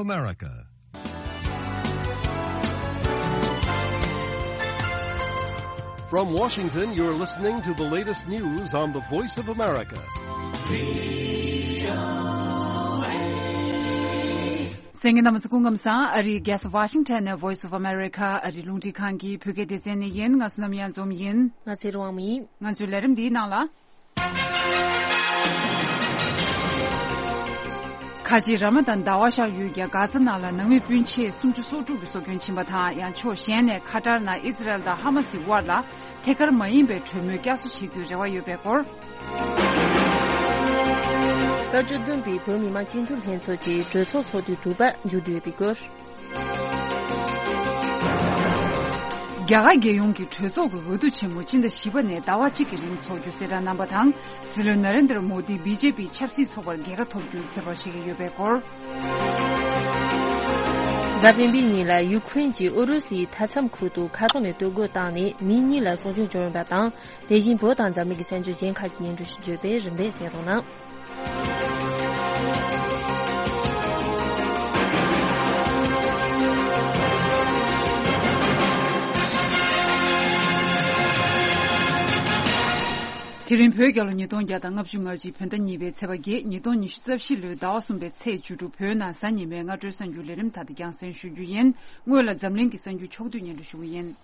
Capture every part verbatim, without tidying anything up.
America. From Washington, you're listening to the latest news on the Voice of America. གསན་མཁན་རྣམ་པ་ཚོ་སྐུ་ཁམས་བཟང་། ཨ་རིའི་རྒྱལ་ས་ཝ་ཤིང་ཊོན་ནས་Voice of America ཨ་རིའི་རླུང་འཕྲིན་ཁང་གི་བོད་སྐད་སྡེ་ཚན་ནས་ཡིན། ང་བསོད་ནམས་གཡང་འཛོམས་ཡིན། ང་ཚེ་རིང་དབང་མོ་ཡིན། ང་ཚོའི་ལས་རིམ་འདིའི་ནང་ལ། ཁ་ཆེའི་ར་མ་དཱན་ཟླ་བ་ཤར་ཡུལ་གྱི་གྷ་ཟ་ནང་ལ་ནང་མི་སྤུན་མཆེད་སུམ་ཅུ་སོ་དྲུག་གི་སྲོག་སྐྱོན་ཕྱིན་པ་དང་། ཡང་ཕྱོགས་གཞན་ནས་ཁ་ཏར་ནང་ཨི་ཟི་རལ་དང་ཧ་མ་སིའི་དབར་ལ་ཐད་ཀར་མ་ཡིན་པའི་གྲོས་མོལ་བསྐྱར་གསོ་བྱེད་རྒྱུའི་རེ་བ་ཡོད་པའི་སྐོར། བཀའ་བཅུ་བདུན་པའི་བོད་མི་མང་སྤྱི་འཐུས་ལྷན་ཚོགས་ཀྱི་གྲོས་ཚོགས་ཚོགས་དུས་དྲུག་པ་མཇུག་བསྒྲིལ་ཡོད་པའི་སྐོར། རྒྱ་གར་རྒྱལ་ཡོངས་ཀྱི་གྲོས་ཚོགས་ཀྱི་འོས་བསྡུ་ཆེན་མོ་སྤྱི་ཟླ་བཞི་པ་ནས་ཟླ་བ་གཅིག་གི་རིང་འཚོགས་རྒྱུ་གསལ་བསྒྲགས་གནང་པ་དང་། སྲིད་བློན་ན་རེན་དྲ་མོ་དི་བི་ཇེ་པི་ཆབ་སྲིད་ཚོགས་པར་རྒྱལ་ཁ་ཐོབ་རྒྱུའི་ཚོད་དཔག་བྱེད་ཀྱི་ཡོད་པའི་སྐོར། གཟའ་སྤེན་པའི་ཉིན་ལ་ཡུ་ཁུ་རེན་གྱིས་ཨུ་རུ་སུའི་མཐའ་མཚམས་ཁུལ་དུ་མཁའ་ཐོག་ནས་གཏོར་རྒོལ་བཏང་ནས་མི་གཉིས་ལ་སྲོག་སྐྱོན་བྱུང་ཡོད་པ་དང་། དེ་བཞིན་བོད་དང་འཛམ་གླིང་གི་གསར་འགྱུར་གཞན་ཁག་ཅིག་སྙན་སྒྲོན་ཞུ་རྒྱུ་ཡོད་པས་རིམ་པས་གསན་རོགས་གནང་། དེ་རིང་བོད་རྒྱལ་ལོ་ཉིས་སྟོང་བརྒྱ་དང་ལྔ་བཅུ་ང་གཅིག་བོད་ཟླ་གཉིས་པའི་ཚེས་པ་བརྒྱད། ཉིས་སྟོང་ཉི་ཤུ་རྩ་བཞི་ལོའི་ཟླ་བ་གསུམ་པའི་ཚེས་བཅུ་དྲུག་བོད་ནང་གཟའ་ཉི་མའི་སྔ་དྲོའི་གསར་འགྱུར་ལས་རིམ་དག་ཏུ་རྒྱང་སྲིང་ཞུ་རྒྱུ་ཡིན། སྔོན་ལ་འཛམ་གླིང་གི་གསར་འགྱུར་ཕྱོགས་བསྡུས་སྙན་སྒྲོན་ཞུ་གི་ཡིན།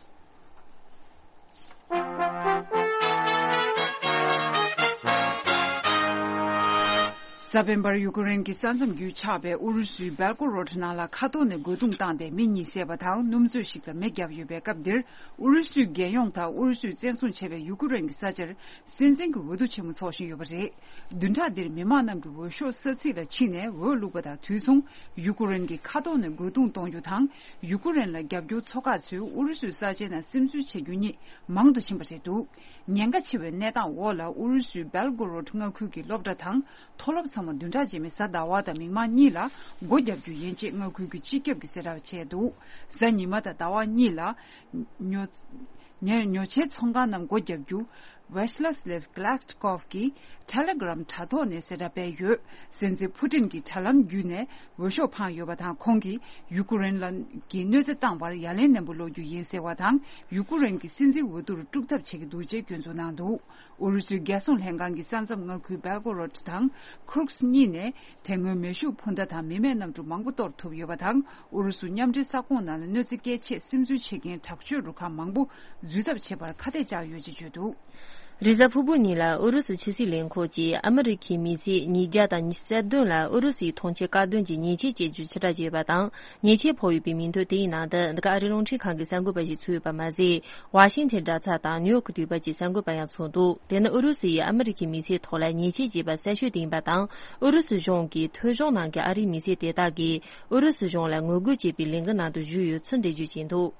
གཟའ་སྤེན་པར་ཡུ་ཀེ་རེན་གྱི་ས་མཚམས་རྒྱུད་ཆགས་པའི་ཨུ་རུ་སུའི་སྦེལ་ཀོ་རོད་ནང་ལ་མཁའ་ཐོག་ནས་རྒོལ་རྡུང་བཏང་སྟེ་མི་གཉིས་བསད་པ་དང་སྣུམ་ཚོས་ཤིག་ལ་མེ་བརྒྱབ་ཡོད་པའི་སྐབས་འདིར། ཨུ་རུ་སུའི་རྒྱལ་ཡོངས་དང་ཨུ་རུ་སུས་བཙན་བཟུང་བྱས་པའི་ཡུ་ཀེ་རེན་གྱི་ས་ཆར་སྲིད་འཛིན་གྱི་འོས་བསྡུ་ཆེན་མོ་འཚོགས་བཞིན་ཡོད་པ་རེད། བདུན་ཕྲག་འདིར་མི་མང་རྣམས་ཀྱིས་འོས་ཤོག་ས་ཚིགས་ལ་ཕྱིན་ནས་འོས་བླུགས་པ་དང་དུས་མཚུངས། ཡུ་ཀེ་རེན་གྱིས་མཁའ་ཐོག་ནས་རྒོལ་རྡུང་གཏོང་རྒྱུ་དང་། ཡུ་ཀེ་རེན་ལ་རྒྱབ་སྐྱོར་ཚོགས་ཁག་ཚོས་ཨུ་རུ་སུའི་ས་ཆའི་ནང་སིམ་འཛུལ་བྱེད་རྒྱུ་གཉིས་མང་དུ་ཕྱིན་པ་རེད་འདུག་ཉེན་ཁ་ཆེ་བའི་གནས་སྟངས་འོག་ལ་ཨུ་རུ་སུའི་སྦེལ་གོ་རོད་མངའ་ཁུལ་གྱི་སློབ་གྲྭ་དང་མཐོ་སློབ་ཚང་མ་བདུན་ཕྲག་རྗེས་མའི་གཟའ་ཟླ་བ་དང་མིག་དམར་གཉིས་ལ་སྒོ་བརྒྱབ་རྒྱུ་ཡིན་ཅེས་མངའ་ཁུལ་གྱི་སྤྱི་ཁྱབ་ཀྱིས་གསལ་བསྒྲགས་བྱས་འདུག་གཟའ་ཉི་མ་དང་ཟླ་བ་གཉིས་ལ་ཉོ་ཉོ་ཆའི་ཚོང་ཁང་རྣམས་སྒོ་བརྒྱབ་རྒྱུ། Vyacheslav Gladkov གིས་Telegram དྲ་ཐོག་ནས་གསལ་བསྒྲགས་སྤེལ་ཡོད། སྲིད་འཛིན་ཕུ་ཏིན་གྱིས་དྲ་ལམ་བརྒྱུད་ནས་འོས་ཤོག་འཕངས་ཡོད་པ་དང་། ཁོང་གིས་ཡུ་ཀེ་རེན་ལ་གྱི་གནོད་འཚེ་བཏང་བར་ཡ་ལན་ནན་པོ་སློག་རྒྱུ་ཡིན་ཟེར་བ་དང་། ཡུ་ཀེ་རེན་གྱི་སྲིད་འཛིན་འོས་བསྡུར་དཀྲུག་ཐབས་བྱེད་ཀྱི་འདུག་ཅེས་སྐྱོན་འཛུགས་གནང་འདུག་ཨུ་རུ་སུའི་རྒྱལ་སྲུང་ལྷན་ཁང་གི་ས་མཚམས་མངའ་ཁུལ་སྦེལ་གོ་རོད་དང་ཁུར་སི་གཉིས་ནས་དེ་སྔོན་མེ་ཤུགས་འཕུར་མདའ་དང་མི་མེད་གནམ་གྲུ་མང་པོ་གཏོར་ཐུབ་ཡོད་པ་དང་། ཨུ་རུ་སུ་མཉམ་འབྲེལ་ས་ཁོངས་ནང་ལ་གནོད་འཚེ་སྐྱེལ་ཆེད་སིམ་འཛུལ་བྱེད་མཁན་དྲག་སྤྱོད་རུ་ཁག་མང་པོ་འཛུལ་ཐབས་བྱེད་པར་ཁ་གཏད་བཅག་ཡོད་ཅེས་བརྗོད་འདུག་རེས་གཟའ་ཕུར་བུ་ཉིན་ལ་ཨུ་རུ་སུ་ཕྱི་སྲིད་ལས་ཁུངས་ཀྱིས་ཨ་མི་རི་ཁའི་མི་སེར་ཉིས་བརྒྱ་དང་ཉི་ཤུ་རྩ་བདུན་ལ་ཨུ་རུ་སུའི་ཐོངས་མཆན་དཀར་འདོན་གྱི་ཉེས་ཆད་བཅད་རྒྱུ་ཕྱིར་བསྒྲགས་བྱས་པ་དང་། ཉེས་ཆད་ཕོག་ཡོད་པའི་མིང་ཐོ་དེའི་ནང་དུ་འདི་ག་ཨ་རིའི་རླུང་འཕྲིན་ཁང་གི་གསར་འགོད་པ་ཞིག་ཚུད་ཡོད་པ་མ་ཟད། ཝ་ཤིང་ཐན་དྲ་ཚགས་དང་ནིའུ་ཡོག་གི་དུས་བབ་ཀྱི་གསར་འགོད་པ་ཡང་ཚུད་འདུག་དེ་ནི་ཨུ་རུ་སུ་ཡིས་ཨ་མི་རི་ཁའི་མི་སེར་ཐོག་ལ་ཉེས་ཆད་བཅད་པ་གསར་ཤོས་དེ་ཡིན་པ་དང་། ཨུ་རུ་སུ་གཞུང་གིས་ཐོས་གཞུང་ནང་གི་ཨ་རིའི་མི་སེར་དེ་དག་གིས་ཨུ་རུ་སུ་གཞུང་ལ་ངོ་རྒོལ་བྱེད་པའི་ལས་འགུལ་ནང་དུ་ཞུགས་ཡོད་ཚུལ་འགྲེལ་བརྗོད་བྱས་འདུག་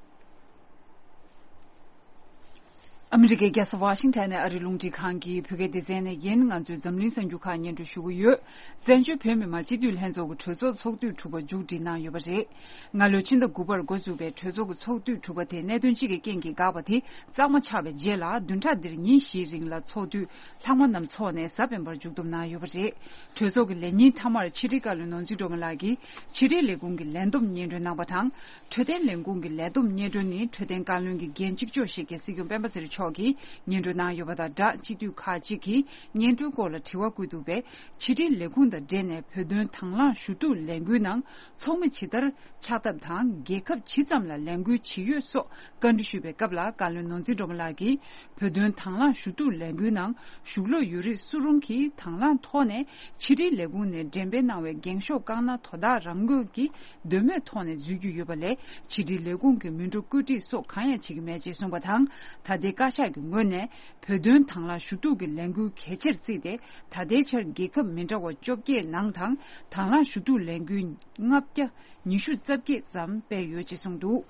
ཨ་མི་རི་ཀའི་རྒྱལ་ས་ཝ་ཤིང་ཊོན་ནས་ཨ་རིའི་རླུང་འཕྲིན་ཁང་གི་བོད་སྐད་སྡེ་ཚན་ནས་ཡིན། ང་ཚོས་འཛམ་གླིང་གསར་འགྱུར་ཁག་སྙན་སྒྲོན་ཞུ་གི་ཡོད། བཙན་བྱོལ་བོད་མི་མང་སྤྱི་འཐུས་ལྷན་ཚོགས་ཀྱི་གྲོས་ཚོགས་ཚོགས་དུས་དྲུག་པ་མཇུག་སྒྲིལ་གནང་ཡོད་པ་རེད། སྔ་ལོའི་ཕྱི་ཟླ་དགུ་པར་འགོ་འཛུགས་པའི་གྲོས་ཚོགས་ཀྱི་ཚོགས་དུས་དྲུག་པ་དེ་གནད་དོན་གཅིག་གི་རྐྱེན་གྱིས་འགག་པ་དེ་གཙང་མ་ཆགས་པའི་རྗེས་ལ། བདུན་ཕྲག་འདིར་ཉིན་བཞིའི་རིང་ལ་ཚོགས་དུས་ལྷག་མ་རྣམས་འཚོགས་ནས་གཟའ་སྤེན་པར་མཇུག་བསྡོམས་གནང་ཡོད་པ་རེད། གྲོས་ཚོགས་ཀྱི་ལས་ཉིན་མཐའ་མར་ཕྱི་དྲིལ་བཀའ་བློན་ནོར་འཛིན་སྒྲོལ་མ་ལགས་ཀྱིས་ཕྱི་དྲིལ་ལས་ཁུངས་ཀྱི་ལས་བསྡོམས་སྙན་སྒྲོན་གནང་བ་དང་། འཕྲོད་བསྟེན་ལས་ཁུངས་ཀྱི་ལས་བསྡོམས་སྙན་སྒྲོན་ནི་འཕྲོད་བསྟེན་བཀའ་བློན་གྱི་འགན་གཅིག་ལྕོགས་བཞེས་མཁན་སྲིད་སྐྱོང་སྤེན་པ་ཚེ་རིང་མཆོག་གིས་སྙན་སྒྲོན་གནང་ཡོད་པ་དང་སྦྲགས། སྤྱི་འཐུས་ཁག་ཅིག་གིས་སྙན་སྒྲོན་སྐོར་ལ་དྲི་བ་བཀོད་འདུག་པས། ཕྱི་དྲིལ་ལས་ཁུངས་དང་འབྲེལ་ནས་བོད་དོན་དང་བླངས་ཞུ་གཏུག་ལས་འགུལ་ནང་ཚོགས་མི་ཇི་ལྟར་ཆགས་ཐབས་དང་། རྒྱལ་ཁབ་ཇི་ཙམ་ལ་ལས་འགུལ་ཇི་ཡོད་སོགས་བཀའ་འདྲི་ཞུས་པའི་སྐབས་ལ། བཀའ་བློན་ནོར་འཛིན་སྒྲོལ་མ་ལགས་ཀྱིས། བོད་དོན་དང་བླངས་ཞུ་གཏུག་ལས་འགུལ་ནང་ཞུགས་ལོ་ཡོད་རིགས་སུ་རུང་གིས་དང་བླངས་ཐོག་ནས་ཕྱི་དྲིལ་ལས་ཁུངས་ནས་འགྲེམས་སྤེལ་གནང་བའི་འགེངས་ཤོག་བཀག་ན་དོ་བདག་རང་མོས་ཀྱི་འདོད་མོས་ཐོག་ནས་འཛུལ་རྒྱུ་ཡོད་པ་ལས། ཕྱི་དྲིལ་ལས་ཁུངས་ཀྱི་མི་འགྲོ་བཀོད་སྒྲིག་སོགས་གང་ཡང་བྱེད་ཀྱི་མེད་ཅེས་གསུངས་པ་དང་། ད་ལྟའི་བཀའ་ཤག་གི་ངོས་ནས་བོད་དོན་དང་བླངས་ཞུ་གཏུག་གི་ལས་འགུལ་གལ་ཆེར་བརྩིས་ཏེ། ད་ལྟའི་ཆར་རྒྱལ་ཁབ་མི་འདྲ་བ་བཅོ་བརྒྱད་ནང་དང་། དང་བླངས་ཞུ་གཏུག་ལས་འགུལ་ལྔ་བརྒྱ་ཉི་ཤུ་རྩ་བརྒྱད་ཙམ་སྤེལ་ཡོད་ཅེས་གསུངས་འདུག་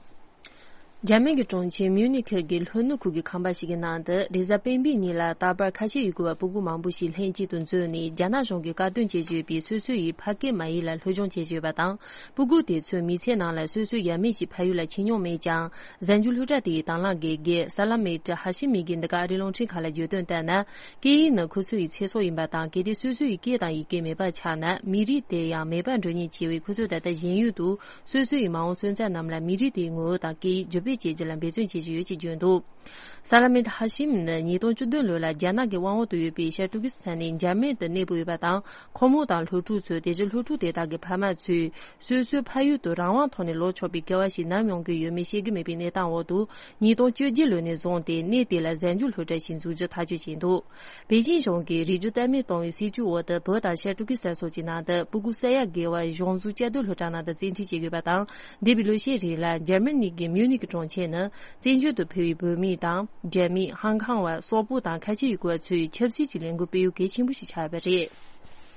འཇར་མན་གྱི་གྲོང་ཁྱེར་མིའུ་ནི་ཁི་གི་ལྷོ་ནུབ་ཁུལ་གྱི་ཁང་པ་ཞིག་གི་ནང་དུ་རེས་གཟའ་སྤེན་པའི་ཉིན་ལ་རྟག་པར་ཁ་ཆེ་ཡི་གུ་བ་སྤུ་གུ་མང་པོ་ཞིག་ལྷན་གཅིག་ཏུ་འཛོམས་ནས། རྒྱ་ནག་གཞུང་གིས་བཀག་སྡོམ་བྱེད་བཞིན་ཡོད་པའི་སོ་སོ་ཡི་ཕ་སྐད་མ་ཡིག་ལ་སློབ་སྦྱོང་བྱེད་བཞིན་ཡོད་པ་དང་། སྤུ་གུ་དེ་ཚོའི་མི་ཚེའི་ནང་ལ་སོ་སོའི་ཡབ་མེས་ཀྱི་ཕ་ཡུལ་ལ་ཕྱིན་མྱོང་མེད་ཀྱང་། གཟའ་མཇུག་སློབ་གྲྭ་དེའི་དང་བླངས་དགེ་རྒན་ས་ལ་མེ་ཏྲ་ཧ་ཤི་མི་གིས་འདི་ག་ཨ་རིའི་རླུང་འཕྲིན་ཁང་ལ་བརྗོད་དོན་ལྟར་ན། སྐད་ཡིག་ནི་ཁོ་ཚོ་ཡི་ཚེ་སྲོག་ཡིན་པ་དང་། གལ་ཏེ་སོ་སོ་ཡི་སྐད་དང་ཡི་གེ་མེད་པར་ཆགས་ན། མི་རིགས་དེ་ཡང་མེད་པར་འགྲོ་ཉེན་ཆེ་བས། ཁོ་ཚོས་ད་ལྟ་གཞན་ཡུལ་དུ་སོ་སོ་ཡི་མ་འོངས་སོན་རྩ་རྣམས་ལ་མི་རིགས་དེའི་ངོ་བོ་དང་སྐད་ཡིག་བརྒྱུད་སྤེལ་བྱེད་རྒྱུ་ལ་འབད་བརྩོན་བྱེད་བཞིན་ཡོད་ཅེས་བརྗོད་འདུག་ས་ལ་མེད་ཧ་ཤིམ་ནི་ཉིས་སྟོང་བཅུ་བདུན་ལོ་ལ་རྒྱ་ནག་གི་དབང་འོག་ཏུ་ཡོད་པའི་ཤར་ཏུར་ཀི་སི་ཐན་ནས་འཇར་མན་དུ་གནས་སྤོས་ཡོད་པ་དང་། ཁོ་མོ་དང་སློབ་ཕྲུག་ཚོས་དེ་བཞིན་སློབ་ཕྲུག་དེ་དག་གི་ཕ་མ་ཚོས་སོ་སོའི་ཕ་ཡུལ་དུ་རང་དབང་ཐོག་ནས་ལོག་ཆོག་པའི་སྐལ་བ་ཞིག་ནམ་ཡོང་གི་ཡོད་མེད་ཤེས་ཀྱི་མེད་པའི་གནས་སྟངས་འོག་ཏུ། ཉིས་སྟོང་བཅོ་བརྒྱད་ལོ་ནས་བཟུང་སྟེ་གནས་དེ་ལ་གཟའ་མཇུག་སློབ་གྲྭ་ཞིག་འཛུགས་རྒྱུ་ཐག་གཅོད་བྱས་འདུག་པེ་ཅིན་གཞུང་གིས་རིགས་རྒྱུད་བརྟན་མེད་གཏོང་བའི་སྲིད་ཇུས་འོག་ཏུ། བོད་དང་ཤར་ཏུར་ཀི་སི་ཐན་སོགས་ཀྱི་ནང་དུ་སྤུ་གུ་ས་ཡ་བརྒལ་བ་གཞུང་བཟུང་བཅའ་སྡོད་སློབ་གྲྭ་ནང་དུ་བཙན་ཁྲིད་བྱེད་དགོས་པ་དང་། འདས་པའི་ལོ་ཤས་རིང་ལ་འཇར་མ་ནི་གི་མིའུ་ནིག་གི་གྲོང་ཁྱེར་ནི་བཙན་བྱོལ་དུ་ཕེབས་པའི་བོད་མི་དང་། འཇར་མི། ཧང་ཁང་བ། སོག་པོ་དང་ཁ་ཆེ་ཡུལ་སྐོར་བ་ཚོའི་ཆབ་སྲིད་ཀྱི་ལས་འགུལ་སྤེལ་ཡུལ་གལ་ཆེན་པོ་ཞིག་ཆགས་ཡོད་པ་རེད།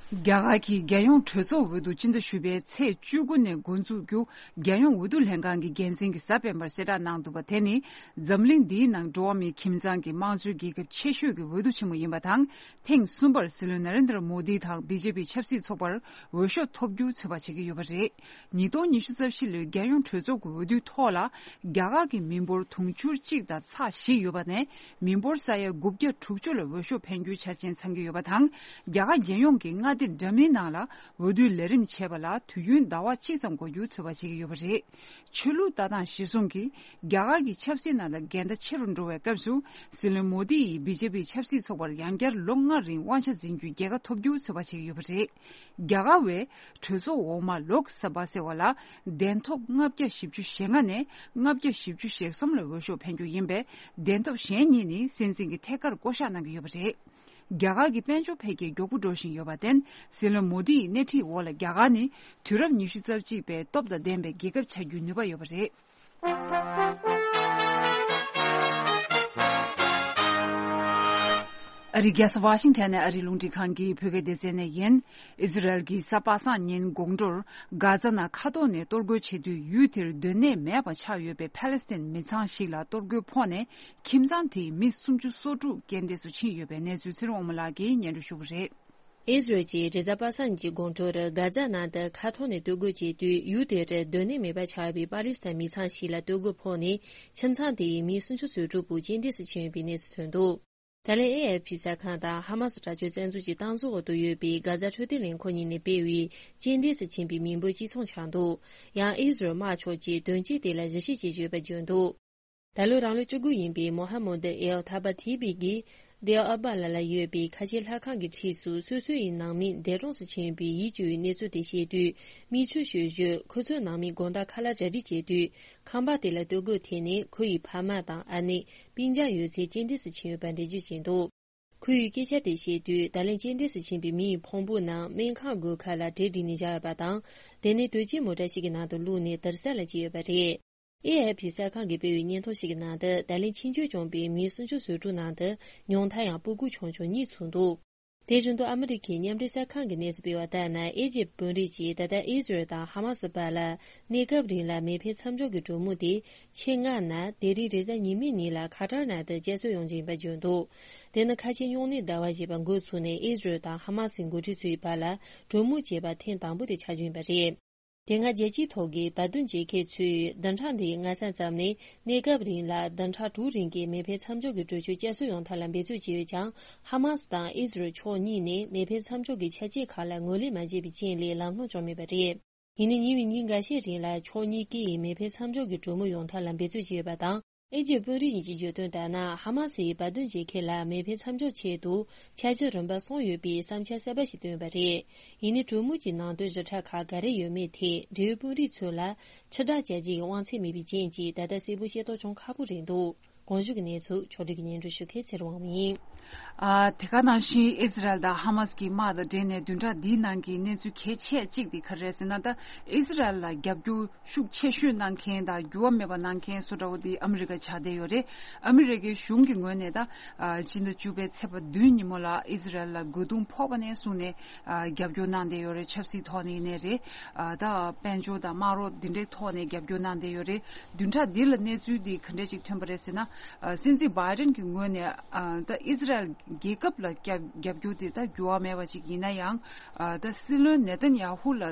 རྒྱ་གར་གྱི་རྒྱལ་ཡོངས་གྲོས་ཚོགས་འོས་བསྡུ་སྤྱི་ཟླ་བཞི་པའི་ཚེས་བཅུ་དགུ་ནས་འགོ་འཛུགས་རྒྱུ། རྒྱལ་ཡོངས་འོས་བསྡུ་ལྷན་ཁང་གི་འགན་འཛིན་གྱིས་གཟའ་སྤེན་པར་གསལ་བསྒྲགས་གནང་འདུག་པ། དེ་ནི་འཛམ་གླིང་འདིའི་ནང་འགྲོ་བ་མིའི་ཁྱིམ་ཚང་གི་དམངས་གཙོའི་རྒྱལ་ཁབ་ཆེ་ཤོས་ཀྱི་འོས་བསྡུ་ཆེན་མོ་ཡིན་པ་དང་། ཐེངས་གསུམ་པར་སྲིད་བློན་ན་རེན་དྲ་མོ་དི་དང་བི་ཇེ་པི་ཆབ་སྲིད་ཚོགས་པར་འོས་ཤོག་ཐོབ་རྒྱུ་ཚོད་དཔག་བྱེད་ཀྱི་ཡོད་པ་རེད། ཉིས་སྟོང་ཉི་ཤུ་རྩ་བཞི་ལོའི་རྒྱལ་ཡོངས་གྲོས་ཚོགས་ཀྱི་འོས་བསྡུའི་ཐོག་ལ། རྒྱ་གར་གྱི་མི་འབོར་དུང་ཕྱུར་གཅིག་དང་ཚེག་བཞི་ཡོད་པ་ནས། མི་འབོར་ས་ཡ་དགུ་བརྒྱ་དྲུག་ཅུ་ལ་འོས་ཤོག་འཕེན་རྒྱུའི་ཆ་རྐྱེན་ཚང་གི་ཡོད་པ་དང་། རྒྱ་གར་རྒྱལ་ཡོངས་ཀྱི་མངའ་སྡེ་འདྲ་མིན་ནང་ལ་འོས་བསྡུའི་ལས་རིམ་བྱས་པ་ལ་དུས་ཡུན་ཟླ་བ་གཅིག་ཙམ་འགོར་རྒྱུ་ཚོད་དཔག་བྱེད་ཀྱི་ཡོད་པ་རེད། ཆོས་ལུགས་ལྟ་སྟངས་གཞིར་བཟུང་གིས་རྒྱ་གར་གྱི་ཆབ་སྲིད་ནང་ལ་འགལ་ཟླ་ཆེ་རུ་འགྲོ་བའི་སྐབས་སུ། སྲིད་བློན་མོ་དི་ཡིས་བི་ཇེ་པི་ཆབ་སྲིད་ཚོགས་པར་ཡང་བསྐྱར་ལོ་ལྔ་རིང་དབང་ཆ་འཛིན་རྒྱུའི་རྒྱལ་ཁ་ཐོབ་རྒྱུ་ཚོད་དཔག་བྱེད་ཀྱི་ཡོད་པ་རེད། རྒྱ་གར་བའི་གྲོས་ཚོགས་འོག་མ་ལོག་ས་བྷ་ཟེར་བ་ལ་གདན་ཐོབ་ལྔ་བརྒྱ་བཞི་བཅུ་ཞེ་ལྔ་ནས་ལྔ་བརྒྱ་བཞི་བཅུ་ཞེ་གསུམ་ལ་འོས་ཤོག་འཕེན་རྒྱུ་ཡིན་པས། གདན་ཐོབ་གཞན་གཉིས་ནི་སྲིད་འཛིན་གྱི་ཐད་ཀར་བསྐོ་གཞག་གནང་གི་ཡོད་པ་རེད། རྒྱ་གར་གྱི་དཔལ་འབྱོར་འཕེལ་རྒྱས་མགྱོགས་པོ་འགྲོ་བཞིན་ཡོད་པར་བརྟེན། སྲིད་བློན་མོ་དི་ཡི་སྣེ་ཁྲིད་འོག་ལ་རྒྱ་གར་ནི་དུས་རབས་ཉི་ཤུ་རྩ་གཅིག་པའི་སྟོབས་དང་ལྡན་པའི་རྒྱལ་ཁབ་ཆགས་རྒྱུའི་ནུས་པ་ཡོད་པ་རེད། ཨ་རིའི་རྒྱལ་ས་ཝ་ཤིང་ཊོན་ནས་ཨ་རིའི་རླུང་འཕྲིན་ཁང་གི་བོད་སྐད་སྡེ་ཚན་ནས་ཡིན། ཨི་ཟི་རལ་གྱི་གཟའ་པ་སངས་ཉིན་དགོང་དྲོར་གྷ་ཛ་ནང་མཁའ་ཐོག་ནས་གཏོར་རྒོལ་བྱེད་དུས། ཡུལ་དེར་སྡོད་གནས་མེད་པ་ཆགས་ཡོད་པའི་ཕ་ལེ་སི་ཐན་མི་ཚང་ཞིག་ལ་གཏོར་རྒོལ་ཕོག་ནས། ཁྱིམ་ཚང་དེའི་མི་སུམ་ཅུ་སོ་དྲུག་རྐྱེན་འདས་སུ་ཕྱིན་ཡོད་པའི་གནས་ཚུལ་ཚེ་རིང་དབང་མོ་ལགས་ཀྱིས་སྙན་སྒྲོན་ཞུ་གི་རེད། ཨི་ཟི་རལ་གྱིས་རེས་གཟའ་པ་སངས་ཀྱི་དགོང་དྲོར་གྷ་ཛ་ནང་དུ་མཁའ་ཐོག་ནས་གཏོར་རྒོལ་བྱས་དུས། ཡུལ་དེར་སྡོད་གནས་མེད་པ་ཆགས་པའི་པ་ལི་སི་ཐན་མི་ཚང་ཞིག་ལ་གཏོར་རྒོལ་ཕོག་ནས། ཁྱིམ་ཚང་དེའི་མི་སུམ་ཅུ་སོ་དྲུག་པོ་རྐྱེན་འདས་སུ་ཕྱིན་ཡོད་པའི་གནས་ཚུལ་ཐོན་འདུག་ད་ལན་ཨེ་ཨེཕ་ཕི་གསར་ཁང་དང་ཧ་མ་སི་དྲག་སྤྱོད་བཙན་འཛུལ་གྱི་སྟངས་འཛིན་འོག་ཏུ་ཡོད་པའི་གྷ་ཛ་འཕྲོད་བསྟེན་ལས་ཁུངས་གཉིས་ནས་སྤེལ་བའི་རྐྱེན་འདས་སུ་ཕྱིན་པའི་མི་འབོར་གཅིག་མཚུངས་ཆགས་འདུག་ཡང་ཨི་ཟི་རལ་དམར་ཕྱོགས་ཀྱིས་དོན་རྐྱེན་དེ་ལ་གཞི་བྱེད་ཀྱི་ཡོད་པ་བརྗོད་འདུག་ད་ལོའི་རང་ལོ་བཅུ་དགུ་ཡིན་པའི་མོ་ཧ་མོ་ཌི་ཨེལ་ཐ་བ་ཐི་བི་གིས་དེ་ཨ་བ་ལ་ལ་ཡོད་པའི་ཁ་ཆེ་ལྷ་ཁང་གི་འཁྲིས་སུ། སོ་སོ་ཡི་ནང་མི་འདས་གྲོངས་སུ་ཕྱིན་པའི་ཡིད་སྐྱོ་བའི་གནས་ཚུལ་དེ་བཤད་དུས། མིག་ཆུ་ཤོར་བཞིན་ཁོ་ཚོའི་ནང་མིའི་དགོང་དག་ཁ་ལག་གྲ་སྒྲིག་བྱེད་དུས། ཁང་པ་དེ་ལ་གཏོར་རྒོལ་ཐེབས་ནས། ཁོ་ཡི་ཕ་མ་དང་ཨ་ནེ། སྤུན་ཀྱག་ཡོད་ཚད་རྐྱེན་འདས་སུ་ཕྱིན་ཡོད་པ་འགྲེལ་བརྗོད་བྱས་འདུག་ཁོ་ཡིས་སྐད་ཆ་དེ་བཤད་དུས། ད་ལན་རྐྱེན་འདས་སུ་ཕྱིན་པའི་མི་ཡི་ཕུང་པོ་རྣམས་སྨན་ཁང་སྒོ་ཁ་ལ་གྲལ་བསྒྲིགས་ནས་བཞག་ཡོད་པ་དང་། དེ་ནས་དོས་སྐྱེལ་མོ་ཊ་ཞིག་གི་ནང་དུ་བླུགས་ནས་དུར་ས་ལ་བསྐྱལ་ཡོད་པ་རེད། ཨེ་ཨེཕ་ཕི་གསར་ཁང་གིས་སྤེལ་བའི་སྙན་ཐོ་ཞིག་གི་ནང་དུ། ད་ལན་ཕྱི་འབྱོར་བྱུང་བའི་མི་སུམ་ཅུ་སོ་དྲུག་ནང་དུ་ཉུང་མཐའ་ཡང་སྤུ་གུ་ཆུང་ཆུང་གཉིས་ཚུད་འདུག་དེ་བཞིན་དུ་ཨ་མི་རི་ཁའི་མཉམ་འབྲེལ་གསར་ཁང་གི་གནས་ཚུལ་སྤེལ་བ་ལྟར་ན། ཨེ་ཇིབ་དཔོན་རིགས་ཀྱིས་ད་ལྟ་ཨི་ཟི་རལ་དང་ཧ་མ་སི་བར་ལ་གནས་སྐབས་རིང་ལ་མེ་འཕེན་མཚམས་འཇོག་གི་གྲོས་མོལ་དེ་ཕྱི་ལྔ་ནས་དེ་རིང་རེས་གཟའ་ཉི་མའི་ཉིན་ལ་ཁ་ཏར་ནང་དུ་བསྐྱར་གསོ་ཡོང་རྒྱུ་ཡིན་པ་བརྗོད་འདུག་དེ་ནི་ཁ་ཆེ་སྨྱུང་གནས་ཟླ་བ་བཞི་པ་འགོ་ཚུགས་ནས་ཨི་ཟི་རལ་དང་ཧ་མ་སིའི་འགོ་ཁྲིད་ཚོའི་བར་ལ་གྲོས་མོལ་བྱས་པ་ཐེངས་དང་པོ་དེ་ཆགས་རྒྱུ་ཡིན་པ་རེད། དེ་སྔ་རྒྱལ་སྤྱིའི་ཐོག་གི་བར་འདུམ་བྱེད་མཁན་ཚོས་བདུན་ཕྲག་འདིའི་སྔ་ས་ཙམ་ནས་གནས་སྐབས་རིང་ལ་བདུན་ཕྲག་དྲུག་རིང་གི་མེ་འཕེན་མཚམས་འཇོག་གི་གྲོས་ཆོད་བསྐྱར་གསོ་ཡོང་ཐབས་ལ་འབད་རྩོལ་བྱས་ཡོད་ཀྱང་། ཧ་མ་སི་དང་ཨི་ཟི་རལ་ཕྱོགས་གཉིས་ནས་མེ་འཕེན་མཚམས་འཇོག་གི་ཆ་རྐྱེན་ཁག་ལ་ངོས་ལེན་མ་བྱས་པའི་རྐྱེན་ལས་ལམ་ལྷོང་བྱུང་མེད་པ་རེད། ཡིན་ནའི་ཉེ་བའི་ཉིན་འགའ་ཤས་རིང་ལ་ཕྱོགས་གཉིས་ཀས་མེ་འཕེན་མཚམས་འཇོག་གི་གྲོས་མོལ་ཡོང་ཐབས་ལ་འབད་རྩོལ་བྱས་ཡོད་པ་དང་། ཨེ་ཇིབ་དཔོན་རིགས་གཉིས་ཀྱིས་བརྗོད་དོན་ལྟར་ན། ཧ་མ་སི་ཡིས་བར་འདུམ་བྱེད་མཁན་ལ་མེ་འཕེན་མཚམས་འཇོག་ཆེད་དུ་འཆར་གཞི་རིམ་པ་གསུམ་ཡོད་པའི་བསམ་འཆར་གསར་པ་ཞིག་བཏོན་པ་རེད། ཡིན་ནའི་གྲོས་མོལ་གྱི་ནང་དོན་ཞིབ་ཕྲ་ཁག་ག་རེ་ཡོད་མེད་ཐད། འབྲེལ་ཡོད་དཔོན་རིགས་ཚོ་ལ་ཕྱིར་བསྒྲགས་བྱ་རྒྱུ་ཡི་དབང་ཚད་མེད་པའི་རྐྱེན་གྱིས་ད་ལྟ་གསལ་པོ་ཤེས་རྟོགས་བྱུང་ཁག་པོ་རེད་འདུག་གོང་ཞུས་ཀྱི་གནས་ཚུལ་ཕྱོགས་སྒྲིག་གིས་སྙན་སྒྲོན་ཞུ་མཁན་ཚེ་རིང་དབང་མོ་ཡིན། ཨ། དེ་ག་ནང་བཞིན་ཨི་ཟི་རལ་དང་ཧ་མ་སི་ཀྱི་དམག་དང་འབྲེལ་ནས་བདུན་ཕྲག་འདིའི་ནང་གི་གནས་ཚུལ་གལ་ཆེ་གཅིག་དེ་ག་རེ་རེད་ཟེར་ན། ད་ཨི་ཟི་རལ་ལ་རྒྱབ་སྐྱོར་ཤུགས་ཆེ་ཤོས་གནང་མཁན་དང་འགྱུར་བ་མེད་པ་གནང་མཁན་སུ་འདྲ་བོ་དེ་ཨ་མི་རི་ཀ་ཆགས་བསྡད་ཡོད་རེད། ཨ་མི་རི་ཀའི་གཞུང་གི་ངོས་ནས་ད་ཨ་ཕྱི་ཟླ་བཅུ་པའི་ཚེས་པ་བདུན་ཉིན་མོ་ལ་ཨི་ཟི་རལ་ལ་རྒོལ་རྡུང་ཕོག་པ་ནས་བཟུང་ནས་ཨ་རྒྱབ་སྐྱོར་གནང་བསྡད་ཡོད་རེད། ཆབ་སྲིད་ཐོག་ནས་ཡིན་ནའི་རེད། ཨ་ད་དཔལ་འབྱོར་དང་དམག་རོགས་འདི་འདྲའི་ཐོག་ནས་རྒྱབ་སྐྱོར་གནང་བསྡད་ཡོད་རེད། བདུན་ཕྲག་འདི་ལ་གནས་ཚུལ་འདི་ག་འདྲས་ཅིག་ཐོན་པ་རེད་ཟེར་ན། ཨ་སྲིད་འཛིན་བྷའི་ཌེན་གྱི་ངོས་ནས་ཨ་ད་ཨི་ཟི་རལ་རྒྱལ་ཁབ་ལ་རྒྱབ་རྒྱབ་སྐྱོར་དེ་ད་འགྱུར་བ་མེད་པ་ཅིག་ཡིན་ན་ཡང་། ཨ་ད་སྲིད་བློན་ནེ་ཐན་ཡ་ཧུ་ལ་ཨ་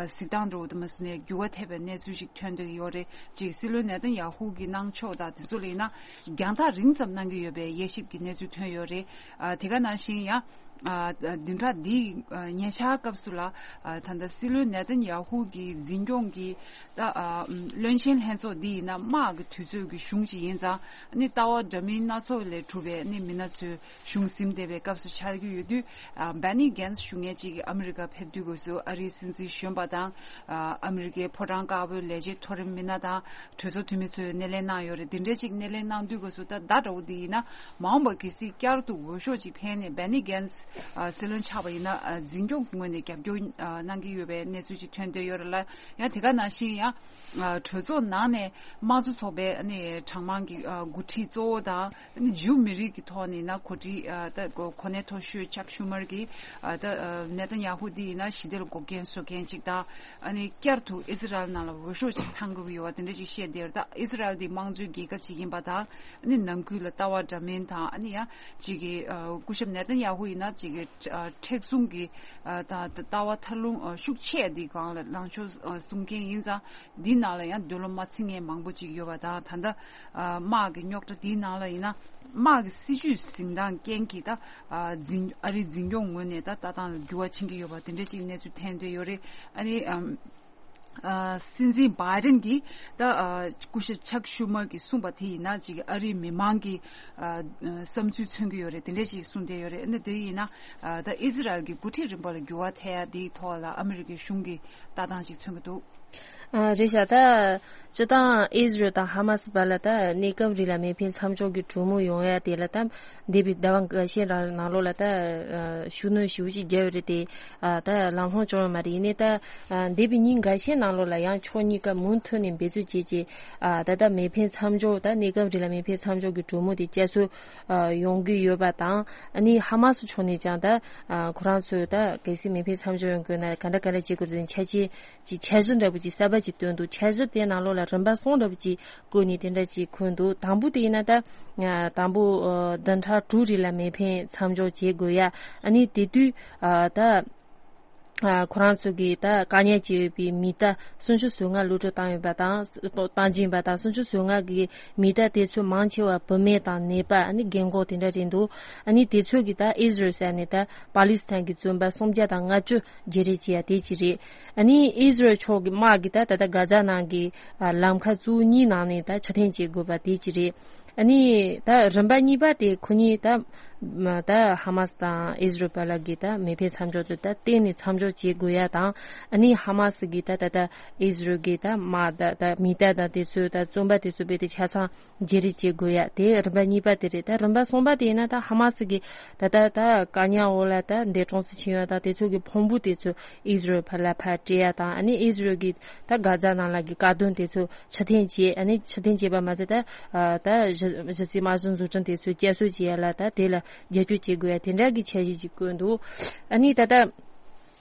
གཟིགས་སྟངས་འདྲ་བོ་དེ་མ་སོང་ནས་འགྱུར་བ་ཐེབས་པའི་གནས་ཚུལ་ཞིག་ཐོན་བསྡད་ཡོད་རེད། ཅིག་སྲིད་བློན་ནེ་ཐན་ཡ་ཧུ་གི་གནང་ཕྱོགས་དང་དེ་ཚོ་ལ་ཡིན་ན་རྒྱང་ཐག་རིང་ཙམ་གནང་གི་ཡོད་པའི་དབྱེ་ཞིབ་ཀྱི་གནས་ཚུལ་ཐོན་ཡོད་རེད། ཨ་དེ་ག་ནང་བཞིན་ཡང་། ཨ་བདུན་ཕྲག་འདིའི་ཨ་ཉེ་ཆར་སྐབས་སུ་ལ་ཨ་ད་ལྟ་སྲིད་བློན་ནེ་ཐན་ཡ་ཧུ་གི་འཛིན་སྐྱོང་གི་ད་ཨ་བློན་ཆེན་ལྷན་ཚོགས་འདི་ཡིན་ན་དམག་གི་དུས་ཚོད་ཀྱི་གཞུང་ཅིག་ཡིན་ཙང་། ཨ་ནི་ལྟ་བ་འདྲ་མིན་སྣ་ཚོགས་ལས་གྲུབ་པའི་ཨ་ནི་མི་སྣ་ཚོས་གཞུང་ཟིན་བསྡད་པའི་སྐབས་སུ་ཆགས་ཀྱི་ཡོད་དུས། ཨ་བྷེ་ནི་གྷན་སི་ཞུ་མཁན་ཅིག་ཨ་མི་རི་ཀ་ཕེབས་དུས་སྐབས་སུ་ཨ་རིའི་སྲིད་འཛིན་གཞོན་པ་དང་ཨ་ཨ་མི་རི་ཀའི་ཕོ་བྲང་དཀར་པོའི་ལས་བྱེད་མཐོ་རིམ་མི་སྣ་དང་གྲོས་ཚོགས་འཐུས་མི་ཚོས་སྣེ་ལེན་གནང་ཡོད་རེད། དེ་འདྲའི་ཅིག་སྣེ་ལེན་གནང་དུས་སྐབས་སུ་ད་ཟླ་འདྲ་བོ་འདི་ཡིན་ན་མ་འོངས་པ་གལ་སྲིད་བསྐྱར་དུ་འོས་ཤོག་ཅིག་འཕེན་ནས་བྷེ་ནི་གྷན་སི་ཨ་སྲིད་བློན་ཆགས་པ་ཡིན་ན། ཨ་འཛིན་སྐྱོང་གི་ངོས་ནས་རྒྱབ་སྐྱོར་ཨ་གནང་གི་ཡོད་པའི་གནས་ཚུལ་ཅིག་ཐོན་བསྡད་ཡོད་རེད་ལ། ཡང་དེ་ག་ནང་བཞིན་ཡང་ཨ་གྲོས་ཚོགས་ནང་ནས་དམངས་གཙོ་ཚོགས་པའི་ཨ་ནི་གྲངས་མང་གི་ཨ་འགོ་ཁྲིད་གཙོ་བོ་དང་ཨ་ནི་ཇུ་མི་རིགས་ཀྱི་ཐོག་ནས་ཡིན་ན་གོ་སྒྲིག་ཨ་ད་གོ་གོ་གནས་མཐོ་ཤོས་ཅག་ཤུ་མར་གྱིས་ཨ་ད་ཨ་ནེ་ཐན་ཡ་ཧུ་འདི་ཡིན་ན་ཞི་བདེ་ལ་འགོག་རྐྱེན་བཟོ་མཁན་ཅིག་དང་། ཨ་ནི་བསྐྱར་དུ་ཨི་ཟི་རལ་ནང་ལ་འོས་ཤོག་ཅིག་འཕང་དགོས་ཀྱི་ཡོད་པ་དེ་འདྲ་ཅིག་བཤད་བསྡད་ཡོད་རེད། ད་ཨི་ཟི་རལ་འདི་དམངས་གཙོའི་རྒྱལ་ཁབ་ཅིག་ཡིན་པ་དང་། ཨ་ནི་ནང་ཁུལ་ལ་ལྟ་བ་འདྲ་མིན་དང་། ཨ་ནི་ཡང་ཅིག་གི་ཨ་སྐུ་ཞབས་ནེ་ཐན་ཡ་ཧུ་ཡིན་ན་ཅིག་གི་ཨ་མཁྲེགས་བཟུང་གི་ཨ་དང་ལྟ་བ་ཐར་ལུང་ཨ་ཤུགས་ཆེ་འདི་སྒང་ལ་ལངས་ཕྱོགས་ཨ་གསུང་མཁན་ཡིན་ཙང་། འདི་ནང་ལ་ཡང་འདོད་བློ་མ་ཚིམ་མཁན་མང་པོ་ཅིག་ཡོད་པ་དང་། ད་ལྟ་ཨ་དམག་གི་རྙོག་དྲ་འདིའི་ནང་ལ་ཡིན་ན་དམག་གི་སྲིད་ཇུས་འཛིན་སྟངས་རྐྱེན་གྱིས་ད་ཨ་འཛིན་ཨ་རིའི་འཛིན་སྐྱོང་ངོས་ནས་ད་ལྟ་སྟངས་ལ་འགྱུར་བ་ཕྱིན་གྱི་ཡོད་པ་དེ་འདྲ་ཅིག་གནས་ཚུལ་ཐོན་བསྡད་ཡོད་རེད། ཨ་ནི་ཨམ། ཨ་སྲིད་འཛིན་བྷའི་ཌེན་གྱིས་ད་ཨ་སྐུ་ཞབས་ཅག་ཤུ་མར་གྱིས་གསུངས་པ་དེ་ཡིན་ན་ཅིག་ཨ་རིའི་མི་མང་གི་ཨ་བསམ་ཚུལ་མཚོན་གྱི་ཡོད་རེད། དེ་འདྲ་ཞིག་གསུངས་བསྡད་ཡོད་རེད། ཨ་ནི་དེ་ཡིན་ན་ཨ་ད་ཨི་ཟི་རལ་གྱི་འགོ་ཁྲིད་རིམ་པ་ལ་འགྱུར་བ་ཐེབས་ཡ་དེའི་ཐོག་ལ་ཨ་མི་རི་ཀའི་གཞུང་གི་ལྟ་སྟངས་ཤིག་མཚོན་གྱི་འདུག་ཨ་རེད་ཤག་ད་སྤྱི་བཏང་ཨི་ཟི་རལ་དང་ཧ་མ་སི་བར་ལ་ད་གནས་སྐབས་རིང་ལ་མེ་འཕེན་མཚམས་འཇོག་གི་གྲོས་མོལ་ཡོང་ཡ་དེ་ལ་ད་འདས་པའི་ཟླ་བ་འགའ་ཤས་རང་ནང་ལོགས་ལ་ད་ཨ་ཤུགས་སྣོན་ཞེ་པོ་ཅིག་བརྒྱབ་ཡོད་རེད་དེ། ཨ་ད་ལམ་ལྷོང་བྱུང་ཡོད་མ་རེད། ཡིན་ནའི་ད་ཨ་འདས་པའི་ཉིན་འགའ་ཤས་ནང་ལོགས་ལ་ཡང་ཕྱོགས་གཉིས་ཀ་མུ་མཐུད་ནས་འབད་རྩོལ་བྱས་རྗེས། ཨ་ད་ལྟ་མེ་འཕེན་མཚམས་འཇོག་ད་གནས་སྐབས་རིང་ལ་མེ་འཕེན་མཚམས་འཇོག་གི་གྲོས་མོལ་དེ་བསྐྱར་གསོ་ཨ་ཡོང་གི་ཡོད་པ་དང་། ཨ་ནི་ཧ་མ་སི་ཕྱོགས་ནས་ཀྱང་ད་ཨ་ཁོ་རང་ཚོས་ད་གལ་སྲིད་མེ་འཕེན་མཚམས་འཇོག་ཡོང་དགོས་ན་ག་འདྲ་ག་འདྲ་བྱེད་དགོས་རེད་ཟེར་ནས་འཆར་གཞི་ཅིག་འཆར་གཞི་འདྲ་པོ་ཅིག་གསར་པ་ཅིག་བཏོན་འདུག་འཆར་གཞི་དེ་ནང་ལོགས་ལ་རིམ་པ་གསུམ་འདྲ་པོ་ཅིག་བཀོད་ནས་དེ་འདྲ་ཅིག་འཁོད་འདུག་དང་པོ་དེ་ཡིན་ན་ད་ཨ་དང་པོ་ཨ་བདུན་ཕྲག་དྲུག་རིང་ལ་མེ་འཕེན་མཚམས་འཇོག་བྱེད་དགོས་ཡ། ཨ་ནི་དེ་དུས་ཨ་ད་ཨ་ཁོ་རང་ཚོ་གིས་ད་བཀག་ཉར་བྱས་ཡོད་པའི་མི་གཏའ་སུམ་ཅུ་སོ་ལྔ་གློད་གྲོལ་བཏང་ཡོད་པ་དང་། བཏང་རྒྱུ་ཡིན་པ་དང་། སུམ་ཅུ་སོ་ལྔ་གི་མི་གཏའ་དེ་ཚོ་མང་ཆེ་བ་བུད་མེད་དང་ནད་པ། ཨ་ནི་རྒན་འཁོགས་དེ་འདྲ་རེད་འདུག་ཨ་ནི་དེ་ཚོ་གིས་ད་ཨི་ཟི་རལ་ཟེར་ནས་ད་པ་ལི་སི་ཐན་གྱི་བཙོན་པ་སུམ་བརྒྱ་དང་ལྔ་བཅུ་བརྗེ་རེས་བྱས་ཡ་དེ་གཅིག་རེད། ཨ་ནི་ཨི་ཟི་རལ་ཕྱོགས་ཀྱི་དམག་གིས་ད་ད་ལྟ་གྷ་ཛ་ནང་གི་ཨ་ལམ་ཁ་བཅུ་གཉིས་ནང་ནས་ད་ཕྱིར་འཐེན་བྱེད་དགོས་པ་དེ་གཅིག་རེད། ཨ་ནི་ད་རིམ་པ་གཉིས་པ་དེ་ཁོ་གཉིས་ད་ད་ཧ་མ་སི་དང་ཨི་ཟི་རལ་བར་ལ་གི་ད་མེ་འཕེན་མཚམས་འཇོག་དེ་ད་གཏན་ནས་མཚམས་འཇོག་བྱེད་དགོས་ཡ་དང་། ཨ་ནི་ཧ་མ་སི་གི་ད་ད་ད་ཨི་ཟི་རལ་གི་ད་དམག་ད་ད་མི་གཏའ་དང་དེ་ཚོ་ད་བཙོན་པ་དེ་ཚོ་རྦད་དེ་ཆ་ཚང་བརྗེ་རེས་བྱེད་དགོས་ཡ་དེ་རིམ་པ་གཉིས་པ་དེ་རེད། ད་རིམ་པ་གསུམ་པ་དེ་ཡིན་ན་ད་ཧ་མ་སི་གི་ད་ད་ད་བཀག་ཉར་འོག་ལ་ད་འདས་གྲོངས་སུ་ཕྱིན་ཡོད་ད་དེ་ཚོ་གི་ཕུང་པོ་དེ་ཚོ་ཨི་ཟི་རལ་བར་ལ་ཕར་སྤྲད་ཡ་དང་། ཨ་ནི་ཨི་ཟི་རལ་གི་ད་གྷ་ཛ་ནང་ལ་གི་བཀག་སྡོམ་དེ་ཚོ་ཕྱིར་འཐེན་བྱས། ཨ་ནི་ཕྱིར་འཐེན་བྱས་པ་མ་ཟད་ད་ཨ་ད་གཞི་གཞི་རྩའི་དམག་གཞུང་འཛུགས་སྐྲུན་དེ་ཚོ་བསྐྱར་གསོ་བྱེད་ཡ་ལ་ད་དེ་ལ་རྒྱབ་སྐྱོར་བྱེད་དགོས་ཡ་དེ་འདྲ་གི་འཆར་གཞི་ཅིག་བཀོད་འདུག་ཨ་ནི་ད་ལྟ་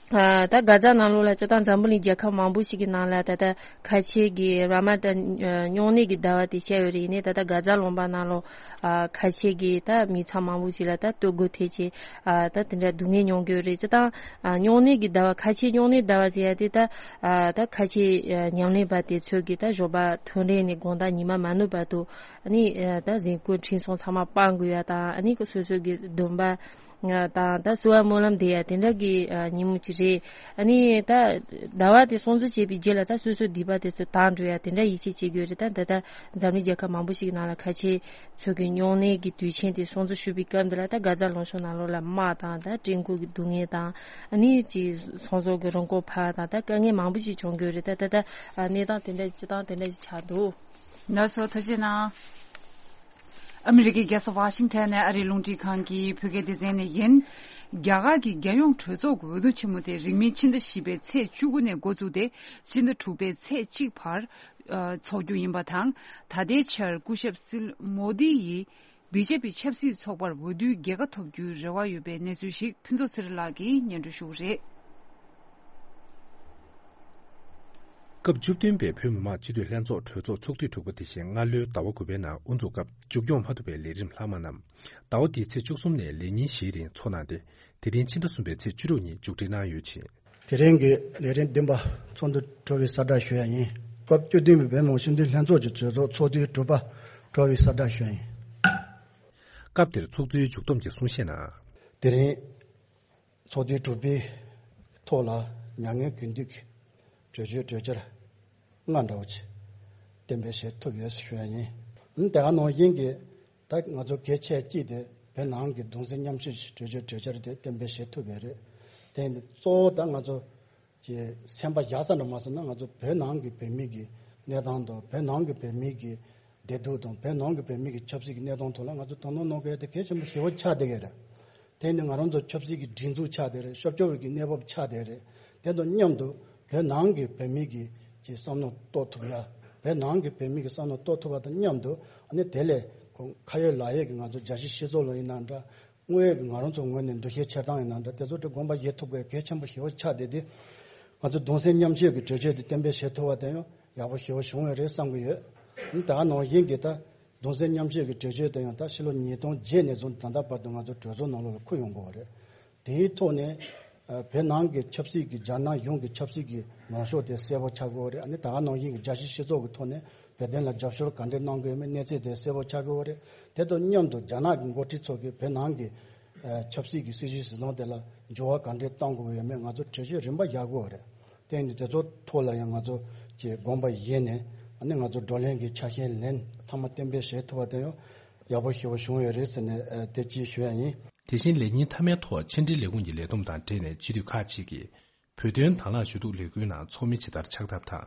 ཨ་ད་གྷ་ཛ་ནང་ལོགས་ལ་སྤྱིར་བཏང་འཛམ་བུ་གླིང་རྒྱལ་ཁབ་མང་པོ་ཞིག་གི་ནང་ལ་ད་ལྟ་ཁ་ཆེ་གི་ར་མ་ད་ཨ་སྨྱུང་གནས་ཀྱི་ཟླ་བ་དེ་བཤད་ཡོད་རེད། ཡིན་ནའི་ད་ལྟ་གྷ་ཛ་ལུང་པ་ནང་ལོགས་ཨ་ཁ་ཆེ་གི་ད་མི་ཚང་མང་པོ་ཞིག་ལ་ད་ལྟོ་གོས་ཐེབས་བྱས་ཨ་ད་དེ་འདྲ་སྡུག་བསྔལ་མྱོང་གི་ཡོད་རེད། སྤྱིར་བཏང་ཨ་སྨྱུང་གནས་ཀྱི་ཟླ་བ་ཁ་ཆེ་སྨྱུང་གནས་ཟླ་བ་ཟེར་ཡ་དེ་ད་ཨ་ད་ཁ་ཆེ་ཨ་ཉམས་ལེན་པ་དེ་ཚོས་ཀྱི་ད་ཞོགས་པ་ཐོན་རེས་ནས་དགོང་དག་ཉི་མ་མ་ནུབ་བར་དུ་ཨ་ནི་ཨ་ད་གཟན་སྐུ་འཕྲིན་ཚོགས་ཚང་མ་སྤང་དགོས་ཡ་དང་། ཨ་ནི་སོ་སོ་གི་སྡོམ་པ་དང་ད་གསོལ་བ་སྨོན་ལམ་འདེབས་ཡ་དེ་འདྲ་གི་ཨ་ཉིན་མོ་ཅིག་རེད། ཨ་ནི་ད་ཟླ་བ་དེ་སྲུང་བརྩི་བྱས་པའི་རྗེས་ལ་ད་སོ་སོའི་སྡིག་པ་དེ་ཚོ་དག་འགྲོ་ཡ་དེ་འདྲ་ཡིད་ཆེས་བྱེད་དགོས་རེད། ད་ད་ད་འཛམ་གླིང་རྒྱལ་ཁབ་མང་པོ་ཞིག་གི་ནང་ལ་ཁ་ཆེ་ཚོ་གི་སྨྱུང་གནས་ཀྱི་དུས་ཆེན་དེ་སྲུང་བརྩི་ཞུ་བའི་སྐབས་འདི་ལ་ད་གྷ་ཛ་ལུང་གཤོང་ནང་ལོགས་ལ་དམག་དང་ད་བྲན་བཀོལ་གྱི་སྡུག་བསྔལ་དང་། ཨ་ནི་ཅིག་ཚོང་ཟོག་གི་རིན་གོང་འཕར་བ་དང་ད་དཀའ་ངལ་མང་པོ་ཞིག་བྱུང་གི་ཡོད་རེད། ད་ད་ད་གནས་སྟངས་དེ་འདྲ་སྤྱིར་བཏང་དེ་འདྲ་ཞིག་ཆགས་འདུག་ལགས་སོ། ཐུགས་རྗེ་གནང་། ཨ་མི་རི་ཀའི་རྒྱལ་ས་ཝ་ཤིང་ཊོན་ནས་ཨ་རིའི་རླུང་འཕྲིན་ཁང་གི་བོད་སྐད་སྡེ་ཚན་ནས་ཡིན། རྒྱ་གར་གྱི་རྒྱལ་ཡོངས་གྲོས་ཚོགས་ཀྱི་འོས་བསྡུ་ཆེན་མོ་དེ་རིང་མིན་ཕྱི་ཟླ་བཞི་པའི་ཚེས་བཅུ་དགུ་ནས་འགོ་བཙུགས་ཏེ་ཕྱི་ཟླ་དྲུག་པའི་ཚེས་གཅིག་བར་ཨ་འཚོགས་རྒྱུ་ཡིན་པ་དང་། ད་ལྟའི་ཆར་སྐུ་ཞབས་སིལ་མོ་དི་ཡིས་བི་ཇེ་པི་ཆབ་སྲིད་ཚོགས་པར་འོས་བསྡུའི་རྒྱལ་ཁ་ཐོབ་རྒྱུའི་རེ་བ་ཡོད་པའི་གནས་ཚུལ་ཞིག་ཕུན་ཚོགས་ཚེ་རིང་ལགས་ཀྱིས་སྙན་སྒྲོན་ཞུ་གི་རེད། སྐབས་བཅུ་བདུན་པའི་བོད་མི་མང་སྤྱི་འཐུས་ལྷན་ཚོགས་གྲོས་ཚོགས་ཚོགས་དུས་དྲུག་པ་དེ་བཞིན་སྔ་ལོའི་ཟླ་བ་དགུ་པའི་ནང་དབུ་འཛུགས་སྐབས་མཇུག་སྐྱོང་མ་ཐུབ་པའི་ལས་རིམ་ལྷག་མ་རྣམས་ཟླ་བ་འདིའི་ཚེས་བཅུ་གསུམ་ནས་ལས་ཉིན་བཞིའི་རིང་འཚོགས་གནང་སྟེ། དེ་རིང་ཕྱི་ཟླ་གསུམ་པའི་ཚེས་བཅུ་དྲུག་ཉིན་མཇུག་སྒྲིལ་གནང་ཡོད་ཅིང་། དེ་རིང་གི་ལས་རིམ་བདུན་པ་ཚོགས་འདུ་གྲོལ་བའི་གསལ་བསྒྲགས་ཞུ་ཡ་ཡིན། སྐབས་བཅུ་བདུན་པའི་བོད་མི་མང་སྤྱི་འཐུས་ལྷན་ཚོགས་ཀྱི་གྲོས་ཚོགས་ཚོགས་དུས་དྲུག་པ་གྲོལ་བའི་གསལ་བསྒྲགས་ཞུ་ཡ་ཡིན། སྐབས་དེར་ཚོགས་གཙོའི་མཇུག་བསྡོམས་ཀྱི་གསུང་བཤད་ནང་། དེ་རིང་ཚོགས་དུས་དྲུག་པའི་ཐོག་ལ་མྱ་ངན་གུས་འདུད་ཀྱི་གྲོས་ཆོད་གྲོས་འཆར་ལྔ་འདྲ་བོ་ཅིག་གཏན་འབེབས་བྱེད་ཐུབ་ཡོད་ཞུ་ཡ་ཡིན། དེ་ག་ནང་བཞིན་གྱི་ད་ང་ཚོ་གལ་ཆེ་གཅིག་དེ་བོད་ནང་གི་གདུང་སེམས་མཉམ་སྐྱེད་ཀྱི་གྲོས་ཆོད་གྲོས་འཆར་དེ་གཏན་འབེབས་བྱེད་ཐུབ་ཡོད་རེད། དེ་གཙོ་བོ་ད་ང་ཚོ་ཀྱི་སེམས་པ་བཞག་ས་འདྲ་མ་སོང་ན། ང་ཚོ་བོད་ནང་གི་བོད་མི་གི་གནས་སྟངས་དང་། བོད་ནང་གི་བོད་མི་གི་བདེ་སྡུག་དང་། བོད་ནང་གི་བོད་མི་གི་ཆབ་སྲིད་ཀྱི་གནས་སྟངས་ཐོག་ལ་ང་ཚོ་དོ་སྣང་གནང་དགོས་ཡ་དེ་གལ་ཆེན་པོ་ཞེ་པོ་ཆགས་བསྡད་ཀྱི་རེད། དེ་ནི་ང་རང་ཚོ་ཆབ་སྲིད་ཀྱི་སྒྲིག་འཛུགས་ཆགས་བསྡད་རེད། ཤོར་སྐྱོར་གྱི་གནས་བབ་ཆགས་བསྡད་རེད། དེ་དང་མཉམ་དུ་བོད་ནང་གི་བོད་མི་གི་ཀྱི་བསམ་བློ་གཏོད་ཐུབ་ཡ། བོད་ནང་གི་བོད་མི་གི་བསམ་བློ་གཏོད་ཐུབ་པ་དང་མཉམ་དུ། ཨ་ནི་དེ་ལས་ཁོ་ཁ་ཡོད་ལག་ཡོད་ཀྱི་ང་ཚོ་རྒྱལ་སྤྱིའི་སྤྱི་ཚོགས་ལ་ཡིན་ན་འདྲ། དངོས་ཡོད་ཀྱི་ང་རང་ཚོ་ངོས་ནས་འདུ་ཤེས་འཆར་སྟངས་ཡིན་ན་འདྲ། དེ་ཚོ་དེ་དགོངས་པ་བཞེས་ཐུབ་དགོས་གལ་ཆེན་པོ་ཞེ་པོ་ཆགས་བསྡད་དེ། ང་ཚོ་གདུང་སེམས་མཉམ་སྐྱེད་ཀྱི་གྲོས་ཆོད་དེ་གཏན་འབེབས་བྱེད་ཐུབ་པ་དེ་ཡང་ཡག་པོ་ཞེ་པོ་བྱུང་བ་རེད་བསམ་གྱི་ཡོད། ད་ནང་བཞིན་གྱི་ད་གདུང་སེམས་མཉམ་སྐྱེད་ཀྱི་གྲོས་ཆོད་དེ་ཡང་ད་ཕྱི་ལོ་ཉིས་སྟོང་བརྒྱད་ནས་བཟུང་ད་ལྟ་བར་དུ་ང་ཚོ་གྲོས་ཚོགས་ནང་ལོགས་ལ་འཁུར་ཡོང་དགོས་པ་རེད། དེའི་ཐོག་ནས་ཨ་བོད་ནང་གི་ཆབ་སྲིད་ཀྱི། རྒྱ་ནག་གཞུང་གི་ཆབ་སྲིད་ཀྱི་ལངས་ཕྱོགས་དེ་གསལ་པོ་ཆགས་དགོས་པ་རེད། ཨ་ནི་ད་ག་ནང་བཞིན་གྱི་རྒྱལ་སྤྱིའི་སྤྱི་ཚོགས་ཀྱི་ཐོག་ནས་བོད་དོན་ལ་རྒྱབ་སྐྱོར་ག་འདྲས་གནང་དགོས་མིན་གནས་ཚུལ་དེ་གསལ་པོ་ཆགས་དགོས་པ་རེད། དེ་དང་མཉམ་དུ་རྒྱ་ནག་གི་འགོ་ཁྲིད་ཚོ་གིས་བོད་ནང་གི་ཨ་ཆབ་སྲིད་ཀྱི་སྲིད་བྱུས་སྲིད་དབང་དེ་ལ་འགྱུར་བ་ག་འདྲས་གཏང་དགོས་ཀྱི་ཡོད་མེད་ང་ཚོ་གྲོས་ཆོད་རིམ་པ་བཞག་དགོས་པ་རེད། དེ་ནི་དེ་ཚོ་ཐོག་ལ་ཡང་ང་ཚོ་གི་དགོངས་པ་བཞེས་ནས། ཨ་ནི་ང་ཚོ་བགྲོ་གླེང་གི་ཆ་ཤས་ལན་མཐའ་མ་གཏན་འབེབས་བྱེད་ཐུབ་པ་དེ་ཡང་ཡག་པོ་ཞེ་པོ་བྱུང་ཡོད་རེད་ཟེར་ནས་ཨ་དེ་ཅིག་ཞུ་ཡ་ཡིན། དེ་བཞིན་ལས་ཉིན་མཐའ་མའི་ཐོག་ཕྱི་འབྲེལ་ལས་ཁུངས་ཀྱི་ལས་བསྡོམས་དང་འབྲེལ་ནས་སྤྱི་འཐུས་ཁག་ཅིག་གིས་བོད་དོན་དང་བླངས་ཞུ་གཏུག་ལས་འགུལ་ནང་ཚོགས་མི་ཇི་ལྟར་ཆགས་ཐབས་དང་།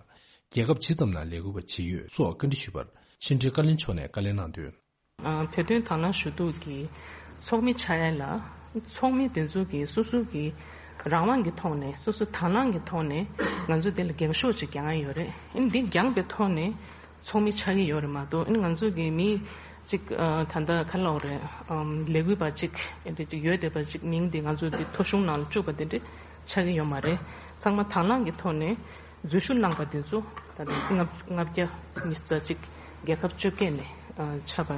རྒྱལ་ཁབ་ཇི་ཙམ་ནང་ལས་འགུལ་བ་ཇི་ཡོད་སོགས་བཀའ་འདྲི་ཞུས་པར། ཕྱི་དྲིལ་བཀའ་བློན་མཆོག་ནས་བཀའ་ལན་གནང་དོན། ཨ་བོད་དོན་དང་བླངས་ཞུ་གཏུག་གི་ཚོགས་མི་ཆགས་ཡ་ལ། ཚོགས་མི་དེ་ཚོ་གིས་སོ་སོ་གི་རང་དབང་གི་ཐོག་ནས། སོ་སོ་དང་བླངས་ཀྱི་ཐོག་ནས་ང་ཚོ་དེ་ལ་འགེངས་ཤོག་ཅིག་རྒྱག་གི་ཡོད་རེད། ཨ་ནི་འདི་འགྱངས་པའི་ཐོག་ནས་ཚོགས་མི་ཆགས་ཀྱི་ཡོད་རེད་མ་གཏོགས། ཨ་ནི་ང་ཚོ་གི་མི་གཅིག་ཨ་ད་ལྟ་ག་ལབ་དགོས་རེད། ཨམ་ལས་འགུལ་བ་གཅིག་ཨ་འདི་གཅིག་ཡོད་བསྡད་པ་གཅིག་མིང་འདི་ང་ཚོ་འདི་ཐོ་གཞུང་ནང་ལ་བཅུག་པ་དེ་འདྲ་ཆགས་ཀྱི་ཡོད་མ་རེད། ཚང་མ་དང་བླངས་ཀྱི་ཐོག་ནས་འཛུལ་ཞུགས་གནང་པ་དེ་ཚོ་ད་ལྟ་ལྔ་ལྔ་བརྒྱ་ཉི་ཤུ་རྩ་གཅིག་རྒྱལ་ཁབ་བཅོ་བརྒྱད་ནས་ཨ་ཆགས་པ་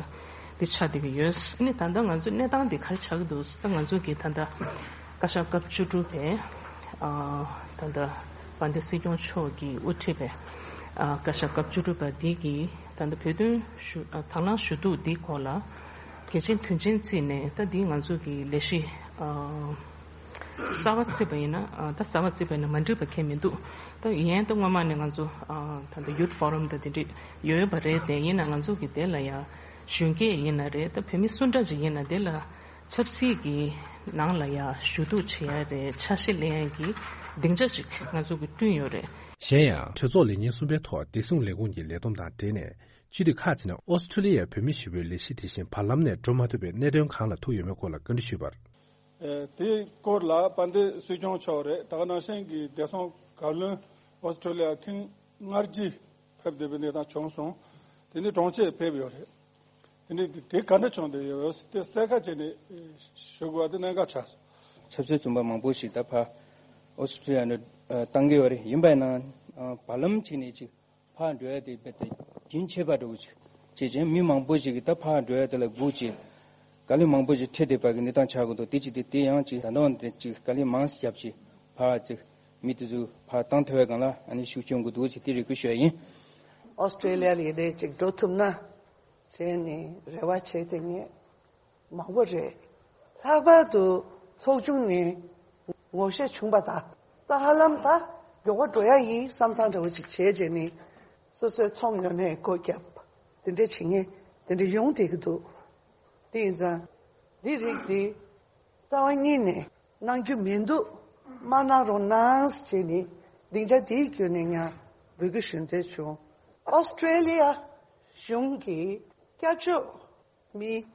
འདི་ཆགས་བསྡད་ཀྱི་ཡོད། ཨ་ནི་ད་ལྟ་ང་ཚོའི་གནས་སྟངས་འདི་ག་རེ་ཆགས་ཀྱི་འདུག་ཟེར། ད་ང་ཚོ་གི་ད་ལྟ་བཀའ་ཤག་སྐབས་བཅུ་དྲུག་པའི་ཨ་ད་ལྟ་དཔལ་ལྡན་སྲིད་སྐྱོང་མཆོག་གིས་དབུ་ཁྲིད་པའི་ཨ་བཀའ་ཤག་སྐབས་བཅུ་དྲུག་པ་འདི་གིས་ད་ལྟ་བོད་དོན་ཞུ་ཨ་དང་བླངས་ཞུ་གཏུག་འདིའི་སྐོར་ལ་གལ་ཆེན་དོན་ཆེན་བརྩིས་ནས། ད་འདི་ང་ཚོ་གི་ལས་གཞི་ཨ་གསར་པ་བརྩིས་པ་ཡིན་ན། ཨ་ད་གསར་པ་བརྩིས་པ་ཡིན་ན་མ་འགྲིག་པ་གང་ཡང་མི་འདུག་ད་ཡིན་ཡང་ད་སྔོན་མ་ནས་ང་ཚོ་ཨ་ད་ལྟ་ཡུཐ་ཕོ་རམ་དང་དེ་འདྲ་ཡོད་པ་རེད་དེ། ཡིན་ན་ང་ཚོ་གི་དེ་ལ་ཡ་གཞོན་སྐྱེས་ཡིན་ན་རེད། ད་བོད་མི་སུ་འདྲ་ཅིག་ཡིན་ན་དེ་ལ་ཆབ་སྲིད་ཀྱི་ནང་ལ་ཡ་ཞུ་གཏུག་བྱེད་ཡ་རེད། ཆ་ཤས་ལེན་ཡ་གི་སྡིངས་ཆ་ཅིག་ང་ཚོ་གི་བསྐྲུན་ཡོད་རེད། གཞན་ཡང་། གྲོས་ཚོགས་ལས་ཉིན་གསུམ་པའི་ཐོག་བདེ་སྲུང་ལས་ཁུངས་ཀྱི་ལས་བསྡོམས་དང་འབྲེལ་ནས། སྤྱི་འཐུས་ཁག་ཅིག་ནས་ཨོ་སི་ཁྲུ་ལི་ཡའི་བོད་མི་ཞི་བའི་ལས་གཞི་དེ་བཞིན་བར་ལམ་ནས་འགྲོ་མ་ཐུབ་པའི་གནད་དོན་གང་ལ་ཐུག་ཡོད་མེད་སྐོར་ལ་བཀའ་འདྲི་ཞུས་པར། ཨེ་དེའི་སྐོར་ལ་དཔལ་ལྡན་སྲིད་སྐྱོང་མཆོག་རེད། ད་ག་ནང་བཞིན་གྱི་བདེ་སྲུང་བཀའ་བློན་ཨོ་སི་ཁྲུ་ལི་ཡ་ཐེངས་ལྔ་བརྒྱ་ཕེབས་བསྡད་པའི་གནས་སྟངས་བྱུང་སོང་། དེ་ནས་གྲོང་ཁྱེར་ཕེབས་ཡོད་རེད། དེ་ནས་དེ་ག་འདྲ་བྱུང་བསྡད་ཡོད་དེ་གསལ་ཁ་བྱས་ནས་ཞུ་དགོས་པ་དེ་གནད་འགག་ཆགས་སོང་། ཆབ་སྲིད་བཙོན་པ་མང་པོ་ཞིག་ད་ཕར་ཨོ་སི་ཁྲུ་ལི་ཡ་ནས་ཨ་བཏང་གི་ཡོད་རེད། ཡིན་པ་ཡིན་ན་ཨ་བར་ལམ་ཅིག་ནས་ཅིག་ཕར་འགྲོ་ཡ་དེ་རྦད་དེ་རྒྱུན་ཆད་པ་འདྲ་བོ་ཅིག་བྱས་ཙང་མི་མང་པོ་ཞིག་གིས་ད་ཕར་འགྲོ་ཡ་དེ་ལ་སྒུག་བྱས། དཀའ་ལས་མང་པོ་ཞིག་འཕྲད་བསྡད་པ་གི་གནས་སྟངས་ཆགས་ཀྱི་འདུག་དེ་ཅིག་དེ་དེ་ཡང་ཅིག་ད་ལྟ་བར་དེ་ཅིག་དཀའ་ལས་མང་ཙམ་བརྒྱབ་བྱས་ཕར་ཅིག་མི་དེ་ཚོ་ཕར་བཏང་ཐུབ་པའི་སྒང་ལ་ཨ་ནི་ཤུགས་སྐྱོན་དགོས་འདུག་ཅེས་དེ་རེ་སྐུལ་ཞུ་ཡ་ཡིན། ཨོ་སི་ཀྲེ་ལི་ཡ་ལ་ཡིན་ནའི་ཅིག་འགྲོ་ཐུབ་ན་བྱས་ནས་རེ་བ་བྱས་ཏེ་ངས། མང་པོ་རེད། ལྷག་པར་དུ་ཚོགས་ཆུང་ནས་ངོ་ཤེས་བྱུང་པ་དང་། ད་ཧ་ལམ་ད་མགྱོགས་པོ་འགྲོ་ཡ་ཡིན་བསམ་བསམ་འདྲ་བོ་ཅིག་བྱས་བྱས་ནས་སོ་སོའི་ཚོང་ཉོ་ནས་སྒོ་བརྒྱབ། དེ་འདྲ་བྱེད་མཁན་དེ་འདྲ་ཡོང་བསྡད་ཀྱི་འདུག་དེ་ཡིན་ཙང་འདི་རིགས་འདི་རྩ་བ་ཉིད་ནས་གནང་རྒྱུ་མི་འདུག་མ་གནང་རོགས་གནང་ཟེར་བྱས་ནས་སྡིངས་ཆ་འདིའི་བརྒྱུད་ནས་ཡང་འབོད་སྐུལ་ཞུ་འདོད་བྱུང་། ཨོ་སི་ཀྲེ་ལི་ཡ་གཞུང་གི་སྐྱབས་བཅོལ། མི་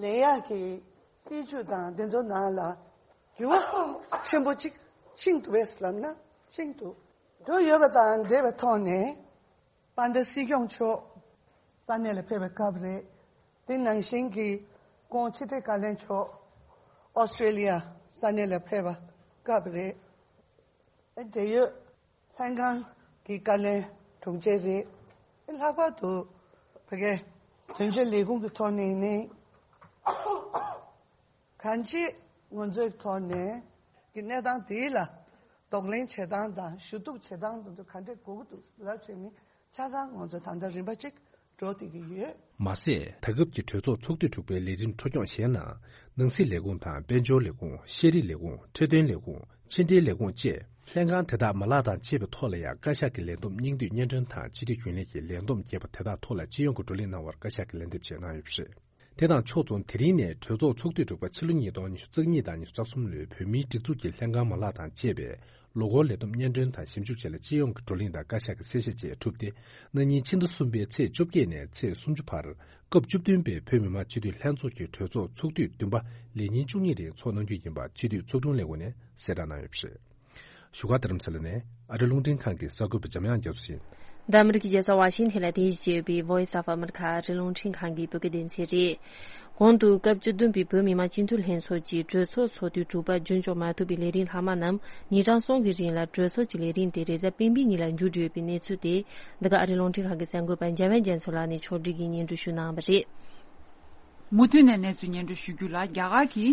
ལེན་ཡག་གི་སྲིད་ཇུས་དང་དེ་ཚོ་ནང་ལ་འགྱུར་བ་ཆེན་པོ་གཅིག་ཕྱིན་འདུག་པས་ལབ་ན་ཕྱིན་འདུག་འགྲོ་ཡོད་པ་དང་འབྲེལ་བའི་ཐོག་ནས་དཔལ་ལྡན་སྲིད་སྐྱོང་མཆོག་ས་གནས་ལ་ཕེབས་པའི་སྐབས་རེད། དེ་ནང་བཞིན་གྱི་ཁོང་ཕྱི་དྲིལ་བཀའ་བློན་མཆོག་ཨོ་སི་ཀྲེ་ལི་ཡ་ས་གནས་ལ་ཕེབས་པ་སྐབས་རེད། འབྲེལ་ཡོད་ལྷན་ཁང་གི་བཀའ་བློན་དྲུང་ཆེ་རེད། ལྷག་པར་དུ་བོད་སྐད་དོན་གཅོད་ལས་ཁུངས་ཀྱི་ཐོག་ནས་ནི་གང་ཅི་ང་ཚོའི་ཐོག་ནས་ཀྱི་གནས་སྟངས་དེ་ལ་གདོང་ལེན་བྱེད་སྟངས་དང་ཞུ་གཏུག་བྱེད་སྟངས་དེ་ཚོ་ག་འདྲས་དགོས་ཀྱི་འདུག་ལབ་བྱས་ནས་ཆ་ཚང་ང་ཚོ་ད་ལྟ་རིམ་པ་གཅིག་འགྲོ་བསྡད་ཀྱི་ཡོད། མ་ཟད། ད་སྐབས་ཀྱི་གྲོས་ཚོགས་ཚོགས་དུས་དྲུག་པའི་ལས་རིམ་འཕྲོ་སྐྱོང་གཞན་ནང་། ནང་སྲིད་ལས་ཁུངས་དང་། དཔལ་འབྱོར་ལས་ཁུངས། ཤེས་རིག་ལས་ཁུངས། འཕྲོད་བསྟེན་ལས་ཁུངས། ཕྱི་འབྲེལ་ལས་ཁུངས་བཅས། ལྷན་ཁང་དེ་དག་མ་ལག་དང་བཅས་པའི་ཐོག་ལ་ཡང་བཀའ་ཤག་གི་ལས་བསྡོམས་སྙིང་བསྡུས་སྙན་སྒྲོན་དང་། སྤྱི་འཐུས་རྒྱུན་ལས་ཀྱི་ལས་བསྡོམས་རྒྱས་པ་དེ་དག་ཐོག་ལ་སྤྱི་ཡོངས་ཀྱི་བགྲོ་གླེང་གནང་བར་བཀའ་ཤག་གིས་ལན་འདེབས་བྱས་གནང་ཡོད་པ་རེད། དེ་དང་ཕྱོགས་མཚུངས། དེ་རིང་ནས་གྲོས་ཚོགས་ཚོགས་དུས་དྲུག་པ་ཕྱི་ལོ་ཉིས་སྟོང་ཉི་ཤུ་རྩ་གཉིས་དང་ཉི་ཤུ་རྩ་གསུམ་ལོའི་བོད་མིའི་སྒྲིག་འཛུགས་ཀྱི་ལྷན་ཁང་མ་ལག་དང་བཅས་པའི་ལོ་འཁོར་ལས་བསྡོམས་སྙན་སྒྲོན་དང་ཞིབ་འཇུག་བཅས་ལ་སྤྱི་ཡོངས་ཀྱི་བགྲོ་གླེང་དང་བཀའ་ཤག་གི་གསལ་བཤད་བཅས་གྲུབ་སྟེ། གནངས་ཉིན་ཕྱི་ཟླ་གསུམ་པའི་ཚེས་བཅོ་བརྒྱད་ནས་ཚེས་སུམ་ཅུ་བར་སྐབས་བཅུ་བདུན་པའི་བོད་མི་མང་སྤྱི་འཐུས་ལྷན་ཚོགས་ཀྱི་གྲོས་ཚོགས་ཚོགས་དུས་བདུན་པ་ལས་ཉིན་བཅུ་གཉིས་རིང་འཚོགས་གནང་རྒྱུ་ཡིན་པ་སྤྱི་འཐུས་ཚོགས་དྲུང་ལས་ཁུངས་ནས་གསལ་བསྒྲགས་གནང་ཡོད་པ་རེད། བཞུགས་སྒར་རྡ་རམ་ས་ལ་ནས་ཨ་རི་རླུང་འཕྲིན་ཁང་གི་གསར་འགོད་པ་འཇམ་དབྱངས་རྒྱ་མཚོ་ཡིན། འདི་ཨ་མི་རི་ཀའི་རྒྱལ་ས་ཝ་ཤིང་ཐན་ལ་རྟེན་གཞི་བྱས་ཡོད་པའི་Voice of America ཨ་རིའི་རླུང་འཕྲིན་ཁང་གི་བོད་སྐད་སྡེ་ཚན་རེད། གོང་དུ་སྐབས་བཅུ་བདུན་པའི་བོད་མི་མང་སྤྱི་འཐུས་ལྷན་ཚོགས་ཀྱི་གྲོས་ཚོགས་ཚོགས་དུས་དྲུག་པ་རྒྱུན་འཁྱོངས་མ་ཐུབ་པའི་ལས་རིམ་ལྷག་མ་རྣམས་ཉིན་གྲངས་གསུམ་གྱི་རིང་ལ་གྲོས་ཚོགས་ཀྱི་ལས་རིམ་དེ་རེས་གཟའ་སྤེན་པའི་ཉིན་ལ་མཇུག་སྒྲིལ་ཡོད་པའི་གནས་ཚུལ་དེ་འདི་ག་ཨ་རིའི་རླུང་འཕྲིན་ཁང་གི་གསར་འགོད་པ་འཇམ་དབྱངས་རྒྱ་མཚོ་ལགས་ནས་ཕྱོགས་སྒྲིག་གིས་སྙན་སྒྲོན་ཞུ་གནང་བ་རེད། མུ་མཐུད་ནས་གནས་ཚུལ་སྙན་སྒྲོན་ཞུ་རྒྱུ་ལ། རྒྱ་གར་གྱི་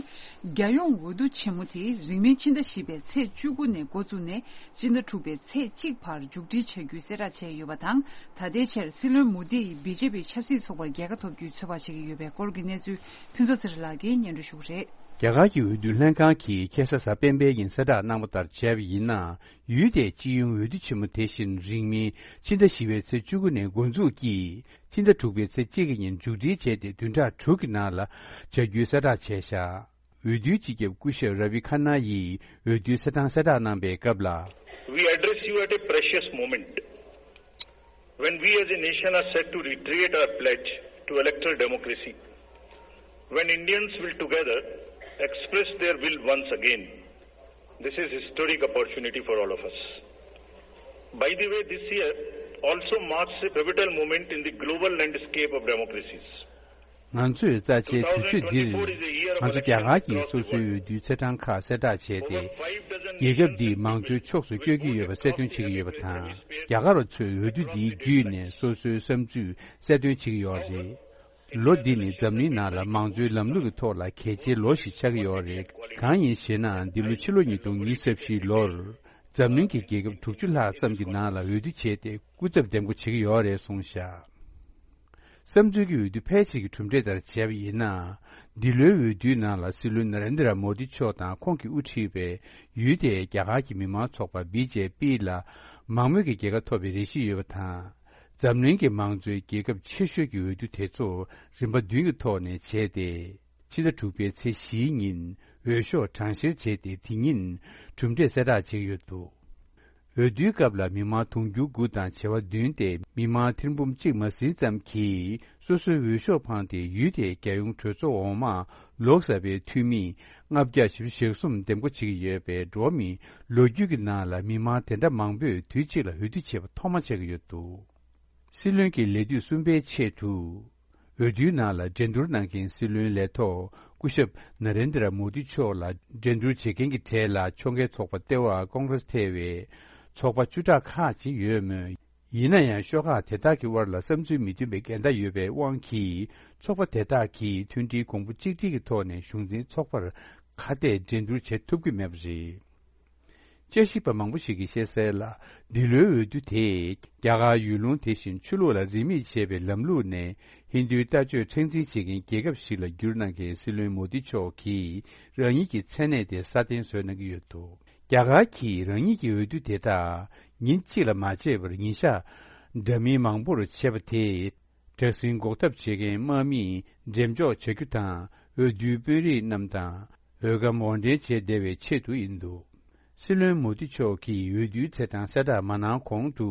རྒྱལ་ཡོངས་འོས་བསྡུ་ཆེན་མོ་དེ་རིང་མིན་ཕྱི་ཟླ་བཞི་པའི་ཚེས་བཅུ་དགུ་ནས་འགོ་བཙུགས་ནས་ཕྱི་ཟླ་དྲུག་པའི་ཚེས་གཅིག་བར་མཇུག་སྒྲིལ་བྱ་རྒྱུའི་གསལ་བསྒྲགས་བྱས་ཡོད་པ་དང་། ད་ལྟའི་ཆར་སྲིད་བློན་མོ་དི་ཡིས་བི་ཇེ་པི་ཆབ་སྲིད་ཚོགས་པར་རྒྱལ་ཁ་ཐོབ་རྒྱུའི་ཚོད་དཔག་བྱེད་ཀྱི་ཡོད་པའི་སྐོར་གྱི་གནས་ཚུལ་ཕུན་ཚོགས་ཚེ་རིང་ལགས་ཀྱིས་སྙན་སྒྲོན་ཞུ་གི་རེད། རྒྱ་གར་གྱི་འོས་བསྡུ་ལྷན་ཁང་གིས་ཁ་སང་གཟའ་སྤེན་པའི་ཉིན་གསལ་བསྒྲགས་གནང་བ་ལྟར་བྱས་པ་ཡིན་ན། ཡུལ་དེའི་སྤྱི་ཡོངས་འོས་བསྡུ་ཆེན་མོ་དེ་བཞིན་རིང་མིན་ཕྱི་ཟླ་བཞི་པའི་ཚེས་བཅུ་དགུ་ནས་འགོ་འཛུགས་ཀྱིས་ཕྱི་ཟླ་དྲུག་པའི་ཚེས་གཅིག་གི་ཉིན་མཇུག་སྒྲིལ་བྱས་ཏེ་བདུན་ཕྲག་དྲུག་གི་ནང་ལ་བྱ་རྒྱུའི་གསལ་བསྒྲགས་བྱས་བཞག་འོས་བསྡུའི་སྤྱི་ཁྱབ་སྐུ་ཞབས་ར་བི་ཁ་ན་ཡིས་འོས་བསྡུའི་གསལ་བསྒྲགས་གནང་པའི་སྐབས་ལ། We address you at a precious moment when we as a nation are set to reiterate our pledge to electoral democracy, when Indians will together express their will once again. This is historic opportunity for all of us. By the way, this year also marks a pivotal moment in the global landscape of democracies. ང་ཚོས་རྩ་ཆེའི་དུས་ཚོད་འདིར་ང་ཚོ་རྒྱ་གར་གྱི་སོ་སོའི་འོས་བསྡུའི་ཚེས་གྲངས་ཁག་གསལ་བསྒྲགས་བྱས་ཏེ། རྒྱལ་ཁབ་འདིས་མང་གཙོའི་ཕྱོགས་སུ་བསྐྱོད་ཀྱི་ཡོད་པ་གསལ་སྟོན་བྱེད་ཀྱི་ཡོད་པ་དང་། རྒྱ་གར་བ་ཚོས་འོས་བསྡུ་འདིའི་བརྒྱུད་ནས་སོ་སོའི་བསམ་ཚུལ་གསལ་སྟོན་བྱེད་ཀྱི་ཡོད་རེད། ལོ་འདི་ནི་འཛམ་གླིང་ནང་ལ་མང་གཙོའི་ལམ་ལུགས་ཀྱི་ཐོག་ལ་གལ་ཆེའི་ལོ་ཞིག་ཆགས་ཀྱི་ཡོད་རེད། གང་ཡིན་ཞེ་ན། འདི་ལོ་ཕྱི་ལོ་ཉིས་སྟོང་ཉི་ཤུ་རྩ་བཞིའི་ལོར་འཛམ་གླིང་གི་རྒྱལ་ཁབ་དྲུག་ཅུ་ལྷག་ཙམ་གྱི་ནང་ལ་འོས་བསྡུ་བྱས་ཏེ་སྐུ་ཚབ་འདེམས་བསྐོ་བྱེད་ཀྱི་ཡོད་རེད་གསུངས་བཞག་བསམ་ཚུལ་གྱི་འོས་བསྡུ་ཕལ་ཆེར་གྱི་གྲུབ་འབྲས་ལྟར་བྱས་པ་ཡིན་ན། འདི་ལོའི་འོས་བསྡུའི་ནང་ལ་སྲིད་བློན་ན་རེན་དྲ་མོ་དི་མཆོག་དང་ཁོང་གིས་དབུ་ཁྲིད་པའི་ཡུལ་དེའི་རྒྱ་གར་གྱི་མི་མང་ཚོགས་པ་བི་ཇེ་པི་ལ་མང་མོས་ཀྱི་རྒྱལ་ཁ་ཐོབ་པའི་རེ་ཞིག་ཡོད་པ་དང་། འཛམ་གླིང་གི་མང་གཙོའི་རྒྱལ་ཁབ་ཆེ་ཤོས་ཀྱི་འོས་བསྡུ་དེ་ཚོ་རིམ་པ་བདུན་གྱི་ཐོག་ནས་བྱས་ཏེ། ཕྱི་ཟླ་དྲུག་པའི་ཚེས་བཞིའི་ཉིན་འོས་ཤོག་གྲངས་བཤེར་བྱས་ཏེ། དེ་ཉིན་གྲུབ་འབྲས་གསལ་བསྒྲགས་བྱེད་ཀྱི་ཡོད་འདུག་འོས་བསྡུའི་སྐབས་ལ་མི་མང་དུང་ཕྱུར་དགུ་དང་བྱེ་བ་བདུན་ཏེ། མི་མང་ཐེར་འབུམ་གཅིག་མ་ཟིན་ཙམ་གྱིས་སོ་སོའི་འོས་ཤོག་འཕངས་ཏེ། ཡུལ་དེའི་རྒྱལ་ཡོངས་གྲོས་ཚོགས་འོག་མར་ལོག་ཟེར་བའི་འཐུས་མི་ལྔ་བརྒྱ་བཞི་བཅུ་ཞེ་གསུམ་འདེམས་བསྐོ་བྱེད་ཀྱི་ཡོད་པས། འགྲོ་བ་མིའི་ལོ་རྒྱུས་ཀྱི་ནང་ལ་མི་མང་དེ་འདྲ་མང་པོས་དུས་གཅིག་ལ་འོས་བསྡུ་བྱས་པ་ཐོག་མ་ཆགས་ཀྱི་ཡོད་འདུག་སྲིད་བློན་གྱི་ལས་དུས་གསུམ་པའི་ཆེད་དུ། འོས་བསྡུའི་ནང་ལ་འགྲན་བསྡུར་གནང་མཁན་སྲིད་བློན་ལས་ཐོག་སྐུ་ཞབས་ན་རེན་དྲ་མོ་དི་མཆོག་ལ་འགྲན་བསྡུར་བྱེད་མཁན་གྱི་གྲས་ལ་ཕྱོགས་འགལ་ཚོགས་པ་ལྟེ་བ་ཀོང་གྷི་རེས་ཐེ་བའི་ཚོགས་པ་བཅུ་ཕྲག་ཁག་ཅིག་ཡོད་མོད། ཡིན་ན་ཡང་ཤོག་ཁག་དེ་དག་གི་དབར་ལ་བསམ་ཚུལ་མི་མཐུན་པའི་འགལ་ཟླ་ཡོད་པའི་དབང་གིས། ཚོགས་པ་དེ་དག་གིས་མཐུན་སྒྲིལ་གོང་བུ་གཅིག་སྒྲིལ་གྱི་ཐོག་ནས་གཞུང་འཛིན་ཚོགས་པར་ཁ་གཏད་འགྲན་བསྡུར་བྱེད་ཐུབ་ཀྱི་མེད་པ་རེད། དཔྱད་ཞིབ་པ་མང་པོ་ཞིག་གིས་བཤད་གསལ་ལ། འདི་ལོའི་འོས་བསྡུ་དེས་རྒྱ་གར་ཡུལ་ལུང་དེ་བཞིན་ཆོས་ལུགས་ལ་རིས་མེད་བྱས་པའི་ལམ་ལུགས་ནས་ཧིན་རྡུའི་ལྟ་སྤྱོད་མཁྲེགས་འཛིན་བྱེད་མཁན་རྒྱལ་ཁབ་ཞིག་ལ་བསྒྱུར་གནང་མཁན་སྲིད་བློན་མོ་དི་མཆོག་གིས་རང་ཉིད་ཀྱི་མཚན་གནས་དེ་སྲ་བརྟན་བཟོས་གནང་གི་ཡོད་འདུག་རྒྱ་གར་གྱིས་རང་ཉིད་ཀྱི་འོས་བསྡུ་དེ་དག་ཉིན་གཅིག་ལ་མ་བྱས་པར་ཉིན་ཞག་འདྲ་མིན་མང་པོར་བྱས་པ་དེས། དྲག་ཟིང་འགོག་ཐབས་བྱེད་མཁན་དམག་མིས་འགྲེམས་འཇོག་བྱ་རྒྱུ་དང་། འོས་བསྡུའི་དཔོན་རིགས་རྣམས་དང་། འོས་སྒམ་དབོར་འདྲེན་བྱས་བསྡད་པའི་ཆེད་དུ་ཡིན་འདུག་སྲིད་བློན་མོ་དི་མཆོག་གིས་འོས་བསྡུའི་ཚེས་གྲངས་གསལ་བསྒྲགས་མ་གནང་གོང་དུ།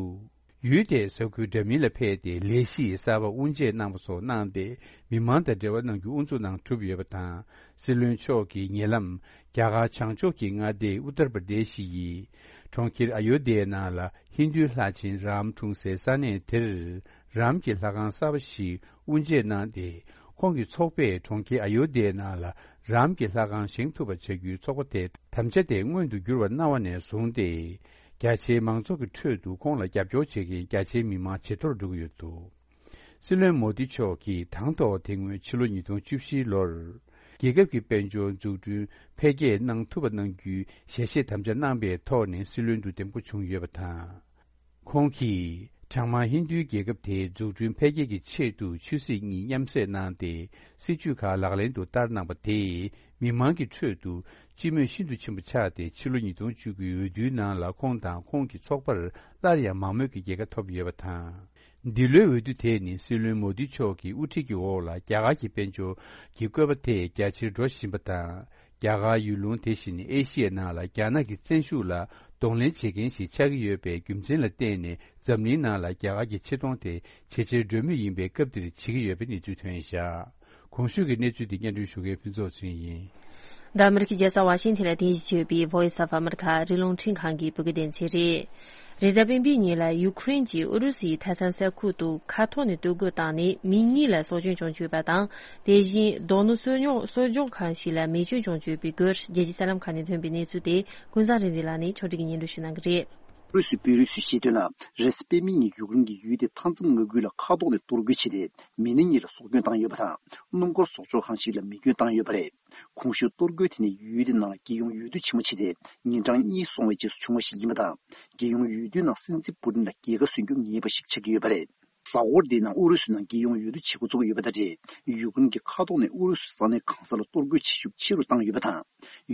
ཡུལ་དེའི་ས་ཁུལ་འདྲ་མིན་ལ་ཕེབས་ཏེ་ལས་གཞི་གསར་པ་དབུ་འབྱེད་གནང་བ་སོགས་གནང་སྟེ། མི་མང་དང་འབྲེལ་བ་གནང་རྒྱུ་དབུ་འཛུགས་གནང་གྲུབ་ཡོད་པ་དང་། སྲིད་བློན་མཆོག་གིས་ཉེ་ལམ་རྒྱ་གར་བྱང་ཕྱོགས་ཀྱི་མངའ་སྡེ་ཨུ་ཏར་པར་དེ་ཤི་ཡི་གྲོང་ཁྱེར་ཨ་ཡོ་དྷྱའི་ནང་ལ་ཧིན་རྡུའི་ལྷ་ཆེན་རཱམ་འཁྲུངས་སའི་ས་གནས་དེར། རཱམ་གྱི་ལྷ་ཁང་གསར་པ་ཞིག་དབུ་འབྱེད་གནང་སྟེ། ཁོང་གི་ཚོགས་པས་གྲོང་ཁྱེར་ཨ་ཡོ་དྷྱའི་ནང་ལ་རཱམ་གྱི་ལྷ་ཁང་བཞེངས་ཐུབ་པ་བྱ་རྒྱུའི་ཚོགས་པ་དེ་དམ་བཅའ་དེ་མངོན་དུ་འགྱུར་བར་གནང་བ་ནས་བཟུང་སྟེ། རྒྱ་ཆེའི་མང་ཚོགས་ཀྱི་ཁྲོད་དུ་ཁོང་ལ་རྒྱབ་སྐྱོར་བྱེད་མཁན་རྒྱ་ཆེའི་མི་མང་ཇེ་མཐོར་འགྲོ་གི་ཡོད་འདུག། སྲིད་བློན་མོ་དི་མཆོག་གིས་དང་ཐོག་དེ་སྔོན་ཕྱི་ལོ་ཉིས་སྟོང་བཅུ་བཞིའི་ལོར། རྒྱལ་ཁབ་ཀྱི་དཔལ་འབྱོར་འཛུགས་སྐྲུན་འཕེལ་རྒྱས་གནང་ཐུབ་པ་གནང་རྒྱུའི་ཞལ་བཞེས་དམ་བཅའ་གནང་པའི་ཐོག་ནས་སྲིད་བློན་དུ་འདེམས་བསྐོ་བྱུང་ཡོད་པ་དང་། ཁོང་གིས་གྲངས་མང་ཧིན་རྡུའི་རྒྱལ་ཁབ་དེའི་འཛུགས་སྐྲུན་འཕེལ་རྒྱས་ཀྱི་ཆེད་དུ་ཆོས་སྲིད་གཉིས་མཉམ་བསྲེས་གནང་སྟེ། སྲིད་ཇུས་ཁག་ལག་ལེན་དུ་བསྟར་གནང་པ་དེས་མི་མང་གི་ཁྲོད་དུ་སྤྱི་མོས་ཤིན་ཏུ་ཆེན་པོ་ཆགས་ཏེ། ཕྱི་ལོ་ཉིས་སྟོང་བཅུ་དགུའི་འོས་བསྡུའི་ནང་ལ་ཁོང་དང་ཁོང་གི་ཚོགས་པར་སླར་ཡང་མང་མོས་ཀྱི་རྒྱལ་ཁ་ཐོབ་ཡོད་པ་དང་། འདི་ལོའི་འོས་བསྡུ་དེ་ནི་སྲིད་བློན་མོ་དི་མཆོག་གི་དབུ་ཁྲིད་ཀྱི་འོག་ལ་རྒྱ་གར་གྱི་དཔལ་འབྱོར་གྱི་བཀོད་པ་དེ་རྒྱ་ཆེར་འགྲོ་བཞིན་པ་དང་། རྒྱ་གར་ཡུལ་ལུང་དེ་བཞིན་ཨེ་ཤི་ཡའི་ནང་ལ་རྒྱ་ནག་གི་བཙན་ཤུགས་ལ་གདོང་ལེན་བྱེད་མཁན་ཞིག་ཆགས་ཀྱི་ཡོད་པའི་རྒྱུ་མཚན་ལ་བརྟེན་ནས། འཛམ་གླིང་ནང་ལ་རྒྱ་གར་གྱི་ཆེ་མཐོང་དེ་ཇེ་ཆེར་འགྲོ་མུས་ཡིན་པའི་སྐབས་འདིར་བྱེད་ཀྱི་ཡོད་པའི་གནས་ཚུལ་ཐོན་བཞག། གོང་ཞུས་ཀྱི་གནས་ཚུལ་འདི་སྙན་སྒྲོན་ཞུ་མཁན་ཕུན་ཚོགས་ཚེ་རིང་ཡིན། འདི་ཨ་མི་རི་ཀའི་རྒྱལ་ས་ཝ་ཤིང་ཐན་ལ་རྟེན་གཞི་བྱས་ཡོད་པའི་Voice of America རིགས་རླུང་འཕྲིན་ཁང་གི་བོད་སྐད་སྡེ་ཚན་རེད། རེས་གཟའ་སྤེན་པའི་ཉིན་ལ་ཡུ་ཁུ་རེན་གྱིས་ཨུ་རུ་སུའི་མཐའ་མཚམས་ས་ཁུལ་དུ་མཁའ་ཐོག་ནས་གཏོར་རྒོལ་བཏང་ནས་མི་གཉིས་ལ་སྲོག་སྐྱོན་བྱུང་ཡོད་པ་དང་། དེ་བཞིན་རྡོ་སྣུམ་གསོག་ཉོ་གསོག་འཇོག་ཁང་ཞིག་ལ་མེ་སྐྱོན་བྱུང་ཡོད་པའི་སྐོར། རྒྱལ་སྤྱིའི་གསར་ལམ་ཁག་ནས་ཐོན་པའི་གནས་ཚུལ་དེ་ཀུན་བཟང་རིག་འཛིན་ལགས་ནས་ཕྱོགས་སྒྲིག་གིས་སྙན་སྒྲོན་ཞུ་གནང་གི་རེད། ཨུ་རུ་སུའི་དཔོན་རིགས་ཚོས་བཤད་དོན་ལ། རེས་གཟའ་སྤེན་པའི་ཉིན་ཡུ་ཀེ་རེན་གྱི་ཡུལ་དེའི་མཐའ་མཚམས་མངའ་ཁུལ་ལ་མཁའ་ཐོག་ནས་གཏོར་རྒོལ་བྱས་ཏེ། མི་སྣ་གཉིས་ལ་སྲོག་སྐྱོན་བཏང་ཡོད་པ་དང་། སྣུམ་འཁོར་གསོག་འཇོག་ཁང་ཞིག་ལ་མེ་སྐྱོན་བཏང་ཡོད་པ་རེད། གོང་ཞུས་གཏོར་རྒོལ་དེ་ནི་ཡུལ་དེའི་ནང་ལ་རྒྱལ་ཡོངས་འོས་བསྡུ་ཆེན་མོ་བྱས་ཏེ། ཉིན་གྲངས་གཉིས་སོང་བའི་རྗེས་སུ་བྱུང་བ་ཞིག་ཡིན་པ་དང་། རྒྱལ་ཡོངས་འོས་བསྡུའི་ནང་སྲིད་འཛིན་པུ་ཏིན་ལ་རྒྱལ་ཁ་གསོན་རྒྱུ་ངེས་པ་ཞིག་ཆགས་ཀྱི་ཡོད་པ་རེད། གཟའ་འཁོར་འདིའི་ནང་ཨུ་རུ་སུའི་ནང་རྒྱལ་ཡོངས་འོས་བསྡུ་བྱེད་འགོ་བཙུགས་ཡོད་པ་དང་འབྲེལ། ཡུ་ཀེ་རེན་གྱི་མཁའ་ཐོག་ནས་ཨུ་རུ་སུའི་ས་གནས་གང་ས་ལ་གཏོར་རྒོལ་བྱེད་ཤུགས་ཆེ་རུ་བཏང་ཡོད་པ་དང་།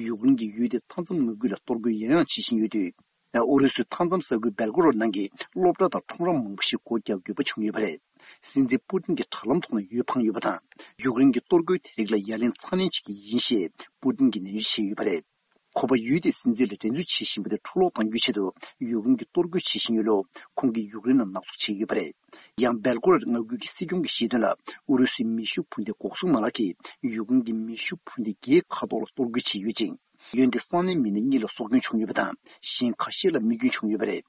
ཡུ་ཀེ་རེན་གྱི་ཡུལ་དེའི་མཐའ་མཚམས་མངའ་ཁུལ་ལ་གཏོར་རྒོལ་ཡང་ཡང་བྱེད་བཞིན་ཡོད་དུས། ཨུ་རུ་སུའི་མཐའ་མཚམས་ས་ཁུལ་སྦེལ་ཀོ་རོཌ་ནང་གི་སློབ་གྲྭ་དང་ཁྲོམ་ར་མང་པོ་ཞིག་སྒོ་རྒྱག་དགོས་པ་བྱུང་ཡོད་པ་རེད། སྲིད་འཛིན་པུ་ཏིན་གྱི་དྲ་ལམ་ཐོག་ནས་འོས་འཕངས་ཡོད་པ་དང་། ཡུཀ་རེན་གྱི་གཏོར་རྒོལ་དེ་རིགས་ལ་ཡ་ལན་ཚ་ནན་བྱེད་ཀྱི་ཡིན་ཞེས་པུ་ཏིན་གྱིས་ནན་བརྗོད་བྱས་ཡོད་པ་རེད། ཁོ་པ་ཡུལ་དེའི་སྲིད་འཛིན་ལ་འགྲན་རྩོད་བྱེད་བཞིན་པ་དེ་འཕྲོ་བརླག་གཏང་རྒྱུའི་ཆེད་དུ་ཡུཀ་རེན་གྱིས་གཏོར་རྒོལ་བྱེད་བཞིན་ཡོད་ལུགས་ཁོང་གིས་ཡུཀ་རེན་ལ་ནག་འཛུགས་བྱས་ཡོད་པ་རེད། ཡང་སྦེལ་ཀོ་རོཌ་མངའ་ཁུལ་གྱི་སྲིད་སྐྱོང་གིས་བཤད་དོན་ལ། ཨུ་རུ་སུའི་མེ་ཤུགས་འཕུར་མདེལ་འགོག་སྲུང་མ་ལག་གིས་ཡུཀ་རེན་གྱི་མེ་ཤུགས་འཕུར་མདེལ་བརྒྱའི་མཁའ་ཐོག་ལ་གཏོར་རྒོལ་བྱས་ཡོད་ཅིང་། ཡུལ་དེའི་ས་གནས་མི་སྣ་གཉིས་ལ་སྲོག་སྐྱོན་བྱུང་ཡོད་པ་དང་། གཞན་ཁ་ཤས་ལ་རྨས་སྐྱོན་བྱུང་ཡོད་པ་རེད།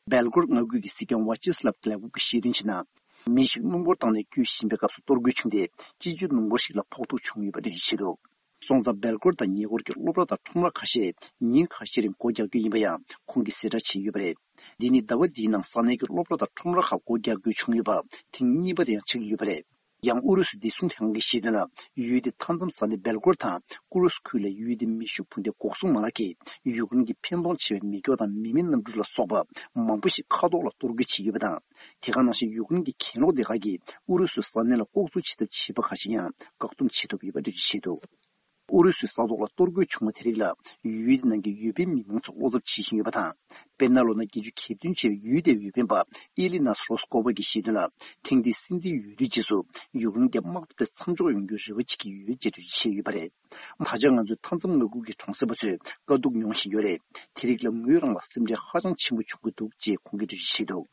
སྦེལ་ཀོ་རོཌ་མངའ་ཁུལ་གྱི་སྲིད་སྐྱོང་ཝ་ཅི་སི་ལབ་ཏི་ལ་ཀུབ་ཀྱིས་བཤད་དོན་བྱས་ན། མི་ཞིག་སྣུམ་འཁོར་བཏང་ནས་སྐྱོད་བཞིན་པའི་སྐབས་སུ་གཏོར་རྒོལ་བྱུང་སྟེ། སྤྱི་སྤྱོད་སྣུམ་འཁོར་ཞིག་ལ་ཕོག་ཐུག་བྱུང་ཡོད་པ་འགྲེལ་བརྗོད་བྱས་འདུག། སོང་ཙང་སྦེལ་ཀོ་རོཌ་དང་ཉེ་འཁོར་གྱི་སློབ་གྲྭ་དང་ཁྲོམ་ར་ཁ་ཤས་ཉིན་ཁ་ཤས་རིང་སྒོ་རྒྱག་རྒྱུ་ཡིན་པ་ཡང་ཁོང་གིས་གསལ་བསྒྲགས་བྱས་ཡོད་པ་རེད། འདི་ནི་ཟླ་བ་འདིའི་ནང་ས་གནས་ཀྱི་སློབ་གྲྭ་དང་ཁྲོམ་ར་ཁག་སྒོ་རྒྱག་རྒྱུ་བྱུང་ཡོད་པ་ཐེངས་གཉིས་པ་དེ་ཡང་ཆགས་ཀྱི་ཡོད་པ་རེད། ཡང་ཨུ་རུ་སུའི་བདེ་སྲུང་ལྷན་ཁང་གིས་བཤད་དོན་ལ། ཡུལ་དེའི་མཐའ་མཚམས་ས་གནས་སྦེལ་ཀོ་རོཌ་དང་ཀུ་རུ་སི་ཁུལ་ལ་ཡུལ་དེའི་མེ་ཤུགས་འཕུར་མདེལ་འགོག་སྲུང་མ་ལག་གིས་ཡུཀ་རེན་གྱི་འཕེན་གཏོང་ཆེ་བའི་མེ་སྒྱོགས་དང་མེ་མེ་གནམ་གྲུ་ལ་སོགས་པ་མང་པོ་ཞིག་མཁའ་ཐོག་ལ་གཏོར་རྒོལ་བྱས་ཡོད་པ་དང་། དེ་ག་ནང་བཞིན་ཡུཀ་རེན་གྱི་གྱེན་ལོག་སྡེ་ཁག་གིས་ཨུ་རུ་སུའི་ས་གནས་ལ་ལྐོག་འཛུལ་བྱེད་ཐབས་བྱས་པ་ཁག་ཅིག་ཡང་བཀག་སྡོམ་བྱེད་ཐུབ་ཡོད་པ་འགྲེལ་བརྗོད་བྱས་འདུག། ཨུ་རུ་སུའི་ས་ཐོག་ལ་གཏོར་རྒོལ་བྱུང་བ་དེ་རིགས་ལ་ཡུལ་དེ་ནང་གི་འོས་འཕེན་མི་མང་ཚོ་བློ་འཚབ་བྱེད་བཞིན་ཡོད་པ་དང་། དཔེར་ན་ལོ་ན་བརྒྱད་ཅུ་གྱ་བདུན་བྱས་པའི་ཡུལ་དེའི་འོས་འཕེན་པ་ཨི་ལི་ནཱས་རོ་སི་ཀོ་བྷ་གིས་བཤད་དོན་ལ། ཐེངས་འདིའི་སྲིད་འཛིན་འོས་བསྡུའི་རྗེས་སུ་ཡུཀ་རེན་གྱི་དམག་འཐབ་དེ་མཚམས་འཇོག་ཡོང་རྒྱུའི་རེ་བ་བྱེད་ཀྱི་ཡོད་ཅེས་འགྲེལ་བརྗོད་བྱས་ཡོད་པ་རེད། ད་ཆ་ང་ཚོའི་མཐའ་མཚམས་མངའ་ཁུལ་གྱི་གྲོང་གསེབ་པ་ཚོས་དཀའ་སྡུག་མྱོང་བཞིན་ཡོད་རེད། དེ་རིགས་ལ་ངོས་རང་ལ་སེམས་ཁྲལ་ཧ་ཅང་ཆེན་པོ་བྱུང་གི་འདུག་ཅེས་ཁོང་གིས་འགྲེལ་བརྗོད་བྱས་འདུག།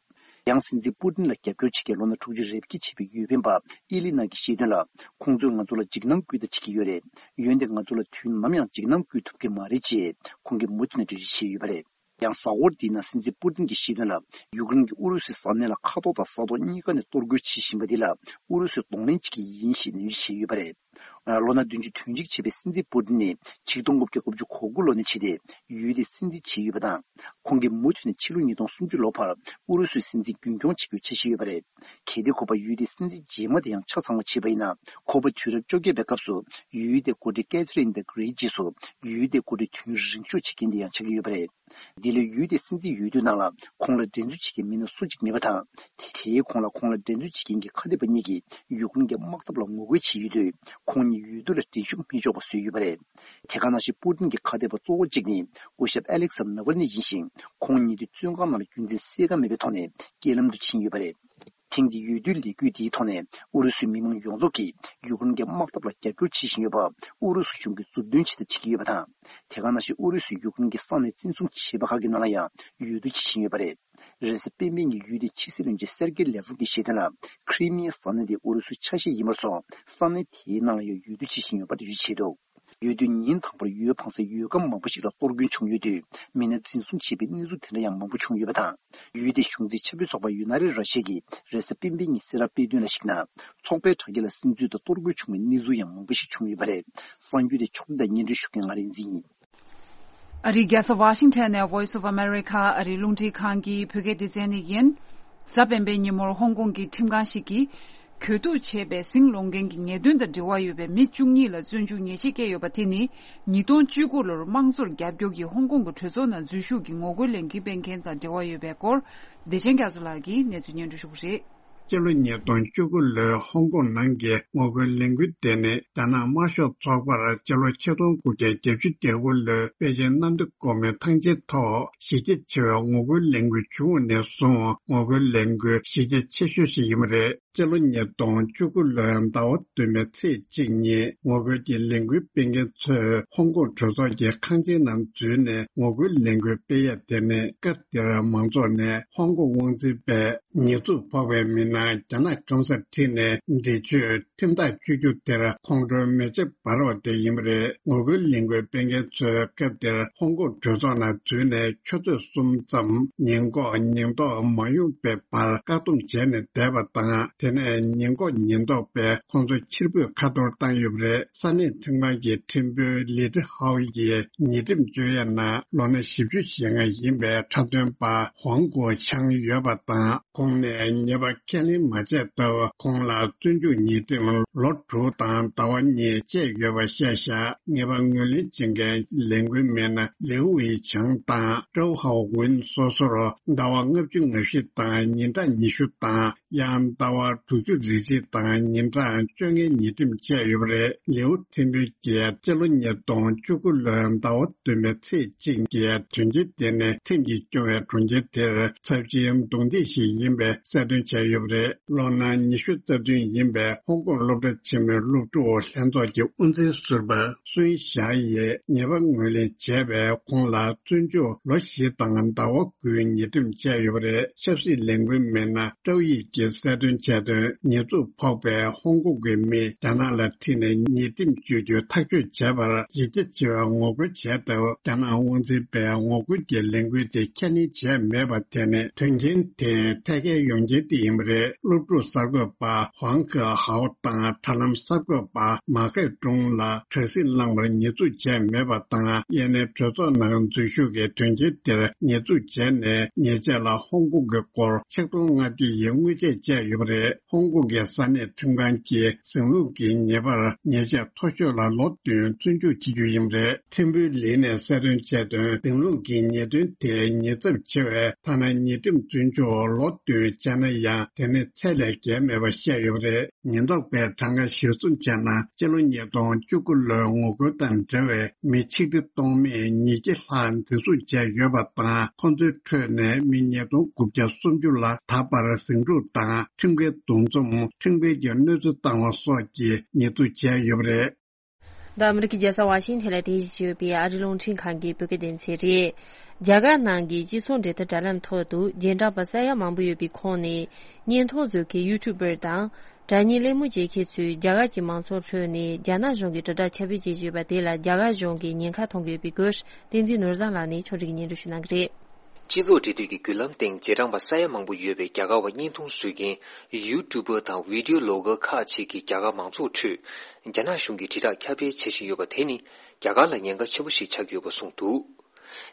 ཡང་སྲིད་འཛིན་པུ་ཏིན་ལ་རྒྱབ་སྐྱོར་བྱེད་མཁན་ལོ་ན་དྲུག་ཅུ་རེ་བརྒྱད་བྱས་པའི་འོས་འཕེན་པ་ཨི་ལི་ནཱ་གིས་བཤད་དོན་ལ། ཁོང་ཚོས་ང་ཚོ་ལ་འཇིགས་སྣང་སྐུལ་ཐབས་བྱེད་ཀྱི་ཡོད་རེད། འོན་ཏེ་ང་ཚོ་ལ་དུས་ནམ་ཡང་འཇིགས་སྣང་སྐུལ་ཐུབ་ཀྱི་མ་རེད་ཅེས་ཁོང་གིས་མུ་མཐུད་ནས་འགྲེལ་བརྗོད་བྱས་ཡོད་པ་རེད། ཡང་གཟའ་འཁོར་འདིའི་ནང་སྲིད་འཛིན་པུ་ཏིན་གྱིས་བཤད་དོན་ལ། ཡུཀ་རེན་གྱིས་ཨུ་རུ་སུའི་ས་གནས་ལ་མཁའ་ཐོག་དང་ས་ཐོག་གཉིས་ཀ་ནས་གཏོར་རྒོལ་བྱེད་བཞིན་པ་འདི་ལ་ཨུ་རུ་སུས་གདོང་ལེན་བྱེད་ཀྱི་ཡིན་ཞེས་ནན་བརྗོད་བྱས་ཡོད་པ་རེད། ལོ་ན་བདུན་ཅུ་དོན་གཅིག་བྱས་པའི་སྲིད་འཛིན་པུ་ཏིན་ནི་ཆིག་སྟོང་དགུ་བརྒྱ་དགུ་བཅུ་གོ་དགུ་ལོ་ནས་བྱས་ཏེ་ཡུལ་དེའི་སྲིད་འཛིན་བྱས་ཡོད་པ་དང་། ཁོང་གིས་མུ་མཐུད་ནས་ཕྱི་ལོ་ཉིས་སྟོང་སུམ་ཅུ་ལོ་བར་ཨུ་རུ་སུའི་སྲིད་འཛིན་རྒྱུན་སྐྱོང་བྱེད་རྒྱུའི་འཆར་གཞི་ཡོད་པ་རེད། གལ་ཏེ་ཁོ་པ་ཡུལ་དེའི་སྲིད་འཛིན་རྗེས་མ་དེ་ཡང་ཆ་ཚང་བ་བྱས་པ་ཡིན་ན། ཁོ་པ་དུས་རབས་བཅོ་བརྒྱད་པའི་སྐབས་སུ་ཡུལ་དེའི་འགོ་ཁྲིད་Catherine the Great རྗེས་སུ་ཡུལ་དེའི་འགོ་ཁྲིད་དུས་རིང་ཤོས་བྱེད་མཁན་དེ་ཡང་ཆགས་ཀྱི་ཡོད་པ་རེད། འདི་ལོའི་ཡུལ་དེའི་སྲིད་འཛིན་འོས་བསྡུའི་ནང་ལ་ཁོང་ལ་འགྲན་རྩོད་བྱེད་མཁན་མི་སྣ་སུ་གཅིག་མེད་པ་དང་། དེ་དེའི་གོང་ལ་ཁོང་ལ་འགྲན་རྩོད་བྱེད་མཁན་གྱི་ཁ་གཏད་པ་གཉིས་ཀྱིས་ཡུཀ་རེན་གྱི་དམག་འཐབ་ལ་ངོ་རྒོལ་བྱས་ཡོད་དུས། ཁོང་གཉིས་འོས་བསྡུ་ལ་འགྲན་ཞུགས་མི་ཆོག་པ་བཟོས་ཡོད་པ་རེད། དེ་ག་ནང་བཞིན་པུ་ཏིན་གྱི་ཁ་གཏད་པ་གཙོ་བོ་གཅིག་ནི་སྐུ་ཞབས་ཨ་ལེག་སར་ནཱ་ཝལ་ནི་ཡིན་ཞིང་། ཁོང་ཉིད་དུ་བཙོན་ཁང་ནང་ལ་རྒྱུ་མཚན་གསལ་ཁ་མེད་པའི་ཐོག་ནས་རྐྱེན་ལམ་དུ་ཕྱིན་ཡོད་པ་རེད། ཐེངས་འདིའི་འོས་བསྡུའི་ལས་འགུལ་འདིའི་ཐོག་ནས་ཨུ་རུ་སུའི་མི་མང་ཡོངས་རྫོགས་ཀྱིས་ཡུཀ་རེན་གྱི་དམག་འཐབ་ལ་རྒྱབ་སྐྱོར་བྱེད་བཞིན་ཡོད་པ་ཨུ་རུ་སུ་གཞུང་གིས་མཛུབ་སྟོན་བྱེད་ཐབས་བྱེད་ཀྱི་ཡོད་པ་དང་། དེ་ག་ནང་བཞིན་ཨུ་རུ་སུས་ཡུཀ་རེན་གྱི་ས་གནས་བཙན་བཟུང་བྱས་པ་ཁག་གི་ནང་ལ་ཡང་འོས་བསྡུ་བྱེད་བཞིན་ཡོད་པ་རེད། རེས་གཟའ་སྤེན་པའི་ཉིན་ཡུལ་དེའི་ཕྱི་སྲིད་བློན་ཆེན་སེར་གེ་ལེ་ཝོབ་ཀྱིས་བཤད་དོན་ལ། ཁི་རི་མི་ཡའི་ས་གནས་དེ་ཨུ་རུ་སུའི་ཆ་ཤས་ཡིན་པར་སོང་། ས་གནས་དེའི་ནང་ལ་ཡང་འོས་བསྡུ་བྱེད་བཞིན་ཡོད་པ་འགྲེལ་བརྗོད་བྱས་འདུག་འོས་བསྡུ་ཉིན་དང་པོར་ཡུལ་ཕངས་སའི་ཡུལ་ཁམས་མང་པོ་ཞིག་ལ་གཏོར་སྐྱོན་བྱུང་ཡོད་དུས། མི་སྣ་འཛིན་བཟུང་བྱས་པའི་གནས་ཚུལ་དེ་འདྲ་ཡང་མང་པོ་བྱུང་ཡོད་པ་དང་། ཡུལ་དེའི་གཞུང་འཛིན་ཆབ་སྲིད་ཚོགས་པ་ཡུ་ན་རི་ར་ཤི་ཡ་གིས་རེས་གཟའ་སྤེན་པའི་ཉིན་གསལ་བསྒྲགས་སྤེལ་དོན་ལ་གཞིགས་ན། ཚོགས་པའི་དྲ་རྒྱ་ལ་སིམ་འཛུལ་དང་གཏོར་རྒོལ་བྱུང་བའི་གནས་ཚུལ་ཡང་མང་པོ་ཞིག་བྱུང་ཡོད་པ་རེད། གསར་འགྱུར་དེ་ཕྱོགས་བསྒྲིགས་དང་སྙན་སྒྲོན་ཞུ་མཁན་ང་རིག་འཛིན་ཡིན། ཨ་རིའི་རྒྱལ་ས་ཝ་ཤིང་ཊོན་ནས་Voice of America ཨ་རིའི་རླུང་འཕྲིན་ཁང་གི་བོད་སྐད་སྡེ་ཚན་ནས་ཡིན། གཟའ་སྤེན་པའི་ཉིན་མོར་ཧོང་ཀོང་གི་ཁྲིམས་ཁང་ཞིག་གིས། གྱོད་གཏུག་བྱས་པའི་ཟིང་སློང་མཁན་གྱི་ཉེས་དོན་དང་འབྲེལ་བ་ཡོད་པའི་མི་བཅུ་གཉིས་ལ་བཙོན་འཇུག་ཉེས་ཆད་བཀལ་ཡོད་པ་དེ་ནི། ཉིས་སྟོང་བཅུ་དགུ་ལོར་དམངས་གཙོར་རྒྱབ་སྐྱོར་གྱིས་ཧོང་ཀོང་གི་གྲོས་ཚོགས་ནང་འཛུལ་ཞུགས་ཀྱིས་ངོ་རྒོལ་ལས་འགུལ་སྤེལ་མཁན་དང་འབྲེལ་བ་ཡོད་པའི་སྐོར། བདེ་ཆེན་རྒྱ་མཚོ་ལགས་ཀྱིས་གནས་ཚུལ་སྙན་སྒྲོན་ཞུ་གི་རེད། སྤྱི་ལོ་ཉིས་སྟོང་བཅུ་དགུ་ལོའི་ཧོང་ཀོང་ནང་གི་ངོ་རྒོལ་ལས་འགུལ་དེ་ནི། རྒྱ་ནག་དམར་ཤོག་ཚོགས་པར་སྤྱི་ལོ་ཆིག་སྟོང་དགུ་བརྒྱ་བརྒྱད་ཅུ་གྱ་དགུ་ལོའི་པེ་ཅིན་གནམ་བདེ་སྒོ་མོའི་ཐང་ཆེན་ཐོག་གཞི་རྒྱ་ཆེ་བའི་ངོ་རྒོལ་ལས་འགུལ་བྱུང་བ་ནས་བཟུང་ངོ་རྒོལ་ལས་འགུལ་གཞི་རྒྱ་ཆེ་ཤོས་ཤིག་ཡིན་པ་རེད། སྤྱི་ལོ་ཉིས་སྟོང་བཅུ་དགུ་ལོའི་ཟླ་བ་བདུན་པའི་ཚེས་གཅིག་ཉིན་ངོ་རྒོལ་གྱི་ལས་འགུལ་སྤེལ་མཁན་ཚོས་ཧོང་ཀོང་གྲོས་ཚོགས་ཀྱི་ཁང་ཆེན་ནང་འཛུལ་ནས་ངོ་རྒོལ་ལས་འགུལ་སྤེལ་ཡ་དེ་ནི། སྐབས་དེར་མང་ཚོགས་ནས་ཧོང་ཀོང་དབང་འཛིན་པས་ཉེས་འཛུགས་ཕོག་པའི་མི་སྣ་རྒྱ་ནག་སྐམ་སར་ཁྲིད་ནས་འདས་མཆོད་ཁྲིམས་ཐག་གཅོད་རྒྱུ་དེར་ཁོང་ཁྲོའི་མེ་ལྕེ་འབར་བ་དེ་ཡིན་པ་རེད། ངོ་རྒོལ་ལས་འགུལ་སྤེལ་མཁན་ཚོས་སྐབས་དེར་ཧོང་ཀོང་གྲོས་ཚོགས་ནང་འཛུལ་ནས་ཆུ་ཚོད་གསུམ་ཙམ་ཉིན་འགོག་ཉིན་ཐོག་མ་ཡོང་པའི་བར་བཀག་སྡོམ་བྱས་ནས་བསྡད་པ་དང་། དེ་ནས་ཉིན་འགོག་ཉིན་ཐོག་པས་ཁོང་ཚོ་ཕྱིར་འབུད་ཁ་ཐོར་བཏང་ཡོད་པ་རེད། ས་གནས་ཁྲིམས་ཁང་གི་ཁྲིམས་དཔོན་ལི་ཏི་ཧའོ་ཡིས་ཉེས་ཁྲིམས་གཅོད་ཡས་ནང་ལོ་ན་བཞི་བཅུ་ཞེ་ལྔ་ཡིན་པའི་འཁྲབ་སྟོན་པ་ཧོང་གོ་ཆང་ཡོད་པ་དང་། ཁོང་ནས་ཉེས་པ་ཁས་ལེན་མ་བྱས་སྟབས། ཁོང་ལ་བཙོན་འཇུག་ཉེས་ཁྲིམས་ལོ་དྲུག་དང་ཟླ་བ་གཉིས་བཅད་ཡོད་པ་བཤད་བཞག་ཉེས་པ་ངོས་ལེན་བྱེད་མཁན་ལས་འགུལ་མི་སྣ་ལིའུ་ཝེ་ཆང་དང་ཀྲོའུ་ཧའོ་ཝུན་སོ་སོར་ཟླ་བ་ལྔ་བཅུ་ང་བཞི་དང་ཉིན་གྲངས་ཉི་ཤུ་དང་། ཡང་ཟླ་བ་དྲུག་ཅུ་རེ་གཅིག་དང་ཉིན་གྲངས་བཅོ་ལྔའི་ཉེས་ཁྲིམས་བཅད་ཡོད་པ་རེད། ལིའུ་ཐིམ་ཕུའུ་གྱིས་སྤྱི་ལོ་ཉིས་སྟོང་བཅུ་དགུ་ལོའི་ཟླ་བ་བདུན་པའི་ཚེས་གཅིག་ཉིན་གྱི་དོན་རྐྱེན་དེ་ནི་ཁྲིམས་ཀྱིས་སྐྱོང་བའི་གྲོང་ཁྱེར་དེར་ཚབས་ཆེའི་རྡུང་རྡེག་ཞིག་ཡིན་པའི་གསལ་སྟོན་བྱས་ཡོད་པ་རེད། ལོ་ན་ཉི་ཤུ་རྩ་བདུན་ཡིན་པའི་ཧོང་ཀོང་སློབ་གྲྭ་ཆེན་མོའི་སློབ་ཕྲུག་ལྷན་ཚོགས་ཀྱི་དབུ་འཛིན་ཟུར་པ་སུན་ཞའེ་ཡིས་ཉེས་པ་ངོས་ལེན་བྱས་པས་ཁོང་ལ་བཙོན་འཇུག་ལོ་བཞི་དང་ཟླ་བ་དགུའི་ཉེས་ཁྲིམས་བཅད་ཡོད་པ་རེད། ཆབ་སྲིད་ལས་འགུལ་མི་སྣ་ཀྲའོ་ཡི་གིས་གསལ་སྟོན་བྱས་དོན། ཉེས་འཛུགས་ཕོག་པའི་ཧོང་ཀོང་གི་མི་རྒྱ་ནག་ལ་ཁྲིད་ནས་ཉེས་ཁྲིམས་གཅོད་རྒྱུ་ཐག་གཅོད་བྱས་པར་ཡིད་ཆེས་ཆེ་བའི་ངོ་རྒོལ་བྱས་སྟབས། རྒྱ་ནག་དབང་འཛིན་པས་ངོ་རྒོལ་གྱི་ལས་འགུལ་དེ་ཁས་ལེན་བྱས་མེད་པ་དེ་ནི་དོན་རྐྱེན་དེ་ཐད་ཀའི་ཡོང་རྐྱེན་དེ་ཡིན་པ་རེད། སློབ་ཕྲུག་གསར་འགོད་པ་ཧུང་ཁེ་ཧའོ་དང་དྲ་ལམ་གསར་འགོད་པ་མ་ཁེ་ཀྲུང་ལ་དྲ་སྲིད་བླངས་པར་ཉེས་འཛུགས་བྱས་མེད་པ་དང་། ཡེ་ནས་གྲོས་ཚོགས་ནང་འཛུལ་ཞུགས་ཀྱི་དོན་རྐྱེན་དེར་ཉེས་འཛུགས་བྱས་ནས་ཉེས་ཆད་ལ་ཧོང་ཀོང་གི་སྒོར་ཆིག་སྟོང་ལྔ་བརྒྱ་ཡི་དངུལ་ཆད་བཅད་ཡོད་པ་རེད། ཧོང་ཀོང་གི་ས་གནས་ཁྲིམས་ཁང་གིས་ཟིང་ལུགས་ཀྱི་ཉེས་པར་ཉེས་ཆད་མཐོ་ཤོས་ལ་ལོ་བདུན་བཙོན་འཇུག་བྱེད་རྒྱུ་ཡིན་པ་རེད། ཐིམ་ཕུའུ་ལི་ནས་གསལ་སྟོན་བྱས་དོན། ཟིང་ལུགས་ཀྱི་ཉེས་དོན་དེ་ཉེས་ཚབས་ཆེ་བས། ཐ་ན་ཉེས་ཁྲིམས་བཙོན་འཇུག་ལོ་བདུན་བཅད་ན་ཡང་དེ་ནི་ཚད་ལས་བརྒལ་མེད་པ་བཤད་ཡོད་པ་རེད། ཉེན་རྟོག་པས་གྲངས་ཀ་གཞིར་བཟུང་བྱས་ན། སྤྱི་ལོ་ཉིས་སྟོང་བཅུ་དགུ་ལོའི་ངོ་རྒོལ་དང་འབྲེལ་བའི་མི་ཆིག་ཁྲི་སྟོང་མེད་ཉིས་བརྒྱ་ལྷག་འཛིན་བཟུང་བྱས་ཡོད་པ་དང་། ཁོ་ཚོའི་ཁྲོད་ནས་མི་ཉིས་སྟོང་དགུ་བརྒྱ་སུམ་ཅུ་ལ་ད་བར་ཟིང་འཁྲུག་དང་ཁྲིམས་འགལ་འདུ་འཛོམས། ཁྲིམས་འགལ་གྱི་གནོད་འཚེ་བཏང་བ་སོགས་ཀྱི་ཉེས་འཛུགས་བྱས་ཡོད་པ་རེད། འདི་ཨ་མི་རི་ཀའི་རྒྱལ་ས་ཝ་ཤིང་ཐན་ལ་རྟེན་གཞི་བྱས་ཡོད་པའི་ཨ་རིའི་རླུང་འཕྲིན་ཁང་གི་བོད་སྐད་སྡེ་ཚན་རེད། རྒྱ་གར་ནང་གི་སྤྱི་ཚོགས་འབྲེལ་མཐུད་དྲ་ལམ་ཐོག་ཏུ་རྗེས་འབྲང་པ་ས་ཡ་མང་པོ་ཡོད་པའི་ཁོངས་ནས་བརྙན་ཐུང་བཟོ་མཁན་ཡུ་ཊུབ་པར་དང་། སྒྲ་བརྙན་གླེང་མོལ་བྱེད་མཁན་ཚོས་རྒྱ་གར་གྱི་མང་ཚོགས་ཁྲོད་ནས་རྒྱ་ནག་གཞུང་གི་དྲིལ་བསྒྲགས་ཁྱབ་སྤེལ་བྱེད་ཀྱི་ཡོད་པ་དེ་ལ་རྒྱ་གར་གཞུང་གིས་ཉེན་ཁ་མཐོང་གི་ཡོད་པའི་སྐོར་བསྟན་འཛིན་ནོར་བཟང་ལགས་ནས་ཕྱོགས་སྒྲིག་གིས་སྙན་སྒྲོན་ཞུ་གནང་གི་རེད། སྤྱི་ཚོགས་འབྲེལ་མཐུད་ཀྱི་བརྒྱུད་ལམ་སྟེང་རྗེས་འབྲང་པ་ས་ཡ་མང་པོ་ཡོད་པའི་རྒྱ་གར་བ་བརྙན་ཐུང་བཟོ་མཁན་ཡུ་ཊུབ་པར་དང་བི་ཌིའོ་བི་ལོག་གར་ཁག་ཅིག་གིས་རྒྱ་གར་མང་ཚོགས་ཁྲོད་རྒྱ་ནག་གཞུང་གི་དྲིལ་བསྒྲགས་ཁྱབ་སྤེལ་བྱེད་བཞིན་ཡོད་པ་དེ་ནི་རྒྱ་གར་ལ་ཉེན་ཁ་ཆེན་པོ་ཞིག་ཆགས་ཀྱི་ཡོད་པ་གསུངས་འདུག་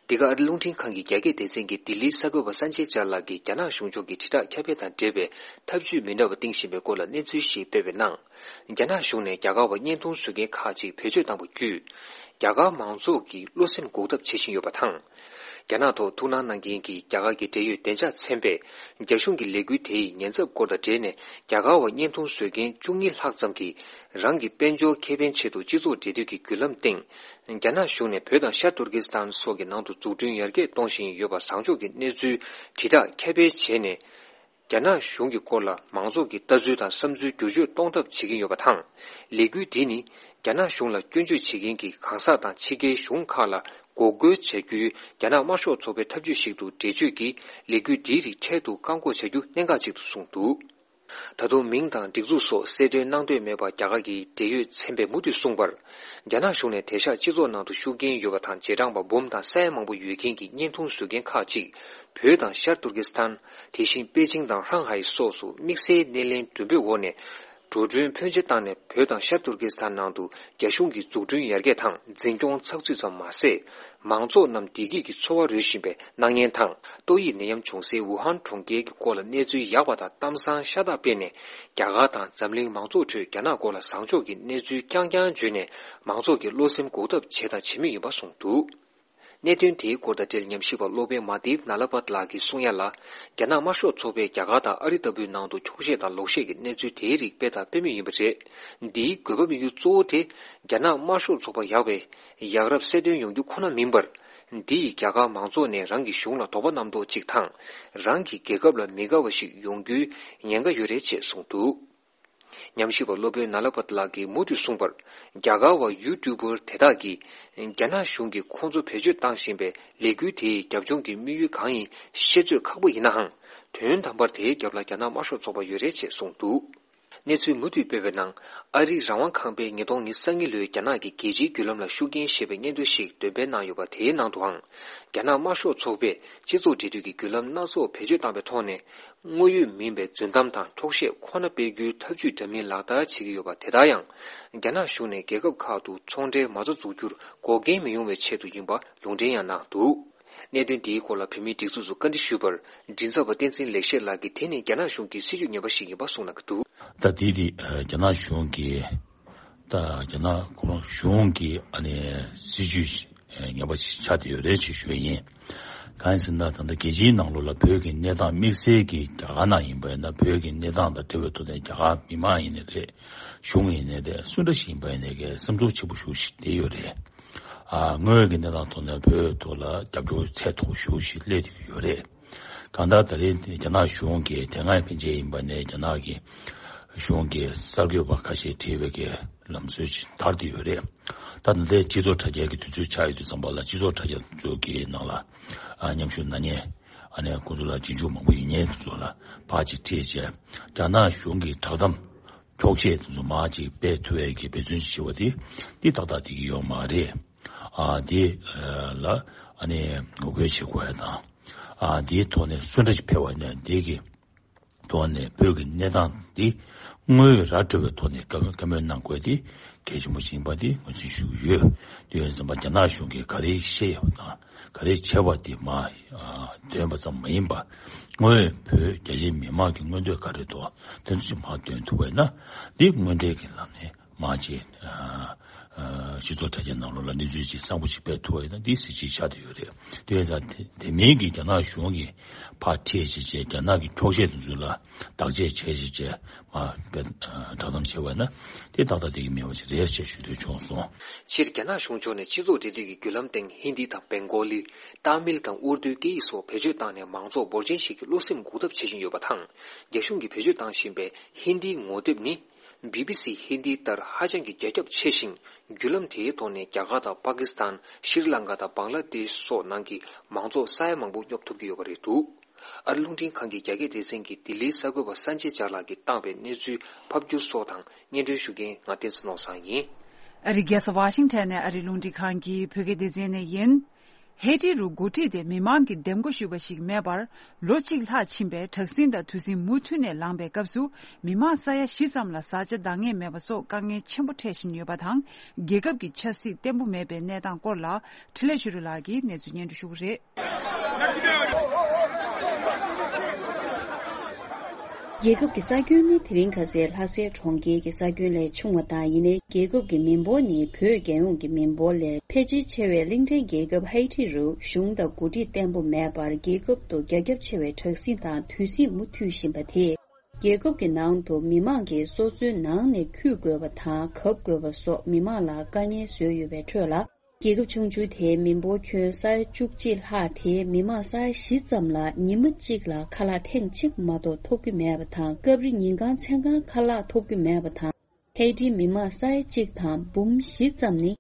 འདི་ག་ཨ་རིའི་རླུང་འཕྲིན་ཁང་གི་རྒྱ་སྐད་སྡེ་ཚན་གྱིས་ལྡི་ལིའི་གསར་འགོད་པ་སན་ཇེ་ཅཱ་ལགས་ཀྱིས་རྒྱ་ནག་གཞུང་ཕྱོགས་ཀྱི་དྲིལ་བསྒྲགས་ཁྱབ་སྤེལ་དང་འབྲེལ་བའི་ཐབས་ཇུས་མི་འདྲ་བ་བཏིང་བཞིན་པའི་སྐོར་ལ་གནས་ཚུལ་ཞིག་སྤེལ་བའི་ནང་། རྒྱ་ནག་གཞུང་ནས་རྒྱ་གར་བ་བརྙན་ཐུང་བཟོ་མཁན་ཁག་ཅིག་བེད་སྤྱོད་བཏང་བ་བརྒྱུད། རྒྱ་གར་མང་ཚོགས་ཀྱི་བློ་སེམས་འགུག་ཐབས་བྱེད་བཞིན་ཡོད་པ་དང་། རྒྱ་ནག་ཐོག་ཐུགས་སྣང་གནང་མཁན་གྱི་རྒྱ་གར་གྱི་འབྲེལ་ཡོད་བདེ་འཇགས་ཚན་པས་རྒྱ་གཞུང་གི་ལས་འགུལ་དེ་ཡི་ཉེན་ཚབས་སྐོར་དང་འབྲེལ་ནས། རྒྱ་གར་བ་བརྙན་ཐུང་བཟོ་མཁན་བཅུ་གཉིས་ལྷག་ཙམ་གྱིས་རང་གི་དཔལ་འབྱོར་ཁེ་ཕན་ཆེད་དུ་སྤྱི་ཚོགས་འབྲེལ་མཐུད་ཀྱི་བརྒྱུད་ལམ་སྟེང་། རྒྱ་ནག་གཞུང་ནས་བོད་དང་ཤར་ཏུར་ཀི་སི་ཐན་སོགས་ཀྱི་ནང་དུ་འཛུགས་སྐྲུན་ཡར་རྒྱས་གཏོང་བཞིན་ཡོད་པ་བཟང་ཕྱོགས་ཀྱི་གནས་ཚུལ་དྲིལ་བསྒྲགས་ཁྱབ་སྤེལ་བྱས་ནས། རྒྱ་ནག་གཞུང་གི་སྐོར་ལ་མང་ཚོགས་ཀྱི་ལྟ་ཚུལ་དང་བསམ་ཚུལ་བསྒྱུར་བཅོས་གཏོང་ཐབས་བྱེད་ཀྱིན་ཡོད་པ་དང་། ལས་འགུལ་འདི་ནི་རྒྱ་ནག་གཞུང་ལ་སྐྱོན་བརྗོད་བྱེད་མཁན་གྱི་གང་ཟག་དང་ཕྱི་རྒྱལ་གཞུང་ཁག་ལ། འགོག་རྒོལ་བྱ་རྒྱུའི་རྒྱ་ནག་དམར་ཤོག་ཚོགས་པའི་ཐབས་ཇུས་ཤིག་ཏུ་འགྲེལ་བརྗོད་ཀྱིས་ལས་འགུལ་འདིའི་རིགས་འཕྲལ་དུ་བཀག་འགོག་བྱ་རྒྱུ་གནད་འགག་ཅིག་ཏུ་གསུངས་འདུག། ད་དུང་མིང་དང་སྒྲིག་འཛུགས་སོགས་གསལ་སྟོན་གནང་འདོད་མེད་པར་རྒྱ་གར་གྱི་འབྲེལ་ཡོད་ཚན་པས་མུ་མཐུད་གསུངས་པར། རྒྱ་ནག་གཞུང་ནས་དེང་སང་སྤྱི་ཚོགས་ནང་དུ་ཤུགས་རྐྱེན་ཡོད་པ་དང་རྗེས་འབྲང་པ་འབུམ་དང་ས་ཡ་མང་པོ་ཡོད་མཁན་གྱི་བརྙན་ཐུང་བཟོ་མཁན་ཁག་ཅིག་བོད་དང་ཤར་ཏུར་ཀི་སི་ཐན། དེ་བཞིན་པེ་ཅིང་དང་ཧྲང་ཧའེ་སོགས་སུ་དམིགས་བསལ་སྣེ་ལེན་མགྲོན་འབོད་འོག་ནས། འགྲོ་གྲོན་ཕོན་ཆེ་བཏང་ནས་བོད་དང་ཤར་ཏུར་ཀི་སི་ཐན་ནང་དུ་རྒྱ་གཞུང་གི་འཛུགས་སྐྲུན་ཡར་རྒྱས་དང་འཛིན་སྐྱོང་ཚགས་ཚུད་ཙམ་མ་ཟད། མང་ཚོགས་རྣམས་བདེ་སྐྱིད་ཀྱི་འཚོ་བ་རོལ་བཞིན་པའི་སྣང་བརྙན་དང་ཏོག་དབྱིབས་ནད་ཡམས་བྱུང་སའི་ཝུ་ཧན་གྲོང་ཁྱེར་གྱི་སྐོར་ལ་གནས་ཚུལ་ཡག་པ་དང་གཏམ་བཟང་ཤ་སྟག་སྤེལ་ནས། རྒྱ་གར་དང་འཛམ་གླིང་མང་ཚོགས་ཁྲོད་རྒྱ་ནག་སྐོར་ལ་བཟང་ཕྱོགས་ཀྱི་གནས་ཚུལ་རྐྱང་རྐྱང་བརྗོད་ནས་མང་ཚོགས་ཀྱི་བློ་སེམས་འགུག་ཐབས་བྱས་དང་བྱེད་མུས་ཡིན་པ་གསུངས་འདུག། གནད་དོན་དེའི་སྐོར་དང་འབྲེལ་ཉམས་ཞིབ་པ་སློབ་དཔོན་མ་དིབ་ན་ལ་པད་ལགས་ཀྱིས་གསུང་ཡ་ལ། རྒྱ་ནག་དམར་ཤོག་ཚོགས་པས་རྒྱ་གར་དང་ཨ་རི་ལྟ་བུའི་ནང་དུ་འཁྱོག་བཤད་དང་ལོག་བཤད་ཀྱི་གནས་ཚུལ་དེའི་རིགས་སྤེལ་དང་སྤེལ་མུས་ཡིན་པ་རེད། འདིའི་དགོས་པ་དམིགས་ཡུལ་གཙོ་བོ་དེ་རྒྱ་ནག་དམར་ཤོག་ཚོགས་པ་ཡག་པའི་ཡག་རབས་གསལ་སྟོན་ཡོང་རྒྱུ་ཁོ་ན་མིན་པར། འདི་ཡིས་རྒྱ་གར་མང་ཚོགས་ནས་རང་གི་གཞུང་ལ་དོགས་པ་རྣམ་རྟོག་ཅིག་དང་། རང་གི་རྒྱལ་ཁབ་ལ་མི་དགའ་བ་ཞིག་ཡོང་རྒྱུའི་ཉེན་ཁ་ཡོད་རེད་ཅེས་གསུངས་འདུག། ཉམས་ཞིབ་པ་སློབ་དཔོན་ན་ལ་པད་ལགས་ཀྱིས་མུ་མཐུད་གསུངས་པར། རྒྱ་གར་བ་ཡུ་ཊུ་པར་དེ་དག་གིས་རྒྱ་ནག་གཞུང་གིས་ཁོང་ཚོ་བེད་སྤྱོད་བཏང་བཞིན་པའི་ལས་འགུལ་དེའི་རྒྱབ་ལྗོངས་ཀྱི་དམིགས་ཡུལ་གང་ཡིན་ཤེས་ཚོད་ཁག་པོ་ཡིན་ནའང་། དོན་དམ་པར་དེའི་རྒྱབ་ལ་རྒྱ་ནག་དམར་ཤོག་ཚོགས་པ་ཡོད་རེད་ཅེས་གསུངས་འདུག། གནས་ཚུལ་མུ་མཐུད་སྤེལ་བའི་ནང་། ཨ་རིའི་རང་དབང་ཁང་པས་ཉིས་སྟོང་ཉེར་གཉིས་ལོའི་རྒྱ་ནག་གི་རྒྱལ་སྤྱིའི་བརྒྱུད་ལམ་ལ་ཤུགས་རྐྱེན་ཞེས་པའི་སྙན་ཐོ་ཞིག་འདོན་སྤེལ་གནང་ཡོད་པ་དེའི་ནང་དུའང་། རྒྱ་ནག་དམར་ཤོག་ཚོགས་པས་སྤྱི་ཚོགས་འབྲེལ་མཐུད་ཀྱི་བརྒྱུད་ལམ་སྣ་ཚོགས་བེད་སྤྱོད་བཏང་པའི་ཐོག་ནས། དངོས་ཡོད་མིན་པའི་རྫུན་གཏམ་དང་འཁྱོག་བཤད་ཁོ་ན་སྤེལ་རྒྱུའི་ཐབས་ཇུས་འདྲ་མིན་ལག་བསྟར་བྱེད་ཀྱི་ཡོད་པ་དེ་དག་ཡང་། རྒྱ་ནག་གཞུང་ནས་རྒྱལ་ཁབ་ཁག་ཏུ་ཚོང་འབྲེལ་མ་རྩ་འཛུགས་རྒྱུར་འགོག་རྐྱེན་མི་ཡོང་བའི་ཆེད་དུ་ཡིན་པ་ལུང་འདྲེན་ཡང་གནང་འདུག། གནད་དོན་འདིའི་སྐོར་ལ་བོད་མིའི་སྒྲིག་འཛུགས་སུ་བཀའ་འདྲི་ཞུས་པར། མགྲིན་ཚབ་པ་བསྟན་འཛིན་ལེགས་བཤད་ལགས་ཀྱིས་དེ་ནི་རྒྱ་ནག་གཞུང་གི་སྲིད་ཇུས་ངན་པ་ཞིག་ཡིན་པ་གསུངས་གནང་གི་འདུག། ད་དེ་དེ་རྒྱ་ནག་གཞུང་གིས་ད་རྒྱ་ནག་གཞུང་གི་ཨ་ནི་སྲིད་ཇུས་ངན་པ་ཞིག་ཆགས་བསྡད་ཡོད་རེད་ཅེས་ཞུ་ཡ་ཡིན། གང་ཡིན་ཟེར་ན། ད་ལྟ་རྒྱལ་སྤྱིའི་ནང་ལོགས་ལ་བོད་ཀྱི་གནས་སྟངས་དམིགས་བསལ་གྱིས་རྒྱ་གར་ནང་ཡིན་པ་ཡིན་ན། བོད་ཀྱི་གནས་སྟངས་དང་འབྲེལ་བའི་ཐོག་ནས་རྒྱ་གར་མི་མང་ཡིན་ནའི་རེད། གཞུང་ཡིན་ནའི་རེད། སུ་འདྲ་ཞིག་ཡིན་པ་ཡིན་ནའི་གི་སེམས་ཚོར་ཆེན་པོ་ཞེ་པོ་ཞིག་བསྡད་ཡོད་རེད། ཨ། དངོས་ཡོད་ཀྱི་གནས་སྟངས་ཐོག་ནས་བོད་ཐོག་ལ་རྒྱབ་སྐྱོར་ཚད་མཐོ་པོ་ཞེ་པོ་ཞིག་སླེབས་བསྡད་ཀྱི་ཡོད་རེད། གང་ལྟར་ད་རེས་རྒྱ་ནག་གཞུང་གིས་དེ་སྔའི་ཕན་ཆད་ཡིན་པ་ནས་རྒྱ་ནག་གི་གཞུང་གི་གསར་འགོད་པ་ཁ་ཤས་ཁྲིད་པའི་གི་ལམ་སྲོལ་ཞིག་དར་བསྡད་ཡོད་རེད། ད་ད་ལྟའི་སྤྱི་ཚོགས་དྲ་རྒྱའི་གི་དུས་ཚོད་ཆགས་ཡོད་དུས་ཙམ་པ་ལ། སྤྱི་ཚོགས་དྲ་རྒྱ་ཚོ་གི་ནང་ལ། ཨ། མཉམ་ཞུགས་གནང་མཁན། ཨ་ནི་ཁོང་ཚོ་ལ་རྗེས་འཇུག་མང་པོ་ཡོད་མཁན་ཚོ་ལ་ཕར་ཅིག་ཁྲིད་བྱས། རྒྱ་ནག་གཞུང་གི་བསྒྲགས་གཏམ་འཁྱོག་བཤད་དེ་ཚོ་མར་ཅིག་སྤེལ་ཐུབ་ཡས་ཀྱི་འབད་བརྩོན་ཅིག་བྱེད་པ་དེ། འདི་ཏག་ཏག་བསྡད་ཀྱི་ཡོད་མ་རེད། ཨ། འདི་ལ་ཨ་ནི་ངོ་རྒོལ་བྱེད་དགོས་ཡ་དང་། ཨ། འདིའི་ཐོག་ནས་སུ་འདྲ་ཞིག་ཕེབས་པ་ཡིན་ན། འདི་གི་ཐོག་ནས་བོད་ཀྱི་གནས་སྟངས་འདི་དངོས་ཡོད་ར་འཕྲོད་པའི་ཐོག་ནས་བཀའ་བཀའ་མོལ་གནང་དགོས་དེ་གལ་ཆེན་པོ་ཞིག་ཡིན་པ་དེ་ངོས་འཛིན་ཞུ་གི་ཡོད། དེ་ཡིན་ཙམ་པ་རྒྱ་ནག་གཞུང་གིས་ག་རེ་བཤད་ཡོད་པ་དང་། ག་རེ་བྱས་པ་དེ་མར། ཨ། འདོན་པ་ཙམ་མ་ཡིན་པར། དངོས་ཡོད་བོད་རྒྱ་ཆེའི་མི་མང་གི་མངོན་འདོད་ག་རེ་འདུག། དེ་ཚོ་ཞིག་མར་འདོན་ཐུབ་པ་ཡིན་ན། འདི་དངོས་འབྲེལ་གྱི་ལམ་ནས་མར་ཅིག། ཨ། ཨ། སྤྱི་ཚོགས་དྲ་རྒྱའི་ནང་ལོགས་ལ་གནས་ཚུལ་ཅིག་གསར་པ་ཞིག་སྤེལ་ཐུབ་པ་ཡིན་ན། འདི་གཟི་བརྗིད་ཆགས་བསྡད་ཡོད་རེད། དེ་ཡིན་ཙང་དེ་དེ་མིན་གྱི་རྒྱ་ནག་གཞུང་གིས་ཕར་ཁྲིད་བྱས་བྱས། རྒྱ་ནག་གི་འཁྱོག་བཤད་དེ་ཚོ་ལ་བདག་གཅེས་བྱས་བྱས་བྱས། མར་དཔེ། ཨ། བསྒྲགས་གཏམ་བྱས་པ་ན་དེ་ཏག་ཏག་བསྡད་ཀྱི་མེད་པ་ཞིག་རེད་ཅེས་ཞུ་འདོད་བྱུང་སོང་། སྤྱིར་རྒྱ་ནག་གཞུང་ཕྱོགས་ནས་སྤྱི་ཚོགས་འབྲེལ་མཐུད་ཀྱི་བརྒྱུད་ལམ་སྟེང་ཧིན་དི་དང་བེང་གོ་ལི། ཏཱ་མིལ་དང་ཨུར་དུའི་སྐད་ཡིག་སོགས་བེད་སྤྱོད་བཏང་ནས་མང་ཚོགས་འབོར་ཆེན་ཞིག་གི་བློ་སེམས་འགུག་ཐབས་བྱེད་བཞིན་ཡོད་པ་དང་། རྒྱ་གཞུང་གིས་བེད་སྤྱོད་བཏང་བཞིན་པའི་ཧིན་དིའི་ངོ་དེབ་ནི། བི་བི་སི་ཧིན་དིའི་ལྟར་ཧ་ཅང་གི་རྒྱ་ཁྱབ་ཆེ་ཞིང་། བརྒྱུད་ལམ་དེའི་ཐོག་ནས་རྒྱ་གར་དང་པ་ཀི་སི་ཐན། ཤྲི་ལང་ཀ་དང་བང་ལ་དེཤ་སོགས་ནང་གི་མང་ཚོགས་ས་ཡ་མང་པོ་སྙོབ་ཐུབ་ཀྱི་ཡོད་པ་རེད་འདུག། ཨ་རི་རླུང་འཕྲིན་ཁང་གི་རྒྱ་སྐད་སྡེ་ཚན་གྱི་ལྡི་ལིའི་གསར་འགོད་པ་སན་ཅེ་ཇར་ལགས་ཀྱིས་བཏང་བའི་གནས་ཚུལ་ཕབ་སྒྱུར་སོགས་དང་སྙན་སྒྲོན་ཞུ་མཁན་ང་བསྟན་འཛིན་ནོར་བཟང་ཡིན། ཨ་རིའི་རྒྱལ་ས་ཝ་ཤིང་ཊོན་ནས་ཨ་རིའི་རླུང་འཕྲིན་ཁང་གི་བོད་སྐད་སྡེ་ཚན་ནས་ཡིན། ཧེ་ཊི་རུ་འགོ་ཁྲིད་དེ་མི་མང་གིས་འདེམས་བསྐོ་ཞུས་པ་ཞིག་མེད་པར་ལོ་གཅིག་ལྷག་ཕྱིན་པའི་དྲག་ཟིང་དང་དུས་ཟིང་མུ་མཐུད་ནས་ལངས་པའི་སྐབས་སུ། མི་མང་ས་ཡ་བཞི་ཙམ་ལ་བཟའ་བཅའ་འདང་ངེས་མེད་པ་སོགས་དཀའ་ངལ་ཆེན་པོ་འཕྲད་བཞིན་ཡོད་པ་དང་། རྒྱལ་ཁབ་ཀྱི་ཆབ་སྲིད་བརྟན་པོ་མེད་པའི་གནས་སྟངས་སྐོར་ལ་འཕྲིན་ལས་ཆོས་སྒྲོན་ལགས་ཀྱིས་གནས་ཚུལ་སྙན་སྒྲོན་ཞུ་གི་རེད། རྒྱལ་ཁབ་ཀྱི་ས་ཁྱོན་ནི་དེ་རིང་ཁ་སའི་ལྷ་སའི་གྲོང་ཁྱེར་གྱི་ས་ཁྱོན་ལས་ཆུང་བ་དང་། ཡིན་ནའི་རྒྱལ་ཁབ་ཀྱི་མི་འབོར་ནི་བོད་རྒྱལ་ཡོངས་ཀྱི་མི་འབོར་ལས་ཕལ་ཆེར་ཆེ་བའི་གླིང་ཕྲན་རྒྱལ་ཁབ་ཧེ་ཊི་རུ་གཞུང་དང་འགོ་ཁྲིད་བརྟན་པོ་མེད་པར། རྒྱལ་ཁབ་ཏུ་རྒྱ་ཁྱབ་ཆེ་བའི་དྲག་ཟིང་དང་དུས་ཟིང་མུ་མཐུད་བཞིན་པ་དེས། རྒྱལ་ཁབ་ཀྱི་ནང་དུ་མི་མང་གིས་སོ་སོའི་ནང་ནས་འཁྱུད་དགོས་པ་དང་གབ་དགོས་པ་སོགས་མི་མང་ལ་དཀའ་ངལ་བཟོས་ཡོད་པའི་ཁྲོད་ལ། རྒྱལ་ཁབ་ཆུང་ཆུང་དེའི་མི་འབོར་ཁྱོན་ས་ཡ་བཅུ་གཅིག་ལྷག་དེའི་མི་མང་ས་ཡ་བཞི་ཙམ་ལ་ཉི་མ་གཅིག་ལ་ཁ་ལག་ཐེངས་གཅིག་མ་གཏོགས་ཐོབ་ཀྱི་མེད་པ་དང་། སྐབས་རེ་ཉིན་གང་མཚན་གང་ཁ་ལག་ཐོབ་ཀྱི་མེད་པ་དང་། ཧེ་ཊིའི་མི་མང་ས་ཡ་གཅིག་དང་འབུམ་བཞི་ཙམ་ནི།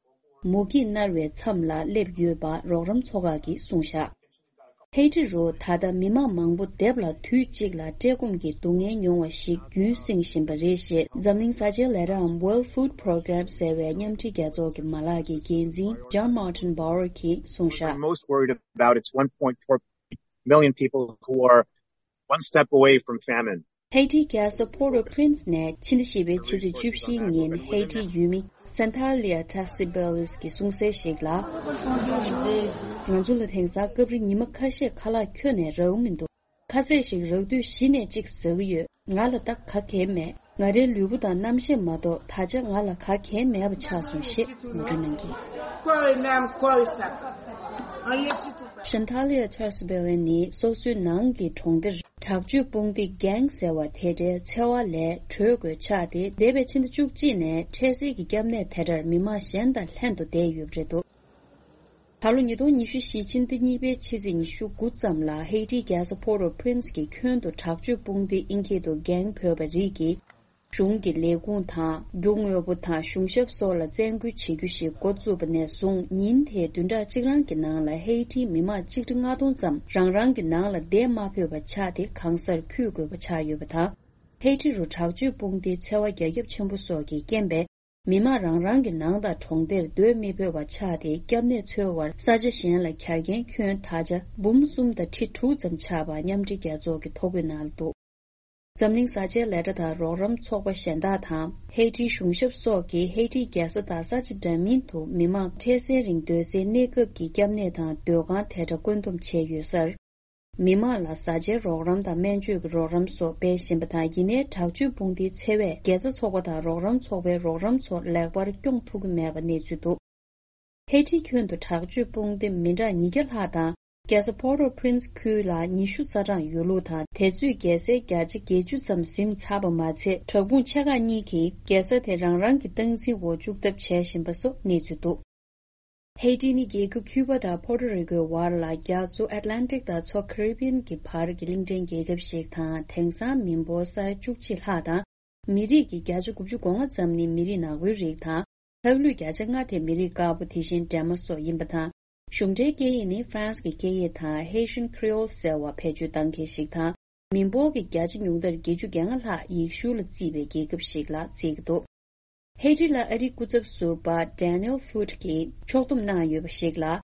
མུ་གེས་མནར་བའི་མཚམས་ལ་སླེབས་ཡོད་པ་རོགས་རམ་ཚོགས་ཁག་གིས་གསུངས་བཞག་ཧེ་ཊི་རུ་ད་ལྟ་མི་མང་མང་པོ་སྡེབ་ལ་དུས་གཅིག་ལ་བཀྲེས་སྐོམ་གྱི་སྡུག་བསྔལ་མྱོང་བ་ཞིག་རྒྱུན་བསྲིངས་བཞིན་པ་རེད་ཞེས་འཛམ་གླིང་ས་ཆའི་ལས་རིགས་འམ་World Food Program ཟེར་བའི་མཉམ་འབྲེལ་རྒྱལ་ཚོགས་ཀྱི་མ་ལག་གི་འགན་འཛིན་John Martin Bauer གྱིས་གསུངས་བཞག Most worried about it's one point four million people who are one step away from famine. ཧེ་ཊིའི་རྒྱལ་ས་Port-au-Prince ནས་ཕྱི་ཟླ་བཞི་པའི་ཕྱི་ཚེས་བཅུ་བཞིའི་ཉིན་ཧེ་ཊིའི་ཡུལ་མི་Santalia Tassibelis གྱིས་གསུངས་གསལ་ཞིག་ལ། ང་ཚོ་ལ་དེང་སང་སྐབས་རེ་ཉི་མ་ཁ་ཤས་ཁ་ལག་ཁྱོན་ནས་རག་གི་མི་འདུག་ཁ་ཟས་ཤིག་རག་དུས་གཞི་ནས་གཅིག་ཟ་གི་ཡོད། ང་ལ་ད་ག་གེ་མེད། ང་རའི་ལུས་པོ་དང་རྣམ་ཤེས་མ་གཏོགས་ད་ཆ་ང་ལ་ག་གེ་མེད་པ་ཆགས་སོང་ཞེས་ངོ་སྤྲོད་གནང་གིས། Santalia Tassibelis ནི་སོ་སོའི་ནང་གི་གྲོང་སྡེར་དྲག་སྤྱོད་དཔུང་སྡེ་gang ཟེར་བ་དེ་འདྲའི་འཚེ་བ་ལས་གྲོལ་དགོས་ཆགས་ཏེ། འདས་པའི་ཕྱི་ཟླ་བཅུ་གཅིག་ནས་འཕྲལ་སེལ་གྱི་སྐྱབས་གནས་དེ་འདྲར་མི་མང་གཞན་དང་ལྷན་དུ་བསྡད་ཡོད་པ་རེད་འདུག་ད་ལོ་ཉིས་སྟོང་ཉི་ཤུ་བཞི་ཕྱི་ཟླ་གཉིས་པའི་ཕྱི་ཚེས་ཉི་ཤུ་དགུ་ཙམ་ལ་ཧེ་ཊིའི་རྒྱལ་ས་Port-au-Prince གྱི་ཁྱོན་དུ་དྲག་སྤྱོད་དཔུང་སྡེ་ཨིན་སྐད་དུ་gang བོས་པ་རིགས་ཀྱིས། གཞུང་གི་ལས་ཁུངས་དང་རྒྱུ་དངོས་པོ་དང་གཞུང་ཞབས་སོགས་ལ་བཙན་སྐུལ་བྱེད་རྒྱུ་ཞིག་འགོ་བཙུགས་པ་ནས་བཟུང་ཉིན་དེའི་བདུན་ཕྲག་གཅིག་རང་གི་ནང་ལ་ཧེ་ཊིའི་མི་མང་ཆིག་ཁྲི་ལྔ་སྟོང་ཙམ་རང་རང་གི་ནང་ལ་བསྡད་མ་ཕོད་པ་ཆགས་ཏེ་གང་སར་འཁྱུད་དགོས་པ་ཆགས་ཡོད་པ་དང་། ཧེ་ཊི་རུ་དྲག་སྤྱོད་དཔུང་སྡེའི་འཚེ་བ་རྒྱ་ཁྱབ་ཆེན་པོ་སོགས་ཀྱི་རྐྱེན་པས། མི་མང་རང་རང་གི་ནང་དང་གྲོང་སྡེར་སྡོད་མི་ཕོད་པ་ཆགས་ཏེ། སྐྱབས་གནས་འཚོལ་བར་ས་ཆ་གཞན་ལ་གྱར་མཁན་ཁྱོན་ད་ཆ་འབུམ་གསུམ་དང་ཁྲི་དྲུག་ཙམ་ཆགས་པ་མཉམ་འབྲེལ་རྒྱལ་ཚོགས་ཀྱི་ཐོ་འགོད་ནང་ལ་འདུག་འཛམ་གླིང་བཟའ་བཅའི་ལས་གྲྭ་དང་རོགས་རམ་ཚོགས་པ་གཞན་དག་དང་། ཧེ་ཊིའི་གཞུང་ཞབས་སོགས་ཀྱིས་ཧེ་ཊིའི་རྒྱལ་ས་དང་ས་ཆ་འདྲ་མིན་དུ་མི་མང་འཕྲལ་སེལ་རིང་སྡོད་སའི་གནས་སྐབས་ཀྱི་སྐྱབས་གནས་དང་སྡོད་ཁང་དེ་འདྲ་བཀོད་འདོམས་བྱས་ཡོད་སར། མི་མང་ལ་བཟའ་བཅའི་རོགས་རམ་དང་སྨན་བཅོས་ཀྱི་རོགས་རམ་སོགས་སྤེལ་བཞིན་པ་དང་། ཡིན་ནའི་དྲག་སྤྱོད་དཔུང་སྡེའི་འཚེ་བས་དགེ་རྩ་ཚོགས་པ་དང་རོགས་རམ་ཚོགས་པའི་རོགས་རམ་ཚོ་ལེགས་པར་སྐྱོང་ཐུབ་ཀྱི་མེད་པ་གནས་ཚུལ་འདུག་ཧེ་ཊི་ཁྱོན་དུ་དྲག་སྤྱོད་དཔུང་སྡེ་མི་གྲངས་ཉིས་བརྒྱ་ལྷག་དང་། རྒྱལ་ས་Port-au-Prince ཁུལ་ལ་ཉི་ཤུ་རྩ་གྲངས་ཡོད་ལུགས་དང་། དེ་ཚོས་རྒྱལ་སའི་བརྒྱ་ཆ་བརྒྱད་ཅུ་ཙམ་ཟིན་ཚར་བ་མ་ཚད། དྲག་དཔུང་ཆེ་ཁག་གཉིས་ཀྱིས་རྒྱལ་ས་དེ་རང་རང་གི་སྟངས་འཛིན་འོག་བཅུག་ཐབས་བྱས་བཞིན་པ་སོགས་གནས་ཚུལ་འདུག་ཧེ་ཊི་ནི་རྒྱལ་ཁབ་ཁྱུ་པ་དང་ཕོ་ཊོ་རི་ཀོའི་བར་ལ་རྒྱ་མཚོ་ཨེཊ་ལན་ཊིག་དང་མཚོ་ཁེ་རི་བི་ཡན་གྱི་བར་གྱི་གླིང་ཕྲན་རྒྱལ་ཁབ་ཞིག་དང་། དེང་སང་མི་འབོར་ས་ཡ་བཅུ་གཅིག་ལྷག་དང་། མི་རིགས་ཀྱི་བརྒྱ་ཆ་དགུ་བཅུ་གོ་ལྔ་ཙམ་ནི་མི་རིགས་ནག་པོའི་རིགས་དང་། ལྷག་ལུས་བརྒྱ་ཆ་ལྔ་དེ་མི་རིགས་དཀར་པོ། དེ་བཞིན་འདྲེས་མ་སོགས་ཡིན་པ་དང་། གཞུང་འབྲེལ་སྐད་ཡིག་ནི་ཧྥ་རན་སི་གི་སྐད་ཡིག་དང་། Haitian Creole ཟེར་བ་བེད་སྤྱོད་གཏང་མཁན་ཞིག་དང་། མི་འབོར་གྱི་བརྒྱ་ཆ་ཉུང་མཐར་བརྒྱད་ཅུ་གྱ་ལྔ་ལྷག་ཡེ་ཤུ་ལ་བརྩིས་པའི་རྒྱལ་ཁབ་ཞིག་ལ་བརྩི་གི་འདུག་ཧེ་ཊི་ལ་ཨ་རིའི་སྐུ་ཚབ་ཟུར་པ་Daniel Foote གྱིས་ཕྱོགས་བསྡོམས་གནང་ཡོད་པ་ཞིག་ལ།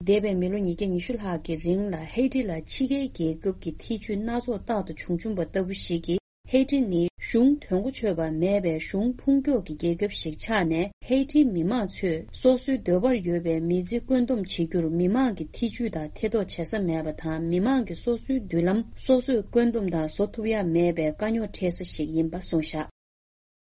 འདས་པའི་མི་ལོ་ཉིས་བརྒྱ་ཉི་ཤུ་ལྷག་གི་རིང་ལ་ཧེ་ཊི་ལ་ཕྱི་རྒྱལ་རྒྱལ་ཁབ་ཀྱི་ཐེ་ཇུས་སྣ་ཚོགས་རྟག་ཏུ་བྱུང་བྱུང་པ་ལྟ་བུ་ཞིག་གིས། ཧེ་ཊི་ནི་གཞུང་དོན་གོ་ཆོད་པ་མེད་པའི་གཞུང་ཕུང་ཀྱོག་གི་རྒྱལ་ཁབ་ཞིག་ཆགས་ནས། ཧེ་ཊིའི་མི་མང་ཚོས་སོ་སོའི་འདོད་པར་ཡོད་པའི་མི་ཚེ་བཀོད་འདོམས་བྱེད་རྒྱུར་མི་མང་གི་ཐེ་ཇུས་དང་ཐེ་གཏོགས་བྱེད་ས་མེད་པ་དང་། མི་མང་གི་སོ་སོའི་མདུན་ལམ་སོ་སོས་བཀོད་འདོམས་དང་བཟོ་ཐུབ་ཡ་མེད་པའི་དཀའ་རྙོག་འཕྲད་ས་ཞིག་ཡིན་པ་གསུངས་བཞག་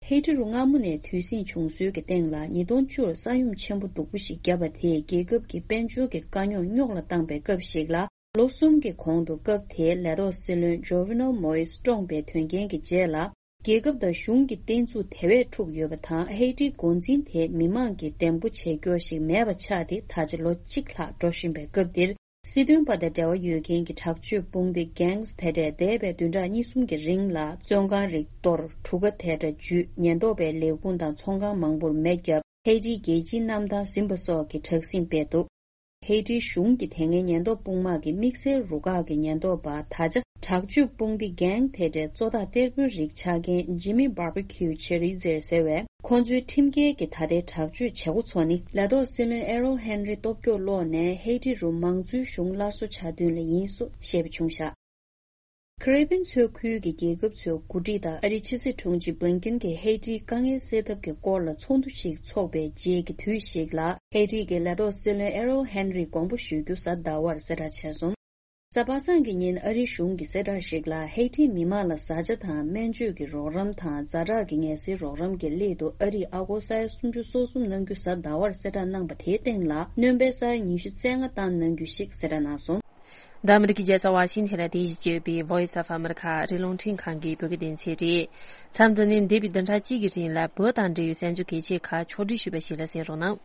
ཧེ་ཊི་རུ་སྔ་མོ་ནས་དུས་ཟིང་བྱུང་སྲོལ་གྱི་སྟེང་ལ། ཉིས་སྟོང་བཅུར་ས་ཡོམ་ཆེན་པོ་སྡུག་པོ་ཞིག་བརྒྱབ་པ་དེས་རྒྱལ་ཁབ་ཀྱི་དཔལ་འབྱོར་གྱི་དཀའ་རྙོག་རྙོག་ལ་བཏང་པའི་སྐབས་ཤིག་ལ། ལོ་གསུམ་གྱི་གོང་དུ་སྐབས་དེའི་ལས་ཐོག་སྲིད་བློན་Jovenel Moïse བཀྲོངས་པའི་དོན་རྐྱེན་གྱི་རྗེས་ལ། རྒྱལ་ཁབ་དང་གཞུང་གི་བསྟན་ཚུགས་དེ་བས་འཁྲུགས་ཡོད་པ་དང་། ཧེ་ཊིའི་འགོ་འཛིན་དེ་མི་མང་གིས་འདེམས་བསྐོ་བྱེད་མཁན་ཞིག་མེད་པ་ཆགས་ཏེ། ད་ཆ་ལོ་གཅིག་ལྷག་འགྲོ་བཞིན་པའི་སྐབས་འདིར། སྲིད་དོན་པ་དང་འབྲེལ་བ་ཡོད་མཁན་གྱི་དྲག་སྤྱོད་དཔུང་སྡེ་gangs དེ་འདྲས་འདས་པའི་བདུན་ཕྲག་གཉིས་གསུམ་གྱི་རིང་ལ། བཙོན་ཁང་རིགས་གཏོར། གྲུ་ཁ་དེ་འདྲ་འཇུས། ཉེན་རྟོག་པས་ལས་ཁུངས་དང་ཚོང་ཁང་མང་པོར་མེ་བརྒྱབ། ཧེ་ཊིའི་རྒྱལ་སྤྱིའི་གནམ་ཐང་ཟིན་པ་སོགས་ཀྱི་དྲག་ཟིང་སྤེལ་འདུག་ཧེ་ཊིའི་གཞུང་གི་དེ་སྔའི་ཉེན་རྟོག་དཔུང་དམག་གི་དམིགས་བསལ་རུ་ཁག་གི་ཉེན་རྟོག་པ། ད་ཆ་དྲག་སྤྱོད་དཔུང་སྡེ་gang དེ་འདྲའི་གཙོ་བདག་གཏེར་དཔོན་རིགས་ཆགས་མཁན་Jimmy Barbecue Chérizier ཟེར་བས། ཁོ་ཚོའི་ཁྲིམས་འགལ་གྱི་ད་ལྟའི་དྲག་སྤྱོད་བྱེད་སྒོ་ཚོ་ནི། ལས་ཐོག་སྲིད་བློན་Ariel Henry སྟོབས་སྐྱོ་ལོག་ནས་ཧེ་ཊི་རུ་མང་གཙོའི་གཞུང་སླར་གསོ་བྱ་དོན་ལ་ཡིན་སོགས་བཤད་པ་བྱུང་བཞག་ཁེ་རི་བྷི་ཡན་མཚོ་ཁུལ་གྱི་རྒྱལ་ཁབ་ཚོའི་འགོ་ཁྲིད་དང་ཨ་རིའི་ཕྱི་སྲིད་དྲུང་ཆེ་Blinken གྱིས་ཧེ་ཊིའི་དཀའ་ངལ་སེལ་ཐབས་ཀྱི་སྐོར་ལ་ཚོགས་འདུ་ཞིག་འཚོགས་པའི་རྗེས་ཀྱི་དུས་ཤིག་ལ། ཧེ་ཊི་གི་ལས་ཐོག་སྲིད་བློན་Ariel Henry དགོངས་པ་ཞུ་རྒྱུ་གཟའ་ཟླ་བར་གསལ་བསྒྲགས་བྱས་སོང་། གཟའ་པ་སངས་ཀྱི་ཉིན་ཨ་རིའི་གཞུང་གི་གསལ་བསྒྲགས་ཤིག་ལ། ཧེ་ཊིའི་མི་མང་ལ་བཟའ་བཅའ་དང་སྨན་བཅོས་ཀྱི་རོགས་རམ་དང་ཛ་དྲག་གི་ངལ་སེལ་རོགས་རམ་གྱི་སླད་དུ་ཨ་རིས་ཨ་སྒོར་ས་ཡ་སུམ་ཅུ་སོ་གསུམ་གནང་རྒྱུ་གཟའ་ཟླ་བར་གསལ་བསྒྲགས་གནང་པ་དེའི་སྟེང་ལ། སྣོན་པའི་ས་ཡ་ཉི་ཤུ་རྩ་ལྔ་བཏང་གནང་རྒྱུ་ཞིག་གསལ་བསྒྲགས་གནང་སོང་། འདི་ཨ་མི་རི་ཀའི་རྒྱལ་ས་ཝ་ཤིང་ཐན་ལ་རྟེན་གཞི་བྱས་ཡོད་པའི་Voice of America ཨ་རིའི་རླུང་འཕྲིན་ཁང་གི་བོད་སྐད་སྡེ་ཚན་རེད། མཚམས་འདི་ནས་འདས་པའི་བདུན་ཕྲག་གཅིག་གི་རིང་ལ་བོད་དང་འབྲེལ་བའི་གསར་འགྱུར་གལ་ཆེ་ཁག་ཕྱོགས་བསྒྲིགས་ཞུས་པ་ཞིག་ལ་གསན་རོགས་གནང་།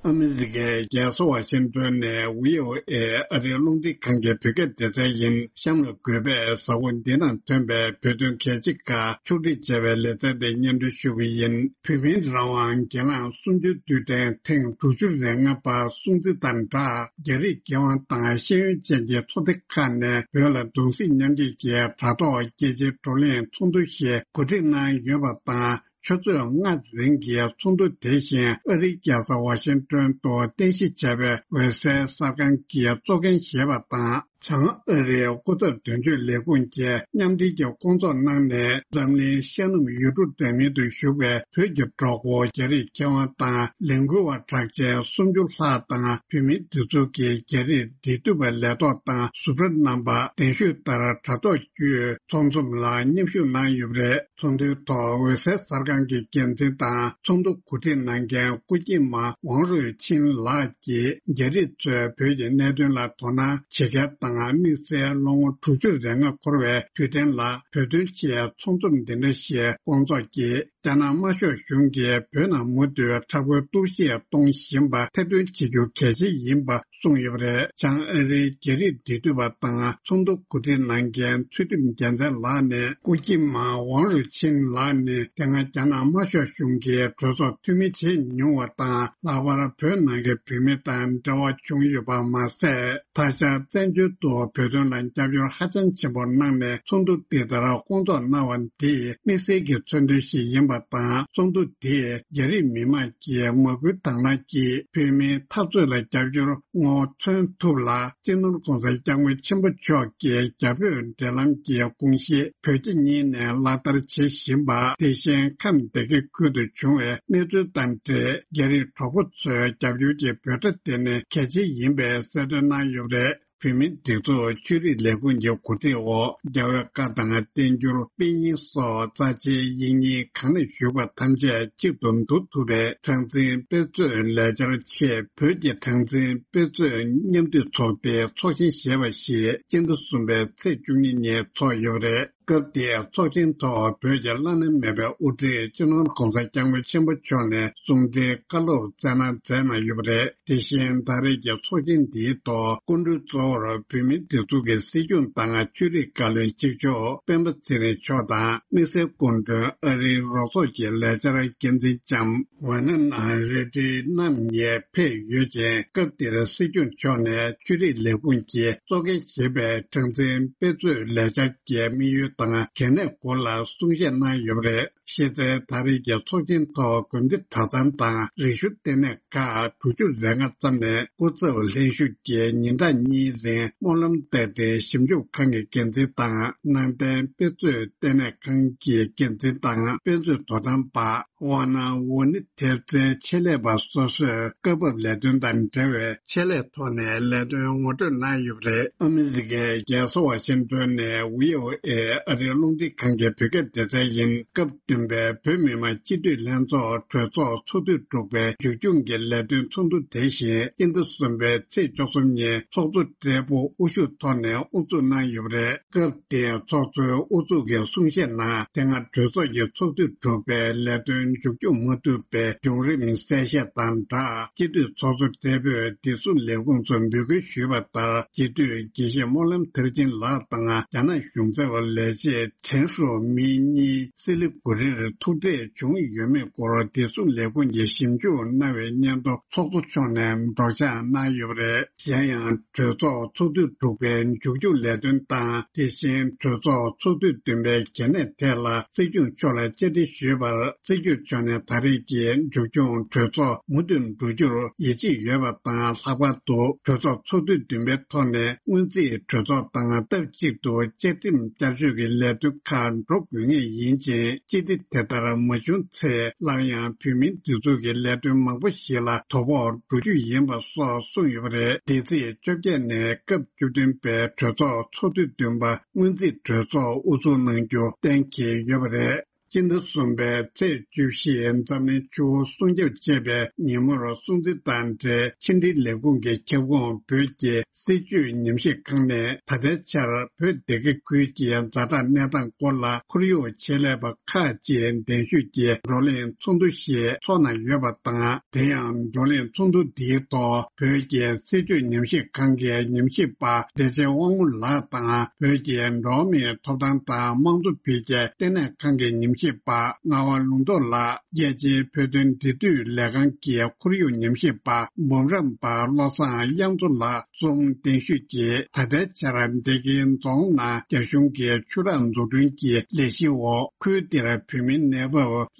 ཨ་མི་རི་ཀའི་རྒྱལ་ས་ཝ་ཤིང་ཏོན་ནས་བྷི་ཨོ་ཨེ་ཨ་རིའི་རླུང་འཕྲིན་ཁང་གི་བོད་སྐད་སྡེ་ཚན་ཡིན། གཤམ་ལ་འགོད་པས་གཟའ་འཁོར་འདི་དང་ཐོན་པའི་བོད་དོན་གལ་ཆེ་ཁག་ཕྱོགས་སྒྲིག་བྱས་པའི་ལེ་ཚན་དེ་སྙན་སྒྲོན་ཞུ་གི་ཡིན། བོད་མིའི་རང་དབང་སྒེར་ལངས་གསུམ་བཅུའི་དུས་དྲན་ཐེངས་དྲུག་ཅུ་རེ་ལྔ་པ་སྲུང་བརྩི་དང་སྦྲགས། རྒྱ་རིགས་མཁས་དབང་དང་ཤེས་ཡོན་ཅན་གྱི་ཚོགས་སྡེ་ཁག་ནས་བོད་ལ་གདུང་སེམས་མཉམ་སྐྱེད་ཀྱི་དྲ་ཐོག་རྒྱལ་སྤྱིའི་བགྲོ་གླེང་ཚོགས་འདུ་ཞིག་གོ་སྒྲིག་གནང་ཡོད་པ་དང་། ཆུ་ཚོད་ལྔ་རིང་གི་ཚོགས་འདུ་དེ་བཞིན་ཨ་རིའི་རྒྱལ་ས་ཝ་ཤིང་ཏོན་དུ་རྟེན་གཞི་བྱས་པའི་འོད་གསལ་གསར་ཁང་གི་གཙོ་འགན་བཞེས་པ་དང་། བྱང་ཨ་རིའི་སྐུ་ཚབ་དོན་གཅོད་ལས་ཁུངས་ཀྱིས་མཉམ་འབྲེལ་གྱི་སྐོང་ཚོགས་གནང་ནས། འཛམ་གླིང་ཤར་ནུབ་ཡུལ་གྲུ་འདྲ་མིན་དུ་བཞུགས་པའི་བོད་ཀྱི་གྲོགས་པོ་རྒྱ་རིགས་མཁས་དབང་དང་ལས་འགུལ་བ་གྲགས་ཅན་སུམ་ཅུ་ལྷག་དང་། བོད་མིའི་སྒྲིག་འཛུགས་ཀྱི་རྒྱ་རིགས་འབྲེལ་མཐུད་པ་ལས་ཐོག་དང་ཟུར་པ་རྣམ་པ་གདན་ཞུས་ལྟར་དྲ་ཐོག་བརྒྱུད་ཚོགས་འཛོམས་ལ་མཉམ་ཞུགས་གནང་ཡོད་པ་རེད། ཚོགས་འདུའི་ཐོག་འོད་གསལ་གསར་ཁང་གི་འགན་འཛིན་དང་ཚོགས་འདུ་གོ་སྒྲིག་གནང་མཁན་སྐུ་སྐྱེས་མ་ཝང་རུའེ་ཆིན་ལགས་ཀྱིས། རྒྱ་རིགས་ཚོས་བོད་ཀྱི་གནད་དོན་ལ་དོ་སྣང་བྱེད་མཁན་དང་། དམིགས་བསལ་ལོ་ངོ་དྲུག་ཅུ་རེ་ལྔ་འཁོར་བའི་དུས་དྲན་ལ་བོད་དོན་ཆེད་ཚོགས་འཛོམས་འདི་འདྲ་ཞིག་སྐོང་ཚོགས་ཀྱིས། རྒྱ་ནག་དམར་ཤོག་གཞུང་གིས་བོད་ནང་མུ་མཐུད་དྲག་པོའི་གཏོར་བཤིག་གཏོང་བཞིན་པ་ཐེར་འདོན་བྱེད་རྒྱུ་གལ་ཆེ་ཡིན་པ་གསུངས་ཡོད་པ་རེད། བྱང་ཨ་རིའི་རྒྱ་རིགས་འབྲེལ་མཐུད་པ་དང་ཚོགས་འདུ་གོ་སྒྲིག་གནང་མཁན་ཚུལ་ཁྲིམས་རྒྱལ་མཚན་ལགས་ནས། སྐུ་སྐྱེས་མ་ཝང་རུ་ཆིན་ལགས་ནི་དེ་སྔ་རྒྱ་ནག་དམར་ཤོག་གཞུང་གིས་གྲོས་ཚོགས་འཐུས་མི་བྱེད་མྱོང་བ་དང་། ལྷག་པར་བོད་ནང་གི་བོད་མི་དང་འབྲེལ་བ་བྱུང་ཡོད་པ་མ་ཟད། ད་ཆ་བཙན་བྱོལ་དུ་བོད་དོན་ལ་རྒྱབ་སྐྱོར་ཧ་ཅང་ཆེན་པོ་གནང་ནས། ཚོགས་འདུ་འདི་ལྟར་སྐོང་ཚོགས་གནང་བ་འདིས་དམིགས་བསལ་གྱི་མཚོན་དོན་ཞིག་ཡིན་པ་དང་། ཚོགས་འདུ་འདིས་རྒྱ་རིགས་མི་དམངས་ཀྱི་མ་སྐུལ་དང་བླངས་ཀྱིས་བོད་མིའི་འཐབ་རྩོད་ལ་རྒྱབ་སྐྱོར་ངོ་མཚོན་ཐུབ་ལ། སྤྱི་ནོར་༸གོང་ས་༸སྐྱབས་མགོན་ཆེན་པོ་མཆོག་གི་རྒྱ་བོད་འབྲེལ་ལམ་གྱི་དགོངས་གཞི་བོད་རྒྱ་གཉིས་ནས་ལག་བསྟར་བྱེད་བཞིན་པ། དེ་བཞིན་ཁམས་སྡེ་དགེ་ཁུལ་དུ་བྱུང་བའི་གནས་ཚུལ་དང་འབྲེལ། རྒྱ་རིགས་གྲོགས་པོ་ཚོའི་རྒྱབ་སྐྱོར་གྱི་འབོད་སྒྲ་དེ་ནི་གལ་ཆེ་ཡིན་པའི་གསལ་སྟོན་གནང་ཡོད་པ་རེད། བོད་མིའི་སྒྲིག་འཛུགས་ཆོས་རིག་ལས་ཁུངས་ཀྱི་གོ་སྒྲིག་འོག་རྒྱལ་བའི་བཀའ་དང་བསྟན་འགྱུར། དཔེ་རྙིང་སོགས་རྩ་ཆེའི་ཡིག་རྙིང་གང་ལ་བཞུགས་པ་ཐམས་ཅད་གཅིག་ཏུ་བསྡུ་ཐུབ་པའི་གྲངས་འཛིན་དཔེ་མཛོད་ལས་འཆར་ཆེད། བོད་ཀྱི་གྲངས་འཛིན་དཔེ་མཛོད་མཉམ་འདུས་ཚོགས་སྡེ་ཚོགས་ཆེན་ཞེས་པ་ཞིག་སྤྱི་ཟླ་གསུམ་པའི་ཚེས་བཅུ་གཉིས་ཉིན་ཚོགས་ཡོད་པ་རེད། སྐབས་དེའི་ཚོགས་ཆེན་ཐོག་བོད་ཀྱི་བླ་ན་མེད་པའི་དབུ་ཁྲིད་སྤྱི་ནོར་༸གོང་ས་༸སྐྱབས་མགོན་ཆེན་པོ་མཆོག་ནས་གསུང་འཕྲིན་བཀའ་སློབ་སྩལ་གནང་མཛད་གནང་ཡོད་པ་རེད། དེ་བཞིན་ད་རེས་ཀྱི་ཚོགས་ཆེན་འདིའི་ཐོག་སྐུ་མགྲོན་གཙོ་བོར་བོད་མིའི་སྒྲིག་འཛུགས་ཀྱི་སྲིད་སྐྱོང་དང་ཆོས་རིག་བཀའ་བློན་གཅིག་ལྕོགས་སྤེན་པ་ཚེ་རིང་མཆོག་དང་། དམིགས་བསལ་སྐུ་མགྲོན་ཨ་རིའི་རོགས་ཚོགས་ཀྱི་ལས་འཆར་འགན་འཛིན་ལྕམ་ཝེ་ནན་ཨན་རེ་ཏི་རྣམ་གཉིས་ཕེབས་ཡོད་ཅིང་། སྐབས་དེར་སྲིད་སྐྱོང་མཆོག་ནས་ཆོས་རིག་ལས་ཁུངས་ཀྱིས་གཙོ་འགན་བཞེས་པའི་གྲངས་འཛིན་དཔེ་མཛོད་ལས་འཆར་གྱི་དམིགས་ཡུལ་དང་གལ་གནད་སྐོར་ལ་གསུང་བཤད་གནང་ཡོད་པ་རེད། གཞི་རྩའི་ད་རེས་ཀྱི་ཚོགས་ཆེན་ཐོག་དགོན་སྡེ་གྲྭ་ཚང་དང་རིག་གཞུང་ལྟེ་གནས་ཁག་དྲུག་ཅུ་རེ་ལྔ་ཙམ་ནས་སྐུ་ཚབ་ལྷན་ཞུགས་ཀྱིས་ཉིན་གྲངས་གཉིས་རིང་སྨོན་ལམ་བཏབ་སྟེ་ཞིབ་འཇུག་ཁང་གི་འགན་འཛིན་དང་། ནང་བསྟན་དཔེ་མཛོད་ལྟེ་གནས་ཁང་གི་འགན་འཛིན་དང་དཔེ་མཛོད་དོ་དམ་པ། ཝ་ན་ཝུ་ནི་ཐེབས་རྩའི་ཆེད་ལས་པ་སོ་སོས་སྐབས་བབ་ལས་དོན་དང་འབྲེལ་བའི་ཆེད་ལས་ཐོག་ནས་ལས་དོན་ངོ་སྤྲོད་གནང་ཡོད་པ་རེད། ཨ་མི་རི་ཀའི་རྒྱལ་ས་ཝ་ཤིང་ཏོན་ནས་བྷི་ཨོ་ཨེ་ཨ་རིའི་རླུང་འཕྲིན་ཁང་གི་བོད་སྐད་སྡེ་ཚན་ཡིན། སྐབས་བདུན་པའི་བོད་མི་མང་སྤྱི་འཐུས་ལྷན་ཚོགས་གྲོས་ཚོགས་ཚོགས་དུས་དྲུག་པའི་མཇུག་སྐྱོང་གི་ལས་དོན་ཚོགས་འདུ་དེ་བཞིན་སྤྱི་ཟླ་གསུམ་པའི་ཚེས་བཅུ་གསུམ་ཉིན་ཚོགས་གཙོ་སྦྲེལ་པོ་དབུ་བཞུགས་ཐོག་ནས་དབུ་འཛུགས་གནང་ཡོད་པ་རེད། སྐབས་དེའི་ཚོགས་གཙོའི་དབུ་འཛུགས་ཀྱི་གསུང་བཤད་ནང་། དེ་སྔ་གྲོས་ཚོགས་ཀྱི་ཚོགས་དུས་དྲུག་པའི་ལས་དོན་མཇུག་སྐྱོང་མ་ཐུབ་པའི་བྱུང་རིམ་གསལ་བཤད་དང་སྦྲགས། སྤྱི་འཐུས་ཚོགས་གཙོ་སྦྲེལ་པོས་བདེ་སྲུང་ལས་ཁུངས་སུ་འབོད་སྐུལ་ཞུས་པ་ལྟར། སྤྱི་འཐུས་དགེ་བཤེས་སྨོན་ལམ་མཐར་ཕྱིན་ལགས་དང་རྒྱ་ནག་གཞུང་ཚབ་ལས་བྱེད་ཁྲེན་ཧྲུའུ་མི་གཉིས་སི་ལི་གུ་རིར་ཐུག་འཕྲད་བྱུང་ཡོད་མེད་སྐོར་བདེ་སྲུང་ལས་ཁུངས་ཀྱིས་ཞིབ་འཇུག་གནང་བའི་སྙན་ཐོ་ཚོགས་གཙོ་མཆོག་ནས་སྒྲོག་སྦྱང་གནང་ཡོད་པ་རེད། གཞན་ཡང་། གྲོས་ཚོགས་ཚོགས་དུས་དྲུག་པའི་མཇུག་སྐྱོང་ལས་དོན་དང་། དེ་བཞིན་གྲོས་ཚོགས་ཚོགས་དུས་བདུན་པའི་གལ་གནད་ཐད་ལ་སྲིད་སྐྱོང་མཆོག་ལ་བཅར་འདྲི་ཞུས་པར། སྲིད་སྐྱོང་མཆོག་ནས་ད་རེས་ཀྱི་མཇུག་སྐྱོང་གྲོས་ཚོགས་མུ་མཐུད་འགྲོ་རྒྱུར་ཡིད་ཆེས་ཡོད་པ་དང་། ལྷག་པར་དུ་གྲོས་ཚོགས་ཚོགས་དུས་བདུན་པའི་ཐོག་ནས་སྔོན་རྩིས་གྲོས་ཚོགས་དང་སྟབས་གཅིག་ཏུ་བཅའ་ཁྲིམས་བསྐྱར་བཅོས་ཀྱི་ལས་དོན་ཁག་འགྲོ་དགོས་ངེས་ཡིན་ཅིང་། སྤྱི་བདེ་དེ་ལྟར་མ་བྱུང་ཚེ། སླར་ཡང་བོད་མིའི་སྒྲིག་འཛུགས་ཀྱི་ལས་དོན་མང་པོ་ཞིག་ལ་དོ་ཕོག་འགྲོ་རྒྱུ་ཡིན་པ་སོགས་གསུངས་ཡོད་པ་རེད། འདས་ཚེས་བཅོ་བརྒྱད་ནས་སྐབས་བཅུ་བདུན་པའི་གྲོས་ཚོགས་ཚོགས་དུས་བདུན་པ་སྔོན་རྩིས་གྲོས་ཚོགས་དབུ་འཛུགས་གནང་རྒྱུ་གཏན་འཁེལ་ཡོད་པ་རེད། སྤྱི་ཟླ་གསུམ་པའི་ཚེས་བཅུ་བཞི་འཛམ་གླིང་ཆུ་བོ་སྲུང་སྐྱོབ་ཅེས་པའི་ཉིན་མོར་སྲུང་བརྩི་དང་འབྲེལ་ཕྱི་འབྲེལ་ལས་ཁུངས་ཀྱི་ཁྱབ་ཁོངས་བོད་ཀྱི་སྲིད་བྱུས་ཉམས་ཞིབ་ཁང་ནས་ད་ལྟའི་ཆར་བོད་སྡེ་དགེ་ཁུལ་གྱི་ཛ་དྲག་གནས་སྟངས་སྐོར་ལ་ཁོར་ཡུག་ཆེད་ལས་པ་ཁག་ཅིག་གདན་ཞུས་ཀྱིས་བགྲོ་གླེང་ཚོགས་འདུ་ཞིག་འཚོགས་གནང་ཡོད་པ་དང་། དེ་ཡང་བགྲོ་གླེང་ཚོགས་འདུ་འདིའི་ཐོག་བོད་ཀྱི་སྲིད་བྱུས་ཉམས་ཞིབ་ཁང་གི་ཉམས་ཞིབ་པ་བདེ་ཆེན་དབང་མོ་ལགས་དང་། བོད་ཀྱི་འགྲོ་བ་མིའི་ཐོབ་ཐང་དང་དམངས་གཙོ་འཕེལ་རྒྱས་ལྟེ་གནས་ཁང་གི་ཉམས་ཞིབ་པ་ངག་དབང་ལུང་རྟོགས་ལགས། རྒྱལ་སྤྱིའི་བོད་དོན་འབྲེལ་མཐུད་ལས་ཁང་གི་ཁོར་ཡུག་ཉམས་ཞིབ་པ་འབུམ་རམས་པ་བློ་བཟང་དབྱངས་མཚོ་ལགས་གསུམ་གདན་ཞུས་ཀྱིས། ད་ལྟའི་ཆར་སྡེ་དགེ་རྫོང་ནང་རྒྱ་གཞུང་གིས་ཆུ་རགས་འཛུགས་སྐྲུན་གྱི་ལས་གཞིའི་འོག་ཁུལ་དེར་བོད་མིའི་གནས་བབ་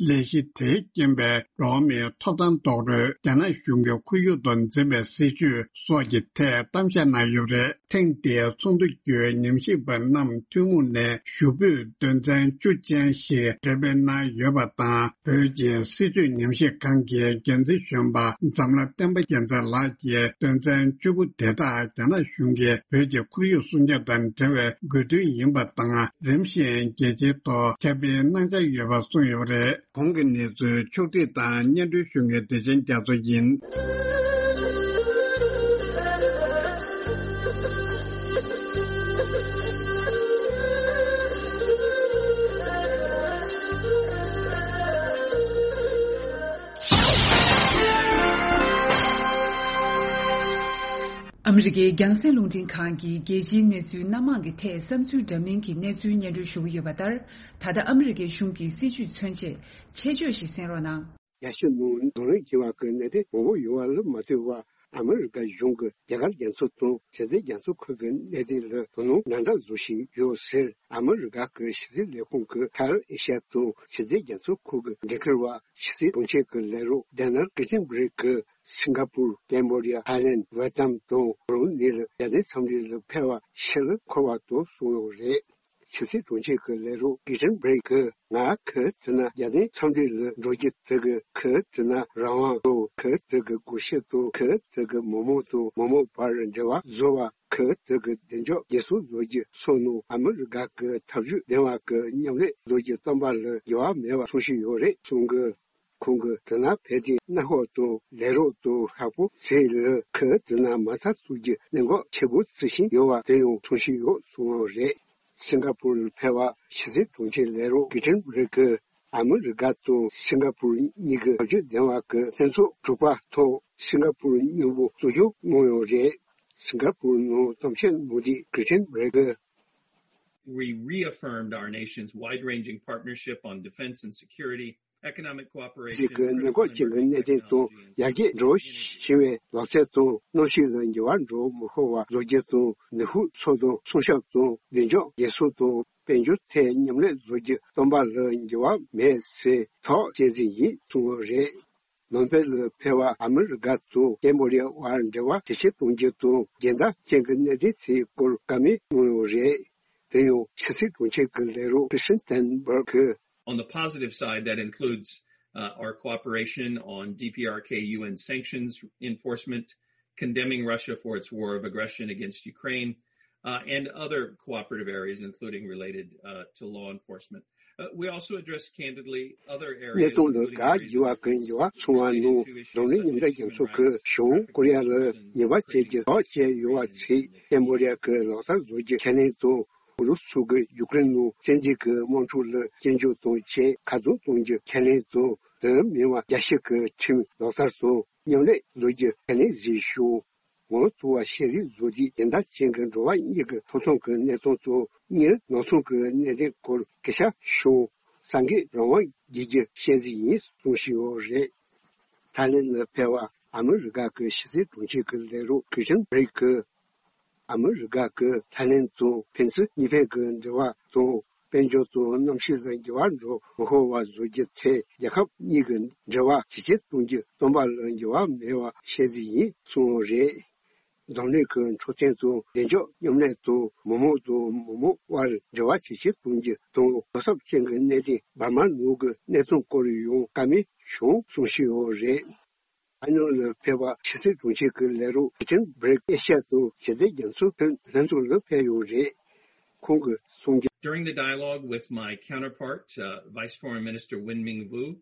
ལས་གཞི་དེས་རྐྱེན་པས་འགྲོ་བ་མིའི་ཐོབ་ཐང་རྡོག་རོལ་རྒྱ་ནག་གཞུང་གིས་ཁོར་ཡུག་ཏུ་འཛིན་པའི་སྲིད་བྱུས་སོགས་ཀྱི་ཐད་གཏམ་བཤད་གནང་ཡོད་པ་རེད། ཐེངས་འདིའི་ཚོགས་འདུ་བརྒྱུད་ཉམས་ཞིབ་པ་རྣམས་ཐུན་མོང་ནས་ཞུ་འབོད་དོན་ཚན་བཅུ་ཅན་ཞིག་འགྲེམས་སྤེལ་གནང་ཡོད་པ་དང་། བོད་ཀྱི་སྲིད་བྱུས་ཉམས་ཞིབ་ཁང་གི་འགན་འཛིན་གཞོན་པ་འཛམ་ལྷ་བསྟན་པ་རྒྱལ་མཚན་ལགས་ཀྱིས་དོན་ཚན་བཅུ་དགུ་དེ་དག་རྒྱ་ནག་གཞུང་གིས་བོད་ཀྱི་ཁོར་ཡུག་སྲུང་སྐྱོབ་དང་འབྲེལ་བའི་དགོས་འདུན་ཡིན་པ་དང་། རིམ་བཞིན་རྒྱལ་སྤྱིའི་ཐོག་ཁྱབ་སྤེལ་གནང་འཆར་ཡོད་པ་གསུངས་ཡོད་པ་རེད། གོང་གི་གནས་ཚུལ་ཕྱོགས་བསྒྲིགས་དང་སྙན་སྒྲོན་ཞུ་མཁན་བདེ་ཆེན་རྒྱ་མཚོ་ཡིན། ཨ་མི་རི་ཀའི་རྒྱང་སྲིང་རླུང་འཕྲིན་ཁང་གིས་རྒྱལ་སྤྱིའི་གནས་ཚུལ་སྣ་མང་གི་ཐད་བསམ་ཚུལ་འདྲ་མིན་གྱི་གནས་ཚུལ་སྙན་སྒྲོན་ཞུ་གི་ཡོད་པ་ལྟར། ད་ལྟ་ཨ་མི་རི་ཀའི་གཞུང་གི་སྲིད་བྱུས་མཚོན་བྱེད་ཆེད་བརྗོད་ཞིག་གསན་རོགས་གནང་། རྒྱ་ཤུད་ནང་གདོང་ལེན་བྱེད་པ་གི་གནད་དོན་མང་པོ་ཡོད་པ་ལ་མ་ལྟོས་པར། ཨ་མི་རི་ཀ་གཞུང་གིས་རྒྱ་གར་རྒྱ་མཚོ་དང་ཞི་བདེ་རྒྱ་མཚོ་ཁུལ་གྱི་གནད་དོན་ལ་དོ་སྣང་ནན་ཏན་བཟོ་བཞིན་ཡོད་ཟེར། ཨ་མི་རི་ཀ་གི་ཕྱི་སྲིད་ལས་ཁུངས་ཀྱི་ཁ་ཨེ་ཤ་ཡ་དང་ཞི་བདེ་རྒྱ་མཚོ་ཁུལ་གྱི་འགན་འཁུར་བ་ཕྱི་སྲིད་དྲུང་ཆེ་གི་ལས་རོགས་ཌེ་ནལ་ཀི་ཊིན་བྷི་རིག་གིས་སིང་ག་པུར། ཀེམ་བྷོ་ཌི་ཡ། ཐའི་ལེན། ཝེ་ཏམ་དང་བྷ་རུ་ནི་ལ་རྒྱལ་སྤྱིའི་འཚམས་འདྲི་ལ་ཕེབས་པ་ཕྱིར་འཁོར་བ་དང་གསུངས་ཡོད་རེད། ཕྱི་སྲིད་དྲུང་ཆེ་གི་ལས་རོགས་ཀི་ཊིན་བྷི་རིག་གིས། ང་ཁ་ཐུག་ན་རྒྱལ་སྤྱིའི་འཚམས་འདྲི་ལ་འགྲོ་རྒྱུ་དེ་གི་ཁ་ཐུག་ན་རང་དབང་དང་ཁ་ཐུག་གི་སྒུལ་ཤུགས་དང་ཁ་ཐུག་གི་མི་མང་དང་མི་མང་བར་འབྲེལ་བ་བཟོ་བ། ཁ་ཐུག་གི་བདེ་འཇགས་རྒྱལ་སྲུང་བཟོ་རྒྱུ་སོགས་ནང་ཨ་མི་རི་ཀ་གི་ཐབས་ཇུས་ལྡན་པ་གི་མཉམ་ལས་བཟོ་རྒྱུ་བརྩམས་པ་ལ་འགྱུར་བ་མེད་པ་གསུང་བཞིན་ཡོད་རེད་གསུང་གི། ཁོང་གིས་དེ་ན་ཕེབས་ཏེ་གནམ་འོག་ཏུ་ལས་རོགས་དང་ཧྲག་པོ་ཚེ་ལ་ཁུ་དེ་ན་མ་ཚ་ཚུགས་ཀྱི་གནད་འགག་ཆེ་པོ་བརྩི་བཞིན་ཡོད་པ་དེ་ཡང་མཚོན་བཞིན་ཡོད་གསུངས་པ་རེད། སིང་ག་པུར་ལ་ཕེབས་པ་ཕྱི་སྲིད་དྲུང་ཆེ་ལས་རོགས་ཀི་ཊིན་བྷི་རིག་གིས་ཨ་མི་རི་ཀ་དང་སིང་ག་པུར་གཉིས་ཀྱི་བྱ་སྤྱོད་ལྡན་པ་གི་ལྷན་ཚོགས་དྲུག་པ་ཐོག་སིང་ག་པུར་སྙིང་པོ་གཙོ་སྐྱོང་གནང་ཡོད་རེད། སིང་ག་པུར་ནང་གཏམ་བཤད་གནང་དུས་ཀི་ཊིན་བྷི་རིག་གིས། We reaffirmed our nation's wide-ranging partnership on defense and security, economic cooperation, གཅིག་གི་གནད་འགག་ཅན་གྱི་གནད་དོན་དང་ཡར་རྒྱས་འགྲོ་བཞིན་པའི་ལག་རྩལ་དང་གནམ་གཤིས་ལ་འགྱུར་བ་འགྲོ་མི་ཤོར་བ་བཟོ་རྒྱུ་དང་ནུས་ཤུགས་གསོ་སྐྱོང་སྲུང་སྐྱོབ་དང་བདེ་འཇགས་རྒྱལ་སྲུང་དང་དཔལ་འབྱོར་ཐད་མཉམ་ལས་བཟོ་རྒྱུ་བརྩམས་པ་ལ་འགྱུར་བ་མེད་ཟེར་ཐག་བཅད་རྩིས་ཡིན་གསུངས་པ་རེད། ནོམ་པེལ་ལ་ཕེབས་པ་ཨ་མི་རི་ཀ་དང་ཀེམ་བྷོ་ཌི་ཡ་བར་འབྲེལ་བ་ཇེ་ཆེར་གཏོང་རྒྱུ་དང་རྒྱལ་དར་ཅན་གྱི་གནད་དོན་ཚོའི་སྐོར་བཀའ་མོལ་གནང་ཡོད་རེད། དེ་ཡང་ཕྱི་སྲིད་དྲུང་ཆེ་གི་ལས་རོགས་ཀི་སིན་ཐན་བྷར་གིས། On the positive side, that includes uh, our cooperation on D P R K U N sanctions enforcement, condemning Russia for its war of aggression against Ukraine, uh, and other cooperative areas, including related uh, to law enforcement. Uh, we also addressed candidly other གནས་areas, སྟངས་ལ་དགག་བགྱི་བ་ཀུན་འགྱུར་བ་སོང་བ་ནང་འཛམ་གླིང་མཉམ་འབྲེལ་རྒྱལ་ཚོགས་ཀྱི་གཞུང་ཀོ་རི་ཡ་ལ་ཉེས་པ་བྱེད་ཀྱི་དོགས་བཅད་ཡོད་པ་ཚོས་ཀེམ་བྷོ་ཌི་ཡ་གི་ལག་བསྟར་བཟོ་རྒྱུ་ཁས་ལེན་དང་། ཨུ་རུ་སུ་གིས་ཡུཀ་རེན་ནང་བཙན་འཛུལ་གྱི་དམག་འཁྲུག་ལ་སྐྱོན་བརྗོད་དང་བཅས་ཁ་རྡུང་གཏོང་རྒྱུ་ཁས་ལེན་དང་། དེ་མིན་པ་རྒྱལ་སྤྱི་གི་ཁྲིམས་ལག་བསྟར་དང་མཉམ་ལས་བཟོ་རྒྱུ་ཁས་ལེན་བྱས་བྱུང་། ངོ་ཐུག་པ་ཤེས་རིག་བཟོ་དུས་སྦྱིན་བདག་ཅན་གྱི་འགྲོ་བ་གཉིས་ཀྱི་ཐོབ་ཐང་གི་གནས་སྟངས་དང་། གཉེན་ནང་སྲུང་གི་གནད་དོན་སྐོར་སྐད་ཆ་བྱུང་། ས་འགན་རང་དབང་བགྱིད་རྒྱུ་བཤད་རྩིས་ཡིན་གསུངས་བཞིན་ཡོད་རེད། ཐའི་ལེན་ལ་ཕེབས་པ་ཨ་མི་རི་ཀ་གི་ཕྱི་སྲིད་དྲུང་ཆེ་གི་ལས་རོགས་ཀི་ཊིན་བྷི་རིག་གིས། ཨ་མི་རི་ཀ་གིས་ཐའི་ལེན་དང་ཕན་ཚུན་གཉིས་ཕན་གྱི་འབྲེལ་བ་དང་། དཔལ་འབྱོར་དང་གནམ་གཤིས་ལ་འགྱུར་བ་འགྲོ་མི་ཤོར་བ་བཟོ་རྒྱུ་ཐད་རྒྱལ་ཁབ་གཉིས་ཀྱི་འབྲེལ་བ་ཇེ་ཆེར་གཏོང་རྒྱུ་བརྩམས་པ་ལ་འགྱུར་བ་མེད་པ་བཤད་རྩིས་ཡིན་གསུངས་པ་རེད། འཛམ་གླིང་གི་འཕྲོད་བསྟེན་དང་བདེ་འཇགས་མཉམ་ལས་དང་། མི་མང་དང་མི་མང་དབར་འབྲེལ་བ་ཇེ་ཆེར་གཏོང་རྒྱུ་དང་། དོ་སྣང་ཅན་གྱི་གནད་དོན་འབར་མ་ནང་གི་གནས་སྟངས་སྐོར་ཡང་བཀའ་མོལ་བྱུང་གསུངས་བཞིན་ཡོད་རེད། ཨ་ནོ་ལ་ཕེབས་པ་ཕྱི་སྲིད་དྲུང་ཆེ་གི་ལས་རོགས་ཀི་ཊིན་བྷི་རིག་ཨེ་ཤ་ཡ་དང་ཞི་བདེ་རྒྱ་མཚོའི་ལྷན་ཚོགས་ལ་ཕེབས་ཡོད་རེད། ཁོང་གིས་ གཏོང་རྒྱུ། During the dialogue with my counterpart, uh, Vice Foreign Minister Win Myung Woo,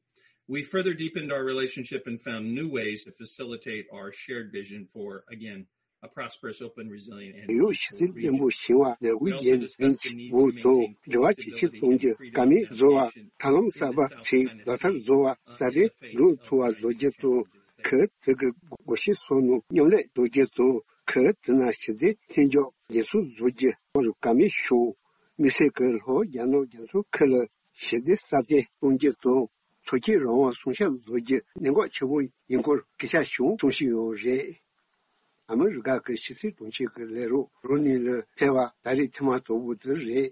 we further deepened our relationship and found new ways to facilitate our shared vision for, again, a prosperous, open, resilient, and ཡོད་ཞི་བདེ་ལྡན་པོ་ཞིང་བ་ལས་འགུལ་རྒྱས་འཛིན་གྱི་འོག་ཏུ་འབྲེལ་བ་ཇེ་ཆེར་གཏོང་རྒྱུ། དཀའ་ངལ་བཟོ་བ། ཐབས་ལམ་གསར་པ་ཞིག་ལག་བསྟར་བཟོ་བ། ས་རེ་འགྲོ་ཐུབ་པ་བཟོ་རྒྱུ་དང་། ཁུལ་དེ་གི་སྒོ་ཕྱེ་སོགས་ནང་མཉམ་ལས་བཟོ་རྒྱུ་དང་། ཁུལ་དེ་ན་ཞི་བདེ་མཐུན་སྦྱོར་འགྲན་སྲུང་བཟོ་རྒྱུ་སྐོར་བཀའ་མོལ་ཞུས། དམིགས་བསལ་གྱི་ལྷོ་རྒྱ་ནག་རྒྱ་མཚོ་ཁུལ་ལ་ཞི་བདེ་སྲ་བརྟན་གཏོང་རྒྱུ་དང་། ཚོགས་ཆེན་རང་དབང་སྲུང་སྐྱོབ་བཟོ་རྒྱུ་གནད་འགག་ཆེན་པོ་ཡིན་སྐོར་སྐད་ཆ་བྱུང་གསུང་བཞིན་ཡོད་རེད། ཨ་མི་རི་ཀ་གི་ཕྱི་སྲིད་དྲུང་ཆེ་གི་ལས་རོགས་རོ་ནི་ལ་ཕེབས་པ་ད་རེས་ཐེངས་མ་དང་པོ་དེ་རེད།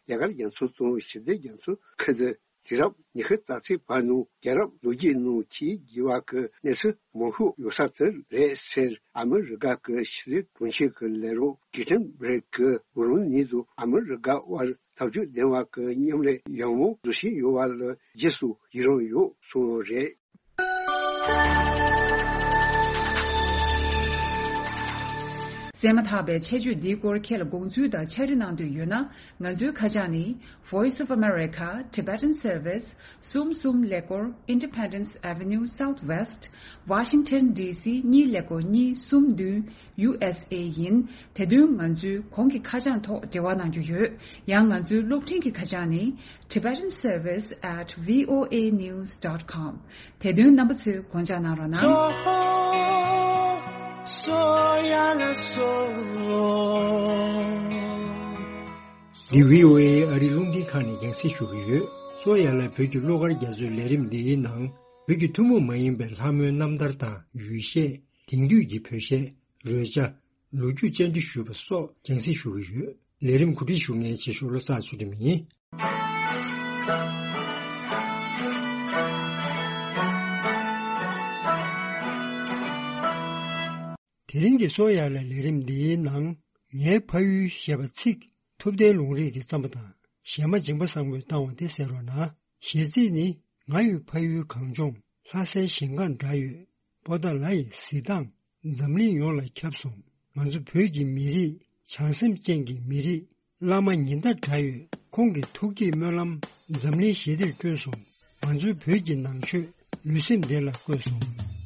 རྒྱ་གར་རྒྱ་མཚོ་དང་ཞི་བདེ་རྒྱ་མཚོ་ཁུལ་དུ་དུས་རབས་ཉི་ཤུ་རྩ་གཅིག་བར་ནང་རྒྱལ་རབས་ལོ་རྒྱུས་ནང་ཆེས་རྒྱས་པ་གི་གནས་ཚུལ་མང་ཤོས་ཡོད་ས་དེ་རེད་ཟེར། ཨ་མི་རི་ཀ་གི་ཕྱི་སྲིད་དྲུང་ཆེ་གི་ལས་རོགས་ཀི་ཊན་བྷི་རེག་གི་རོ་ནི་དང་ཨ་མི་རི་ཀ་དབར་འཐབ་ཇུས་ལྡན་པ་གི་མཉམ་ལས་ཡག་མོ་བཟོ་བཞིན་ཡོད་པ་ལ་རྗེས་སུ་ཡི་རང་ཡོད་གསུངས་ཡོད་རེད། གསན་མ་ཐག་པའི་ཆེད་བརྗོད་འདིའི་སྐོར་ཁྱེད་ལ་དགོངས་ཚུལ་དང་ཕྱག་བྲིས་གནང་འདོད་ཡོད་ན། ང་ཚོའི་ཁ་བྱང་ནི། Voice of America, Tibetan Service, གསུམ་གསུམ་ཀླད་ཀོར། Independence Avenue Southwest, Washington D C གཉིས་ཀླད་ཀོར་གཉིས་གསུམ་བདུན། ཡུ་ཨེས་ཨེ་ཡིན། དེ་དོན་ང་ཚོའི་གོང་གི་ཁ་བྱང་ཐོག་འབྲེལ་བ་གནང་རྒྱུ་ཡོད། ཡང་ང་ཚོའི་གློག་འཕྲིན་གྱི་ཁ་བྱང་ནི། Tibetan Service at V O A news dot com། དེ་དོན་རྣམ་པ་ཚོས་དགོངས་འཇགས་གནང་རོགས་གནང་། འདི་V O A ཨ་རི་རླུང་འཕྲིན་ཁང་ནས་རྒྱང་སྲིང་ཞུ་གི་ཡོད། གཙོ་ཡ་ལ་བོད་ཀྱི་གླུ་གར་རྒྱ་མཚོའི་ལས་རིམ་འདིའི་ནང་། བོད་ཀྱི་ཐུན་མོང་མ་ཡིན་པའི་ལྷ་མོའི་རྣམ་ཐར་དང་ཡུལ་གཞས། དེང་དུས་ཀྱི་བོད་གཞས། རོལ་ཆ། ལོ་རྒྱུས་བཅར་འདྲི་ཞུས་པ་སོགས་རྒྱང་སྲིང་ཞུ་གི་ཡོད། ལས་རིམ་གོ་སྒྲིག་ཞུ་མཁན་ཆེ་ཤོས་བློ་བཟང་ཚུལ་ཁྲིམས་ཡིན། དེ་རིང་གི་གསོ་ཡག་ལ་ལས་རིམ་འདིའི་ནང་། ངའི་ཕ་ཡུལ་ཞེས་པ་ཚིག་ཐུབ་བསྟན་ལུང་རིགས་ཀྱི་བརྩམས་པ་དང་གཞས་མ་འཇིགས་པ་བཟང་པོས་བཏང་བ་དེ་གསན་རོགས་གནང་། གཞས་ཚིག་ནི། ང་ཡི་ཕ་ཡུལ་གངས་ལྗོངས། ལྷ་སའི་ཞིང་ཁ་འདྲ་ཡོད། པོ་ཏཱ་ལ་ཡི་གཟི་མདངས། འཛམ་གླིང་ཡོངས་ལ་ཁྱབ་སོང་། ང་ཚོ་བོད་ཀྱི་མི་རིགས། བྱང་སེམས་ཅན་གྱི་མི་རིགས། བླ་མ་ཉི་ཟླ་འདྲ་ཡོད། ཁོང་གི་ཐུགས་བསྐྱེད་སྨོན་ལམ། འཛམ་གླིང་ཞི་བདེར་བསྐྲུན་སོང་། ང་ཚོའི་བོད་ཀྱི་ནང་ཆོས། ལུས་སེམས་བདེ་ལ་བཀོད་སོང་།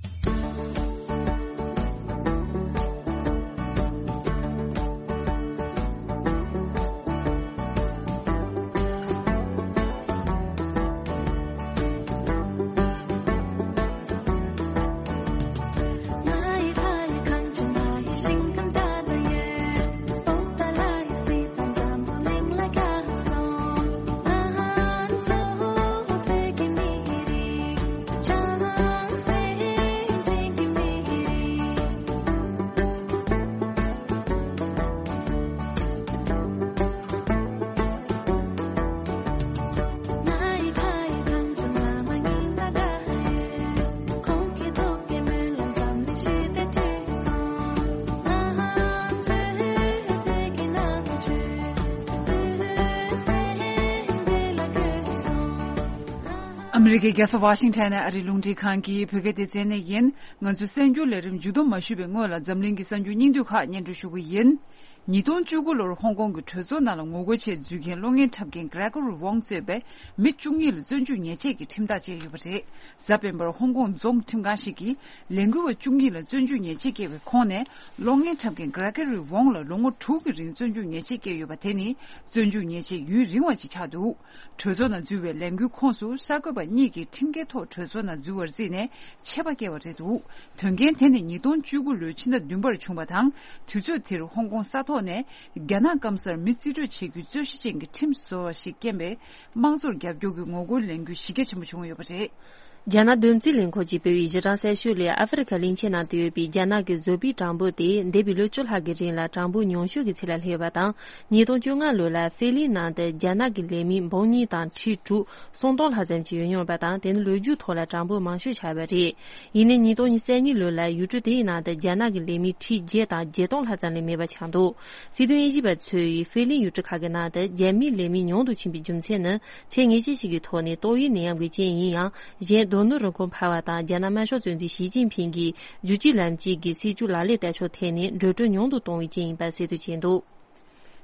ཨ་མི་རི་ཀའི་རྒྱལ་ས་ཝ་ཤིང་ཊོན་ནས་ཨ་རིའི་རླུང་འཕྲིན་ཁང་གི་བོད་སྐད་སྡེ་ཚན་ནས་ཡིན། ང་ཚོའི་གསར་འགྱུར་ལས་རིམ་མཇུག་བསྡོམས་མ་ཞུས་པའི་སྔོན་ལ། འཛམ་གླིང་གི་གསར་འགྱུར་སྙིང་བསྡུས་ཁག་སྙན་སྒྲོན་ཞུ་གི་ཡིན། ཉིས་སྟོང་བཅུ་དགུ་ལོར་ཧོང་ཀོང་གི་གྲོས་ཚོགས་ནང་ལ་ངོ་རྒོལ་ཆེད་འཛུལ་མཁན་གློག་བརྙན་འཁྲབ་མཁན་Gregory Wong གཙོས་པའི་མི་བཅུ་གཉིས་ལ་བཙོན་འཇུག་ཉེས་ཆད་ཀྱི་ཁྲིམས་ཐག་བཅད་ཡོད་པ་རེད། གཟའ་སྤེན་པར་ཧོང་ཀོང་རྫོང་ཁྲིམས་ཁང་ཞིག་གིས་ལས་འགུལ་བ་བཅུ་གཉིས་ལ་བཙོན་འཇུག་ཉེས་ཆད་བཀལ་བའི་ཁོངས་ནས། གློག་བརྙན་འཁྲབ་མཁན་Gregory Wong ལ་ལོ་ངོ་དྲུག་གི་རིང་བཙོན་འཇུག་ཉེས་ཆད་བཀལ་ཡོད་པ་དེ་ནི། བཙོན་འཇུག་ཉེས་ཆད་ཡུན་རིང་བ་ཞིག་ཆགས་འདུག་གྲོས་ཚོགས་ནང་འཛུལ་བའི་ལས་འགུལ་ཁོངས་སུ་གསར་འགོད་པ་གཉིས་ཀྱིས་ཁྲིམས་འགལ་ཐོག་གྲོས་ཚོགས་ནང་འཛུལ་བར་བརྩིས་ནས་ཆད་པ་བཀལ་བ་རེད་འདུག་དོན་རྐྱེན་དེ་ནི་ཉིས་སྟོང་བཅུ་དགུ་ལོའི་ཕྱི་ཟླ་བདུན་པར་བྱུང་བ་དང་། དུས་ཚོད་དེར་ཧོང་ཀོང་ས་ཐོག་ནས་རྒྱ་ནག་སྐམ་སར་མི་རྩིས་སྤྲོད་བྱེད་རྒྱུའི་རྩོད་གཞི་ཅན་གྱི་ཁྲིམས་བཟོ་བ་ཞིག་རྐྱེན་པས། དམངས་གཙོར་རྒྱབ་སྐྱོར་གྱི་ངོ་རྒོལ་ལས་འགུལ་གཞི་རྒྱ་ཆེན་པོ་བྱུང་ཡོད་པ་རེད། རྒྱ་ནག་བདུད་རྩིའི་ལས་ཁུངས་ཀྱིས་སྤེལ་བའི་གཞི་གྲངས་གསལ་ཤོས་ལས། ཨ་ཧྥེ་རི་ཁ་གླིང་ཆེན་ནང་དུ་ཡོད་པའི་རྒྱ་ནག་གི་བཟོ་པའི་གྲངས་འབོར་དེ་འདས་པའི་ལོ་བཅུ་ལྷག་གི་རིང་ལ་གྲངས་འབོར་ཉུང་ཤོས་ཀྱི་ཚད་ལ་སླེབས་ཡོད་པ་དང་། ཉིས་སྟོང་བཅོ་ལྔ་ལོ་ལ་ཧྥེ་གླིང་ནང་དུ་རྒྱ་ནག་གི་ལས་མི་འབུམ་གཉིས་དང་ཁྲི་དྲུག་སུམ་སྟོང་ལྷག་ཙམ་ཞིག་ཡོད་མྱོང་བ་དང་། དེ་ནི་ལོ་རྒྱུས་ཐོག་ལ་གྲངས་འབོར་མང་ཤོས་ཆགས་པ་རེད། ཡིན་ནའི་ཉིས་སྟོང་ཉི་ཤུ་རྩ་གཉིས་ལོ་ལ་ཡུལ་གྲུ་དེའི་ནང་དུ་རྒྱ་ནག་གི་ལས་མི་ཁྲི་བརྒྱད་དང་བརྒྱད་སྟོང་ལྷག་ཙམ་ལས་མེད་པ་ཆགས་འདུག་སྲིད་དོན་དབྱེ་ཞིབ་པ་ཚོས་ཧྥེ་གླིང་ཡུལ་གྲུ་ཁག་གི་ནང་དུ་རྒྱ་མིའི་ལས་མི་ཉུང་དུ་ཕྱིན་པའི་རྒྱུ་མཚན་ནི། ཚད་ངེས་ཅན་ཞིག་གི་ཐོག་ནས་ཏོག་དབྱིབས་ནད་ཡམས་ཀྱི་རྐྱེན་ཡིན་ཡང་། གཞན་རྡོ་སྣུམ་རིན་གོང་འཕར་བ་དང་། རྒྱ་ནག་དམར་ཤོག་གཙོ་འཛིན་ཞི་ཅིན་ཕིང་གིས་རྒྱུད་གཅིག་ལམ་གཅིག་གི་སྲིད་བྱུས་ལག་ལེན་བསྟར་ཕྱོགས་ཐད་ནས་འགྲོ་གྲོན་ཉུང་དུ་གཏོང་བའི་རྐྱེན་ཡིན་པ་གསལ་སྟོན་བྱས་འདུག་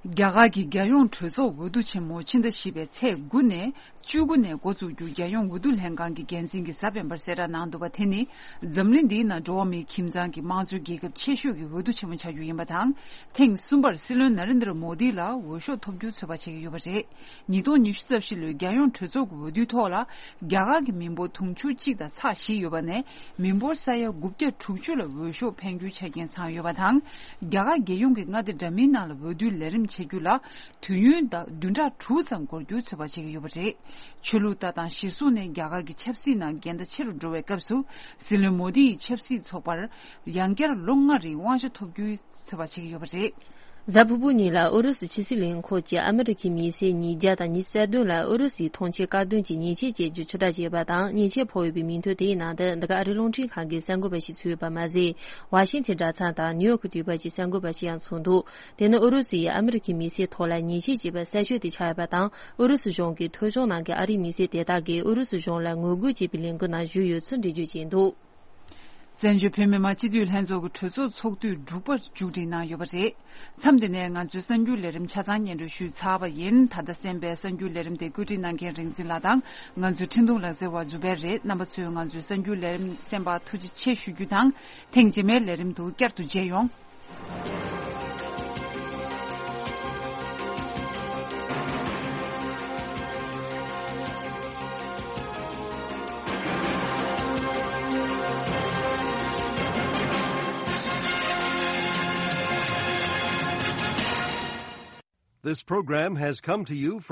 རྒྱ་གར་གྱི་རྒྱལ་ཡོངས་གྲོས་ཚོགས་འོས་བསྡུ་ཆེན་མོ་ཕྱི་ཟླ་བཞི་པའི་ཚེས་དགུ་ནས་བཅུ་དགུ་ནས་འགོ་བཙུགས་རྒྱུ་རྒྱལ་ཡོངས་འོས་བསྡུ་ལྷན་ཁང་གི་འགན་འཛིན་གྱིས་གཟའ་སྤེན་པར་གསལ་བསྒྲགས་གནང་འདུག་པ། དེ་ནི་འཛམ་གླིང་འདིའི་ནང་འགྲོ་བ་མིའི་ཁྱིམ་ཚང་གི་དམངས་གཙོའི་རྒྱལ་ཁབ་ཆེ་ཤོས་ཀྱི་འོས་བསྡུ་ཆེན་མོ་ཆགས་རྒྱུ་ཡིན་པ་དང་། ཐེངས་གསུམ་པར་སྲིད་བློན་ན་རེན་དྲ་མོ་དི་ལ་འོས་ཤོག་ཐོབ་རྒྱུའི་ཚོད་དཔག་བྱེད་ཀྱི་ཡོད་པ་རེད། ཉིས་སྟོང་ཉི་ཤུ་རྩ་བཞི་ལོའི་རྒྱལ་ཡོངས་གྲོས་ཚོགས་ཀྱི་འོས་བསྡུའི་ཐོག་ལ། རྒྱ་གར་གྱི་མི་འབོར་དུང་ཕྱུར་གཅིག་དང་ཚེག་བཞི་ཡོད་པ་ནས། མི་འབོར་ས་ཡ་དགུ་བརྒྱ་དྲུག་ཅུ་ལ་འོས་ཤོག་འཕེན་རྒྱུའི་ཆ་རྐྱེན་ཚང་ཡོད་པ་དང་། རྒྱ་གར་རྒྱལ་ཡོངས་ཀྱི་མངའ་སྡེ་འདྲ་མིན་ནང་ལ་འོས་བསྡུའི་ལས་རིམ་བྱེད་རྒྱུ་ལ། དུས་ཡུན་ད་བདུན་ཕྲག་དྲུག་ཙམ་འགོར་རྒྱུའི་ཚོད་དཔག་བྱེད་ཀྱི་ཡོད་པ་རེད། ཆོས་ལུགས་ལྟ་སྟངས་གཞིར་བཟུང་ནས་རྒྱ་གར་གྱི་ཆབ་སྲིད་ནང་འགལ་ཟླ་ཆེ་རུ་འགྲོ་བའི་སྐབས་སུ། སྲིད་བློན་མོ་དི་ཡི་ཆབ་སྲིད་ཚོགས་པར་ཡང་བསྐྱར་ལོ་ལྔ་རིང་དབང་ཆ་ཐོབ་རྒྱུའི་ཚོད་དཔག་བྱེད་ཀྱི་ཡོད་པ་རེད། གཟའ་ཕུར་བུ་ཉིན་ལ་ཨུ་རུ་སུ་ཕྱི་སྲིད་ལས་ཁུངས་ཀྱིས་ཨ་མི་རི་ཁའི་མི་སེར་ཉིས་བརྒྱ་དང་ཉི་ཤུ་རྩ་བདུན་ལ་ཨུ་རུ་སུའི་ཐོངས་མཆན་བཀག་སྡོམ་གྱི་ཉེས་ཆད་བཅད་རྒྱུ་ཆུ་ཕྲ་བྱས་པ་དང་། ཉེས་ཆད་ཕོག་ཡོད་པའི་མིང་ཐོ་དེའི་ནང་དུ་འདི་ག་ཨ་རིའི་རླུང་འཕྲིན་ཁང་གི་གསར་འགོད་པ་ཞིག་ཚུད་ཡོད་པ་མ་ཟད། ཝ་ཤིང་ཐན་གྲྭ་ཚང་དང་ནིའུ་ཡོག་གི་དུས་བབ་ཀྱི་གསར་འགོད་པ་ཞིག་ཡང་ཚུད་འདུག་དེ་ནི་ཨུ་རུ་སུའི་ཨ་མི་རི་ཁའི་མི་སེར་ཐོག་ལ་ཉེས་ཆད་བཅད་པ་གསར་ཤོས་དེ་ཆགས་ཡོད་པ་དང་། ཨུ་རུ་སུ་གཞུང་གི་ཐོ་གཞུང་ནང་གི་ཨ་རིའི་མི་སེར་དེ་དག་གིས་ཨུ་རུ་སུ་གཞུང་ལ་ངོ་རྒོལ་བྱེད་པའི་ལས་འགུལ་ནང་ཞུགས་ཡོད་ཚུལ་འགྲེལ་བརྗོད་བྱས་འདུག་བཙན་བྱོལ་བོད་མི་མང་སྤྱི་འཐུས་ལྷན་ཚོགས་ཀྱི་གྲོས་ཚོགས་ཚོགས་དུས་དྲུག་པ་མཇུག་སྒྲིལ་གནང་ཡོད་པ་རེད། མཚམས་འདི་ནས་ང་ཚོའི་གསར་འགྱུར་ལས་རིམ་ཆ་ཚང་སྙན་སྒྲོན་ཞུས་ཚར་བ་ཡིན། ད་ལྟ་གསན་པའི་གསར་འགྱུར་ལས་རིམ་དེ་བཀོད་སྒྲིག་གནང་མཁན་རིག་འཛིན་ལགས་དང་། ང་ཚོའི་འཕྲིན་གཏོང་ལག་རྩལ་བ་ཛུ་བེར་རེད། རྣམ་པ་ཚོས་ང་ཚོའི་གསར་འགྱུར་ལས་རིམ་གསན་པར་ཐུགས་རྗེ་ཆེ་ཞུ་རྒྱུ་དང་། ཐེངས་རྗེས་མའི་ལས་རིམ་དུ་བསྐྱར་དུ་མཇལ་ཡོང་། This program has come to you from